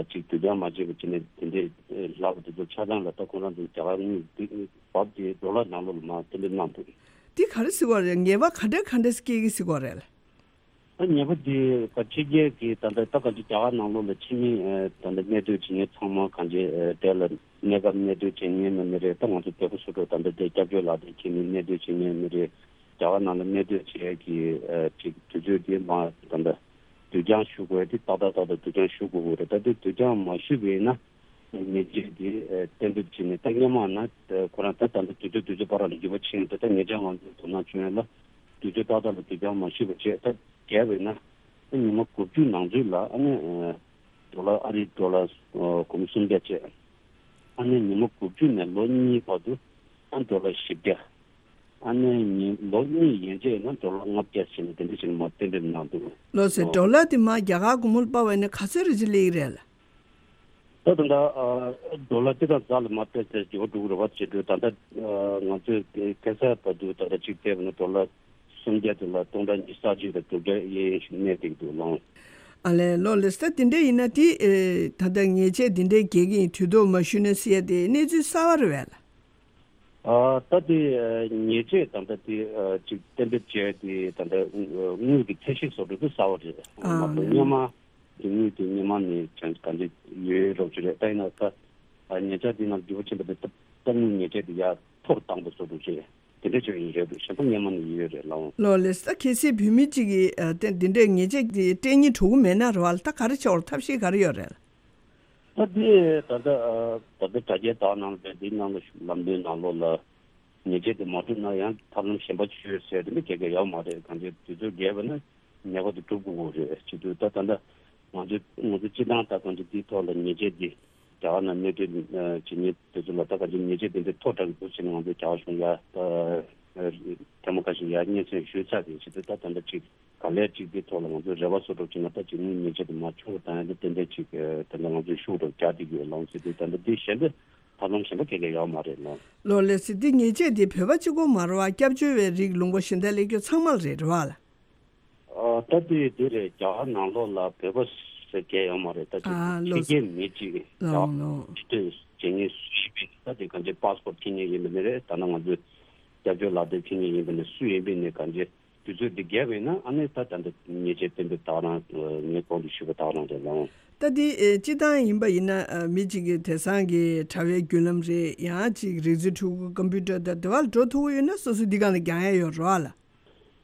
ཅིག་དུས་འགྱངས་མ་བྱས་པ་བྱས་ནས་དེ་འདྲའི་ལབ་པ་དེ་ཚོ་ཆ་ཚང་ལ། ད་ཁོ་རང་ཚོ་རྒྱ་གར་དངུལ་འདི་བབས་ཏེ་ཌོ་ལར་ནང་ལོགས་ལ་མར་གཏན་འབེབས་གནང་འདུག་འདི་ག་རེ་ཟེར་བ་རེད། ཉེས་པ་ག་འདྲ་ག་འདྲ་སྐྱེ་གི་ཟེར་བ་རེད། ད་ཉེས་པ་འདི་ག་ཕྱི་རྒྱལ་གྱི་ད་ལྟ་ད་ག་ཅིག་རྒྱ་གར་ནང་ལོགས་ལ་ཕྱི་མི་ད་ལྟ་གནས་སྡོད་བྱེད་མཁན་ཚང་མ་གང་ཅི་དེ་ལ་གནས་སྐབས་གནས་སྡོད་བྱེད་མཁན་ཡིན་ན་མི་རེད། ད་ང་ཚོ་བོད་པ་སོ་སོ་ད་ལྟ་དེ་སྐྱབས་བཅོལ་ལག་དེབ་ཁྱེར་ནས་གནས་སྡོད་བྱེད་མཁན་མི་རེད། རྒྱ་གར་ནང་ལ་གནས་སྡོད་བྱེད་ཀྱི་ཅིག་དུས་ཚོད་དེ་མ་ད་ལྟ་དུས་འགྱངས་ཞུ་དགོས་དེ་ཏག་ཏག་ཏག་ཏག་དུས་འགྱངས་ཞུ་དགོས་ཀྱི་རེད། ད་དེ་དུས་འགྱངས་མ་ཞུས་པ་ཡིན་ན་ཉེས་ཆད་དེ་གཏན་འབེབས་བྱས་ནས། ད་སྔོན་མ་ན་ཁོ་རང་ད་ད་ལྟ་དུས་ཚོད་དུས་ཚོད་བར་ལ་འགྱུར་བ་ཕྱིན་ཏེ། ད་ཉེ་ཆར་ང་ཚོ་དོ་སྣང་བྱུང་ཡ་ལ་དུས་ཚོད་ཏག་ཏག་ལ་དུས་འགྱངས་མ་ཞུས་པ་བྱས། ད་བརྒལ་བས་ན་ད་ཉི་མ་དགུ་བཅུ་ནང་ཚུད་ལ་ཨ་ནི་ཌོ་ལར་ཨ་རིའི་ཌོ་ལར་སྒོར་མོ་སུམ་བརྒྱ་བྱས། ཨ་ནི་ཉི་མ་དགུ་བཅུ་ནས་ལོ་གཉིས་བར་དུ་ཨ་ཌོ་ལར་བཞི་བརྒྱ། ཨ་ནི་ཉིན་ལོ་གཉིས་ཡན་ཆད་ན་ཌོ་ལར་ལྔ་བརྒྱ་ཟེར་ནས་དེ་འདྲ་ཞིག་མར་གཏན་འབེབས་གནང་འདུག་ལགས་སོ། ལོ། ཌོ་ལར་དེ་མར་རྒྱ་གར་སྒོར་མོ་ལ་ཕབ་པ་ཡིན་ན་ག་ཚོད་རེ་ཅིག་སླེབས་ཀྱི་རེད་ལགས། ད་ད་ལྟ་ཨ་ཌོ་ལར་སྤྱི་དང་རྩ་ལ་མར་ཏོག་ཙམ་འགྱུར་བ་འགྲོ་གི་རེད་པ་བྱེད་དུས། ད་ལྟ་ཨ་ང་ཚོས་དེ་ཁ་སང་བར་དུ་ད་ལྟ་གཅིག་བལྟས་པ་ན་ཌོ་ལར་སུམ་བརྒྱ་དེ་ལ་སྟོང་ཕྲག་ཉི་ཤུ་རྩ་གཅིག་དང་དྲུག་བརྒྱ་གཡས་གཡོན་ཞིག་གནས་བསྡད་ཀྱི་འདུག་ལགས། ཨ་ལས། ལགས་ལགས་སོ། ད་དེ་འདྲ་ཡིན་ན་དེ་ཨེ་ད་ལྟ་ཉེས་ཆད་དེ་འདྲ་འགེལ་གྱི་ཡིན། དུས་ཐོག་མ་ཞུས་ན་ཟེར་ཡ་དེ་གནས་ཚུལ་གསར་པ་རེད་པས་ལགས། ཨ་ད་དེ་ཨ་ཉེས་ཆད་ད་ལྟ་དེ་ཨ་ཅིག་གཏན་འབེབས་བྱས་ཏེ་ད་ལྟ་དངུལ་གྱི་ཚད་གཞི་བཟོ་འདྲ་དེ་གསར་པ་རེད། ཨ་མ་གཏོགས་སྔོན་མ་དེ་དངུལ་དེ་སྔོན་མ་ནས་ཅང་གང་ཅི་ཡོད་རོགས་ཅིག་རེད། ད་ཡིན་ན་ད་ཨ་ཉེ་ཆར་དེ་ནང་འགྱུར་བ་ཕྱིན་པ་དེ་ད་དངུལ་ཉེས་ཆད་དེ་ཡར་མཐོ་རུ་བཏང་པ་བཟོ་འདྲ་ཅིག་དེ་འདྲ་ཅིག་ཡིན་རེད་འདུག་གཞན་པ་སྔོན་མ་ནས་ཡོད་རེད་ལགས། ལགས་ལགས་སོ། ད་གལ་སྲིད་བོད་མི་གཅིག་གིས་ཨ་དེ་འདི་འདྲའི་ཉེས་ཆད་དེ་སྤྲད་སྙིང་བྲོ་གི་མེད་ན་རེད་པ་ལགས། ད་ག་རེ་བྱེད་དགོས་རེད། ཐབས་ཤེས་ག་རེ་ཡོད་རེད་ལགས། ད་དེ་ད་ལྟ་ཨ་ད་ལྟ་དྲ་རྒྱའི་དག་སྣང་རེད། དེའི་ནང་ལ་ལམ་སྟོན་ནང་ལོགས་ལ་ཉེས་ཆད་དེ་མ་གྲུབ་ན་ཡང་ཐབས་ལམ་གཞན་པ་བྱོས་ཟེར་དེ་འདྲ་ག་གེ་ཡོད་མ་རེད། གང་ཅི་དུས་ཚོད་བརྒལ་བ་ན་ཉེས་པ་དེ་གྲུབ་དགོས་རེད། བྱེད་དུས་ད་ད་ལྟ་ང་ཚོ་ང་ཚོ་སྤྱི་བཏང་ད་གང་ཅི་དེའི་ཐོག་ལ་ཉེས་ཆད་དེ་རྒྱ་གར་ནང་གནས་སྡོད་བྱེད་མཁན་དེ་ཚོ་ལ་ད་གང་ཅི་ཉེས་ཆད་དེ་འདྲ་མཐོ་དྲགས་འདུག་ཟེར་ནས་ང་ཚོ་རྒྱ་གར་གཞུང་ཡར་ད་ཐེངས་མ་ཁ་ཤས་ཡར་སྙན་སེང་ཞུས་ཚར་བའི་ཕྱིར་དུ་ད་ད་ལྟ་ཅིག་ག་ལེར་ཅིག་དེ་ཐོག་ལ་ང་ཚོས་རེ་བ་བཟོ་འདྲ་བྱས་ན་ད་ཅིག་དངུལ་ཉེས་ཆད་དེ་མར་ཆུང་རུ་བཏང་ཡ་དེ་ཏན་ཏན་ཅིག་ད་ལྟ་ང་ཚོས་ཤུགས་རུ་རྒྱག་བསྡད་ཀྱི་ཡོད་ལགས་ཟེར་དུས། ད་ལྟ་འདི་གཞན་པའི་ཐབས་ལམ་གཞན་པ་ག་གེ་ཡོད་མ་རེད་ལགས། ལགས་ལགས་སོ། འདི་ཉེས་ཆད་འདི་བོད་པ་གཅིག་པོ་མ་རེད་པ། སྐྱབས་བཅོལ་བའི་རིགས་ལུང་པ་གཞན་དག་སླེབས་རྒྱུ་ཚང་མ་ལ་རེད་རེད་པ་ལགས། ཨ་ད་དེ་དེ་རེད། རྒྱ་གར་ནང་ལོགས་ལ་བོད་པ་ཟེར་གང་ཡང་ཡོད་མ་རེད། ད་ཅིག་ཨ་ཕྱི་ལོ་རྒྱལ་མི་གཅིག་རེད། རྒྱ་ལོ་གར་ལོ་ཕྱི་སྡོད་བྱེད་མཁན་སུ་ཡིན་པའི་ད་དེ་གང་ཅི་པཱ་སི་པོར་ཊི་འཁྱེར་མཁན་ཡིན་པ་ནི་རེད། ད་ནང་ང་ཚོའི་སྐྱབས་བཅོལ་ལག་དེབ་འཁྱེར་མཁན་ཡིན་པ་ནི་སུ་ཡིན་པའི་ནི་གང་ཅི་དུས་ཚོད་འདི་བརྒལ་བས་ན་ཨ་ནི་ད་ད་འདི་ཉེས་ཆད་གཏན་འབེབས་ད་རང་ངས་གོང་དུ་ཞུས་པ་ད་རང་རེད་ལགས། ད་འདི་ཨེ་སྤྱི་བཏང་ཡིན་པ་ཡིན་ན་ཨ་མི་གཅིག་གི་དེང་སང་གི་དྲ་བའི་བརྒྱུད་ལམ་རེད། ཡང་ཅིག་རིག་རྩལ་འཕྲུལ་འཁོར་ཀམ་པུ་ཊར་དང་དེ་བ་ལ་འགྲོ་ཐུབ་ཀྱི་ཡོད་ན་སོ་སོ་འདི་སྒང་ལ་རྒྱག་ཡ་ཡོད་རེད་པ་ལགས།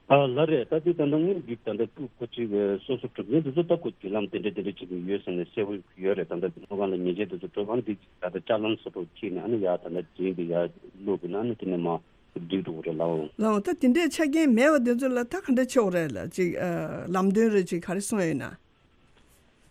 ཨ་ལགས་རེད། ད་འདི་ད་ལྟ་དངུལ་འདི་ད་ལྟ་ཁོ་ཁོ་ཅིག་སོ་སོ་གྲུབ་མཁན་དེ་ཚོ་ད་ཁོ་བརྒྱུད་ལམ་དེ་འདྲ་དེ་འདྲ་བྱེད་ཀྱི་ཡོད་ཟེར་ནས་གསལ་པོ་ཡོད་རེད། ད་ལྟ་ཁོ་གང་ལ་ཉེས་ཆད་དེ་ཚོ་གྲུབ་ཨ་ནི་འདི་ད་ལྟ་ཅ་ལན་སོ་སོ་ཁྱེར་ནས་ཨ་ནི་ཡར་ད་ལྟ་འཛིན་འདི་ཡར་བླུགས་དགོས་ན་ཨ་ནི་དེ་ནས་མར་སྒྲིག་འགྲོ་གི་རེད་ལགས། ལགས་ད་དེ་འདྲའི་ཆ་རྐྱེན་མེད་པ་དེ་ཚོ་ལ་ད་ག་འདྲ་བྱེད་དགོས་རེད་ལགས། ཅིག་ཨ་ལམ་སྟོན་རེ་ཅིག་ག་རེ་གསུངས་ཡོད་ན།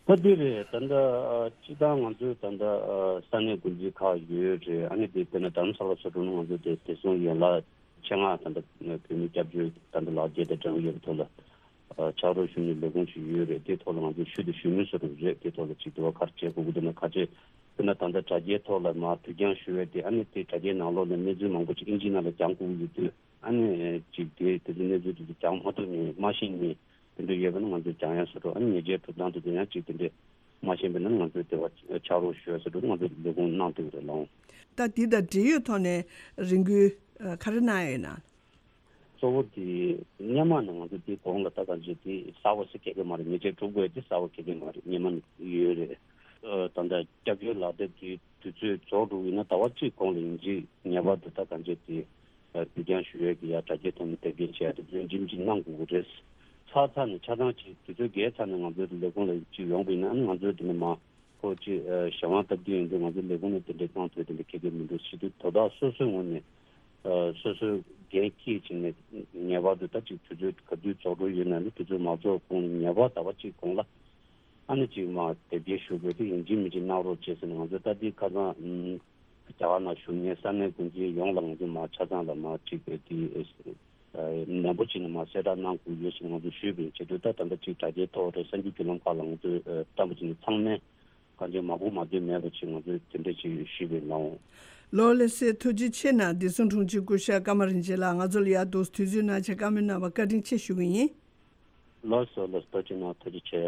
ད་འདི་རེད། ད་ལྟ་ཨ་སྤྱི་བཏང་ང་ཚོའི་ད་ལྟ་ཨ་ས་གནས་འགོ་འཛིན་ཁག་ཡོད་རེད། ཨ་ནི་དེ་དཔེར་ན་རྡ་རམ་ས་ལ་སོགས་འགྲོ་ན་ང་ཚོ་དེ་བདེ་སྲུང་ཡན་ལག་ཆེད་མངགས་ད་ལྟ་བོད་མི་སྐྱབས་བཅོལ་ད་ལྟ་ལག་འཁྱེར་དང་སྦྲགས་ཡོད་པའི་ཐོག་ལ་ཨ་ཕྱག་རོགས་ཞུ་མཁན་ལས་ཁུངས་ཤིག་ཡོད་རེད། དེའི་ཐོག་ལ་ང་ཚོས་ཞུ་དང་ཞུ་མུས་བཟོ་འདྲ་རེད། དེའི་ཐོག་ལ་ཅིག་དེ་བ་ག་རེ་བྱེད་དགོས་ཀྱི་འདུག་ན་ག་ཚོད་དཔེར་ན་ད་ལྟ་དྲ་རྒྱའི་ཐོག་ལ་མར་དུས་འགྱངས་ཞུ་བའི་དེ་ཨ་ནི་དེ་དྲ་རྒྱའི་ནང་ལོགས་ནས་གནས་ཚུལ་མང་པོ་ཅིག་ཨིན་ཇི་ནང་ལ་རྒྱང་བསྒུགས་ཡོད་དུས་ཨ་ནི་ཅིག་དེ་དེ་ཚོ་གནས་ཚུལ་དེ་ཚོ་རྒྱང་མ་ཐུབ་མཁན་མ་ཤེས་མཁན་དེ་འདྲ་ཡོད་པ་ན་ང་ཚོས་རྒྱང་ཡང་བཟོ་འདྲ་ཨ་ནི་ཉེས་ཆད་གྲུབ་སྟངས་དེ་ཚོ་ཡང་ཅིག་དེ་འདྲས་མ་ཤེས་པ་ན་ང་ཚོས་དེ་བ་ཕྱག་རོགས་ཞུ་ཡ་བཟོ་འདྲ་ང་ཚོས་ལས་ཁུངས་གནང་ཐུབ་ཀྱི་རེད་ལགས། ད་འདི་དང་འབྲེལ་ཡོད་ཐོག་ནས་རེ་སྐུལ་ཨ་ག་རེ་གནང་ཡོད་ན། གཙོ་བོ་དེ་སྔོན་མ་ནས་ང་ཚོ་དེ་གོང་ལ་ད་གང་བྱས་དེ་གསལ་པོ་ཞིག་ག་གེ་མ་རེད། ཉེས་ཆད་སྒྲུབ་དགོས་དེ་གསལ་པོ་ག་གེ་མ་རེད། སྔོན་མ་ནས་ཡོད་རེད། ཨ། ད་ལྟ་སྐྱབས་བཅོལ་ལག་དེབ་དེ་དུས་ཚོད་རྫོགས་འགྲོ་གི་ཡིན་ན་ཟླ་བ་གཅིག་གོང་ལ་ཡིན་གཅིག་ངེས་པར་དུ་ད་གང་བྱས་དེ་ཨ། གུ་ཡངས་ཞུ་ཡས་ཀྱི་ཡ་དྲ་རྒྱའི་ཐོག་ནས་དེབ་སྐྱེལ་བྱས་ཏེ་ཡིན་གཅིག་མིན་གཅིག་གནང་དགོས་ཀྱི་རེད། ཚར་ཚར་ནས་ཆ་ཚང་ཅིག་དུས་ཚོད་བརྒལ་ཚར་ནས་ང་ཚོའི་ལས་ཁུངས་ལ་ཅིག་ཡོང་པ་ཡིན་ན། ཨ་ནི་ང་ཚོས་དེ་ནས་མར་ཁོ་ཅིག་ཨ། གཞན་དབང་སྟབས་བདེ་ཡིན་དུས་ང་ཚོའི་ལས་ཁུངས་ནས་དེ་འདྲའི་གཏོང་ཐུབ་དེ་འདྲ་ག་གེ་མི་འདུག་ཟེར་དུས། དོ་བདག་སོ་སོའི་ངོས་ནས་ཨ། སོ་སོའི་འགན་འཁྱེར་བྱས་ནས་ངེས་པར་དུ་ད་ཅིག་དུས་ཚོད་ག་དུས་རྫོགས་འགྲོ་ཡོད་ན་ནི་དུས་ཚོད་མ་རྫོགས་གོང་ངེས་པར་ཟླ་བ་གཅིག་གོང་ལ་ཨ་ནི་ཅིག་མར་དེབ་སྐྱེལ་ཞུ་དགོས་དེ་ཡིན་གཅིག་མིན་གཅིག་གནང་རོགས་བྱེད་ཟེར་ནས། ང་ཚོས་ད་ལྟའི་ཁ་སང་ཨ། རྒྱ་གར་ནང་བཞུགས་མཁན་ས་གནས་འགོ་འཛིན་ཡོངས་ལ་ང་ཚོས་མར་ཆ་ཚང་ལ་མར་ཅིག་དེ་ཨ། ནན་པོ་བྱས་ནས་མར་གསལ་བསྒྲགས་གནང་དགོས་ཡོད་ཟེར་ང་ཚོས་ཞུས་པ་ཡིན། བྱས་དུས་ད་ད་ལྟ་ཅིག་དྲ་རྒྱའི་ཐོག་རེད། གསར་འགྱུར་བརྒྱུད་ལམ་ཁག་ལ་ང་ཚོས་ཨ། བཀྲམ་པ་བྱས་ནས་ཚང་མས་གང་ཅི་མ་གོ་མ་ཐོས་མེད་པ་ཅིག་ང་ཚོས་དེ་འདྲ་ཅིག་ཞུས་པ་ཡིན་ལགས། ལགས་ལགས་སེ། ཐུགས་རྗེ་ཆེ་གནང་། བདེ་སྲུང་དྲུང་ཆེ་སྐུ་ཞབས་ཀརྨ་རིན་ཆེན་ལགས། ང་ཚོ་ལ་ཡར་འདུག་དུས་ཚོད་གནང་བྱས་བཀའ་མོལ་གནང་བར་བཀའ་དྲིན་ཆེ་ཞུ་གི་ཡིན། ལགས་སོ་ལགས་སོ། ཐུགས་རྗེ་གནང་། ཐུགས་རྗེ་ཆེ།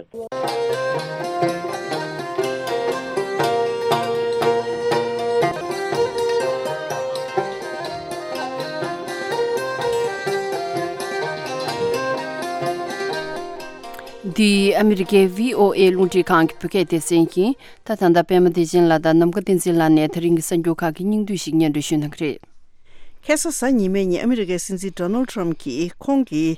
འདི་ཨ་མི་རི་ཀའི་བྷི་ཨོ་ཨེ་རླུང་འཕྲིན་ཁང་གི་བོད་སྐད་སྡེ་ཚན་ཡིན། ད་ད་ལྟ་པད་མ་བདེ་ཆེན་ལགས་དང་ནམ་མཁའ་བསྟན་འཛིན་ལགས་ནས་ད་རིང་གི་གསར་འགྱུར་ཁག་གི་སྙིང་བསྡུས་ཤིག་སྙན་སྒྲོན་ཞུ་གནང་གི་རེད། ཁ་སང་གཟའ་ཉི་མའི་ཉིན་ཨ་མི་རི་ཀའི་སྲིད་འཛིན་ཌོ་ནལ་ཊམ་གྱིས་ཁོང་གིས་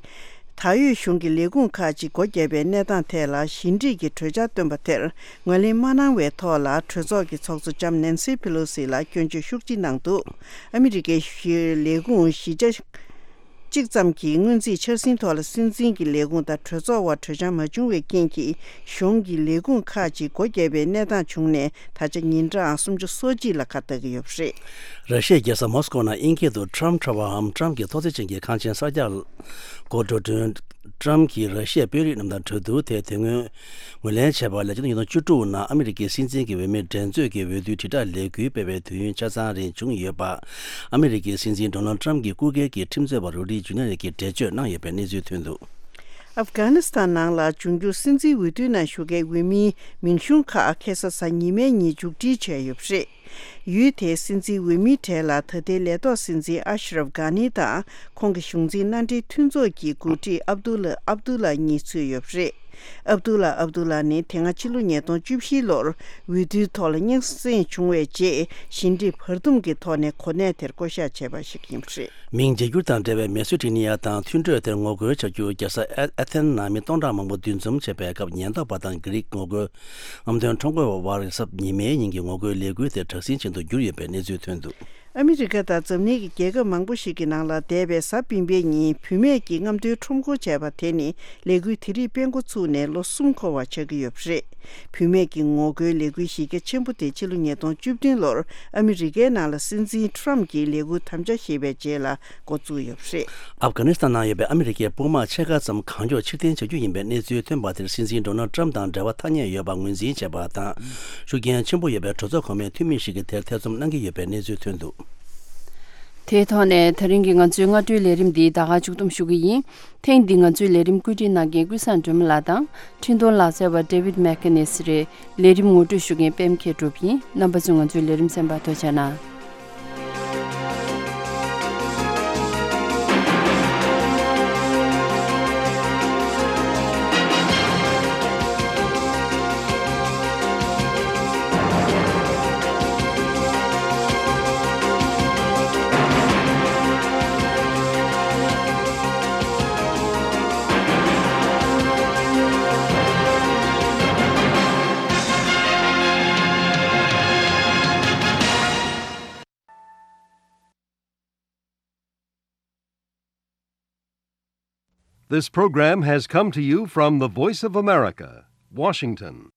ད་ཡོད་གཞུང་གི་ལས་ཁུངས་ཁག་ཅིག་སྒོ་བརྒྱབ་པའི་གནས་སྟངས་ཐད་ལ་ཞི་འགྲིག་གི་གྲོས་འཆར་བཏོན་པ་དེར་ངོས་ལེན་མ་གནང་བའི་ཐོག་ལ། གྲོས་ཚོགས་ཀྱི་ཚོགས་གཙོ་ལྕམ་ནན་སི་ཕེ་ལོ་སི་ལ་སྐྱོན་བརྗོད་ཤུགས་ཆེ་གནང་འདུག་ཨ་མི་རི་ཀའི་ལས་ཁུངས་བཞི་ཆ་གཅིག་ཙམ་གྱི་སྔོན་རྩིས་འཆར་ཟིན་ཐོག་ལ་སྲིད་འཛིན་གྱི་ལས་ཁུངས་དང་གྲོས་ཚོགས་དབར་གྲོས་འཆར་མ་བྱུང་བའི་རྐྱེན་གྱིས་གཞུང་གི་ལས་ཁུངས་ཁག་ཅིག་སྒོ་བརྒྱབ་པའི་གནས་སྟངས་བྱུང་ནས། ད་ཆ་ཉིན་གྲངས་སུམ་ཅུ་སོ་གཅིག་ལ་ཁ་གཏད་ཀྱི་ཡོད་པ་རེད། ར་ཤི་ཡའི་རྒྱལ་ས་མོ་སི་ཀོ་ནང་དབྱིན་སྐད་དུ་Trump Tower་འམ་ཊམ་གྱི་ཐོག་བརྩེགས་ཅན་གྱི་ཁང་ཆེན་གསར་རྒྱག་འགོ་འགྲོ་དོན། ཊམ་གྱིས་ར་ཤི་ཡའི་དཔོན་རིགས་རྣམས་དང་གྲོས་བསྡུར་དེ་དེ་སྔོན་ངོས་ལེན་བྱས་པ་ལས། ཕྱི་ལོ་ཉིས་སྟོང་བཅུ་དྲུག་ནང་ཨ་མི་རི་ཀའི་སྲིད་འཛིན་གྱི་འོས་མི་འགྲན་རྩོད་ཀྱི་འོས་བསྡུའི་དྲིལ་བསྒྲགས་ལས་འགུལ་སྤེལ་བའི་དུས་ཡུན་ཆ་ཚང་རིང་བྱུང་ཡོད་པ། ཨ་མི་རི་ཀའི་སྲིད་འཛིན་ཌོ་ནལ་ཊམ་གྱི་སྐུ་སྒེར་གྱི་ཁྲིམས་རྩོད་པ་རུ་ཌི་ཇུ་ནི་ཡར་གྱིས་འགྲེལ་བརྗོད་གནང་ཡོད་པའི་གནས་ཚུལ་ཐོན་འདུག་ཨབ་གྷ་ནི་སི་ཐན་ནང་ལ་འབྱུང་འགྱུར་སྲིད་འཛིན་འོས་བསྡུའི་ནང་ཞུགས་མཁན་འོས་མིའི་མིང་གཞུང་ཁག་ཁ་སང་གཟའ་ཉི་མའི་ཉིན་མཇུག་སྒྲིལ་བྱས་ཡོད་པ་རེད། ཡུལ་དེའི་སྲིད་འཛིན་འོས་མིའི་གྲས་ལ་ད་ལྟའི་ལས་ཐོག་སྲིད་འཛིན་ཨ་ཤ་རབ་གྷ་ནི་དང་། ཁོང་གི་གཞུང་འཛིན་མནའ་འབྲེལ་མཐུན་ཚོགས་ཀྱི་འགོ་ཁྲིད་ཨབ་དུ་ལ་ཨབ་དུ་ལ་གཉིས་ཚུད་ཡོད་པ་རེད། ཨབ་དུ་ལ་ཨབ་དུ་ལ་ནི་དེ་སྔ་ཕྱི་ལོ་ཉིས་སྟོང་བཅུ་བཞི་ལོར་འོས་བསྡུའི་ཐོག་ལ་རྙོག་ཟིང་བྱུང་བའི་རྗེས། ཞི་འགྲིག་བར་འདུམ་གྱི་ཐོག་ནས་གོ་གནས་དེར་བསྐོ་གཞག་བྱས་པ་ཞིག་ཡིན་པ་རེད། མིང་བརྗེ་བསྒྱུར་དང་འབྲེལ་བའི་མེ་སི་ཌི་ནི་ཡ་དང་མཐུན་གྲོས་དེར་ངོ་རྒོལ་བྱ་རྒྱུར་རྒྱལ་ས་ཨེ་ཨེ་ཐེན་ནང་མི་སྟོང་ཕྲག་མང་པོ་འདུ་འཛོམས་བྱས་པའི་སྐབས། ཉེན་རྟོག་པ་དང་གྷི་རིག་ངོ་རྒོལ་རྔམ་སྟོན་ཁྲོམ་སྐོར་བ་དབར་གཟའ་ཉི་མའི་ཉིན་གྱི་ངོ་རྒོལ་ལས་འགུལ་དེ་དྲག་ཟིང་ཅན་དུ་གྱུར་ཡོད་པའི་གནས་ཚུལ་ཐོན་འདུག་ཨ་མི་རི་ཀ་དང་འཛམ་གླིང་གི་རྒྱལ་ཁབ་མང་པོ་ཞིག་གི་ནང་ལ་འདས་པའི་གཟའ་སྤེན་པའི་ཉིན་བུད་མེད་ཀྱིས་རྔམ་སྟོན་ཁྲོམ་སྐོར་བྱས་པ་དེ་ནི་ལས་འགུལ་དེ་རིགས་སྤེལ་འགོ་ཚུགས་ནས་ལོ་གསུམ་འཁོར་བ་ཆགས་ཀྱི་ཡོད་པ་རེད། བུད་མེད་ཀྱི་ངོ་རྒོལ་ལས་འགུལ་གཞི་རྒྱ་ཆེན་པོ་དེ་ཕྱི་ལོ་ཉིས་སྟོང་བཅུ་བདུན་ལོར་ཨ་མི་རི་ཀའི་ནང་ལ་སྲིད་འཛིན་ཊམ་གྱིས་ལས་འགུལ་དམ་བཅའ་བཞེས་པའི་རྗེས་ལ་འགོ་བཙུགས་ཡོད་པ་རེད། ཨབ་གྷ་ནི་སི་ཐན་ནང་ཡོད་པའི་ཨ་མི་རི་ཀའི་དཔུང་དམག་ཕྱེད་ཀ་ཙམ་གང་མགྱོགས་ཕྱིར་འཐེན་བྱ་རྒྱུ་ཡིན་པའི་གནས་ཚུལ་ཐོན་པ་དེར། སྲིད་འཛིན་ཌོ་ནལ་ཊམ་དང་འབྲེལ་བ་ཐ་སྙད་ཡོད་པ་ངོས་འཛིན་བྱས་པ་དང་། ཤུགས་རྐྱེན་ཆེན་པོ་ཡོད་པའི་གྲོས་ཚོགས་གོང་མའི་འཐུས་མི་ཞིག་གིས་དེར་ཐེ་ཚོམ་གནང་གི་ཡོད་པའི་གནས་ཚུལ་ཐོན་འདུག་དེའི་ཐོག་ནས་ད་རིང་གི་ང་ཚོའི་སྔ་དྲོའི་ལས་རིམ་འདི་ད་ག་མཇུག་བསྡོམས་ཞུ་གི་ཡིན། ཐེངས་འདི་ང་ཚོའི་ལས་རིམ་བཀོད་སྒྲིག་གནང་མཁན་ཀུན་བཟང་སྒྲོལ་མ་ལགས་དང་། འཕྲིན་གཏོང་ལག་རྩལ་བ་David McInnes་རེད། ལས་རིམ་ངོ་སྤྲོད་ཞུ་མཁན་པད་མ་མཁས་གྲུབ་ཡིན། རྣམ་པ་ཚོས་ང་ཚོའི་ལས་རིམ་གསན་པར་ཐུགས་རྗེ་གནང་། This program has come to you from the Voice of America, Washington.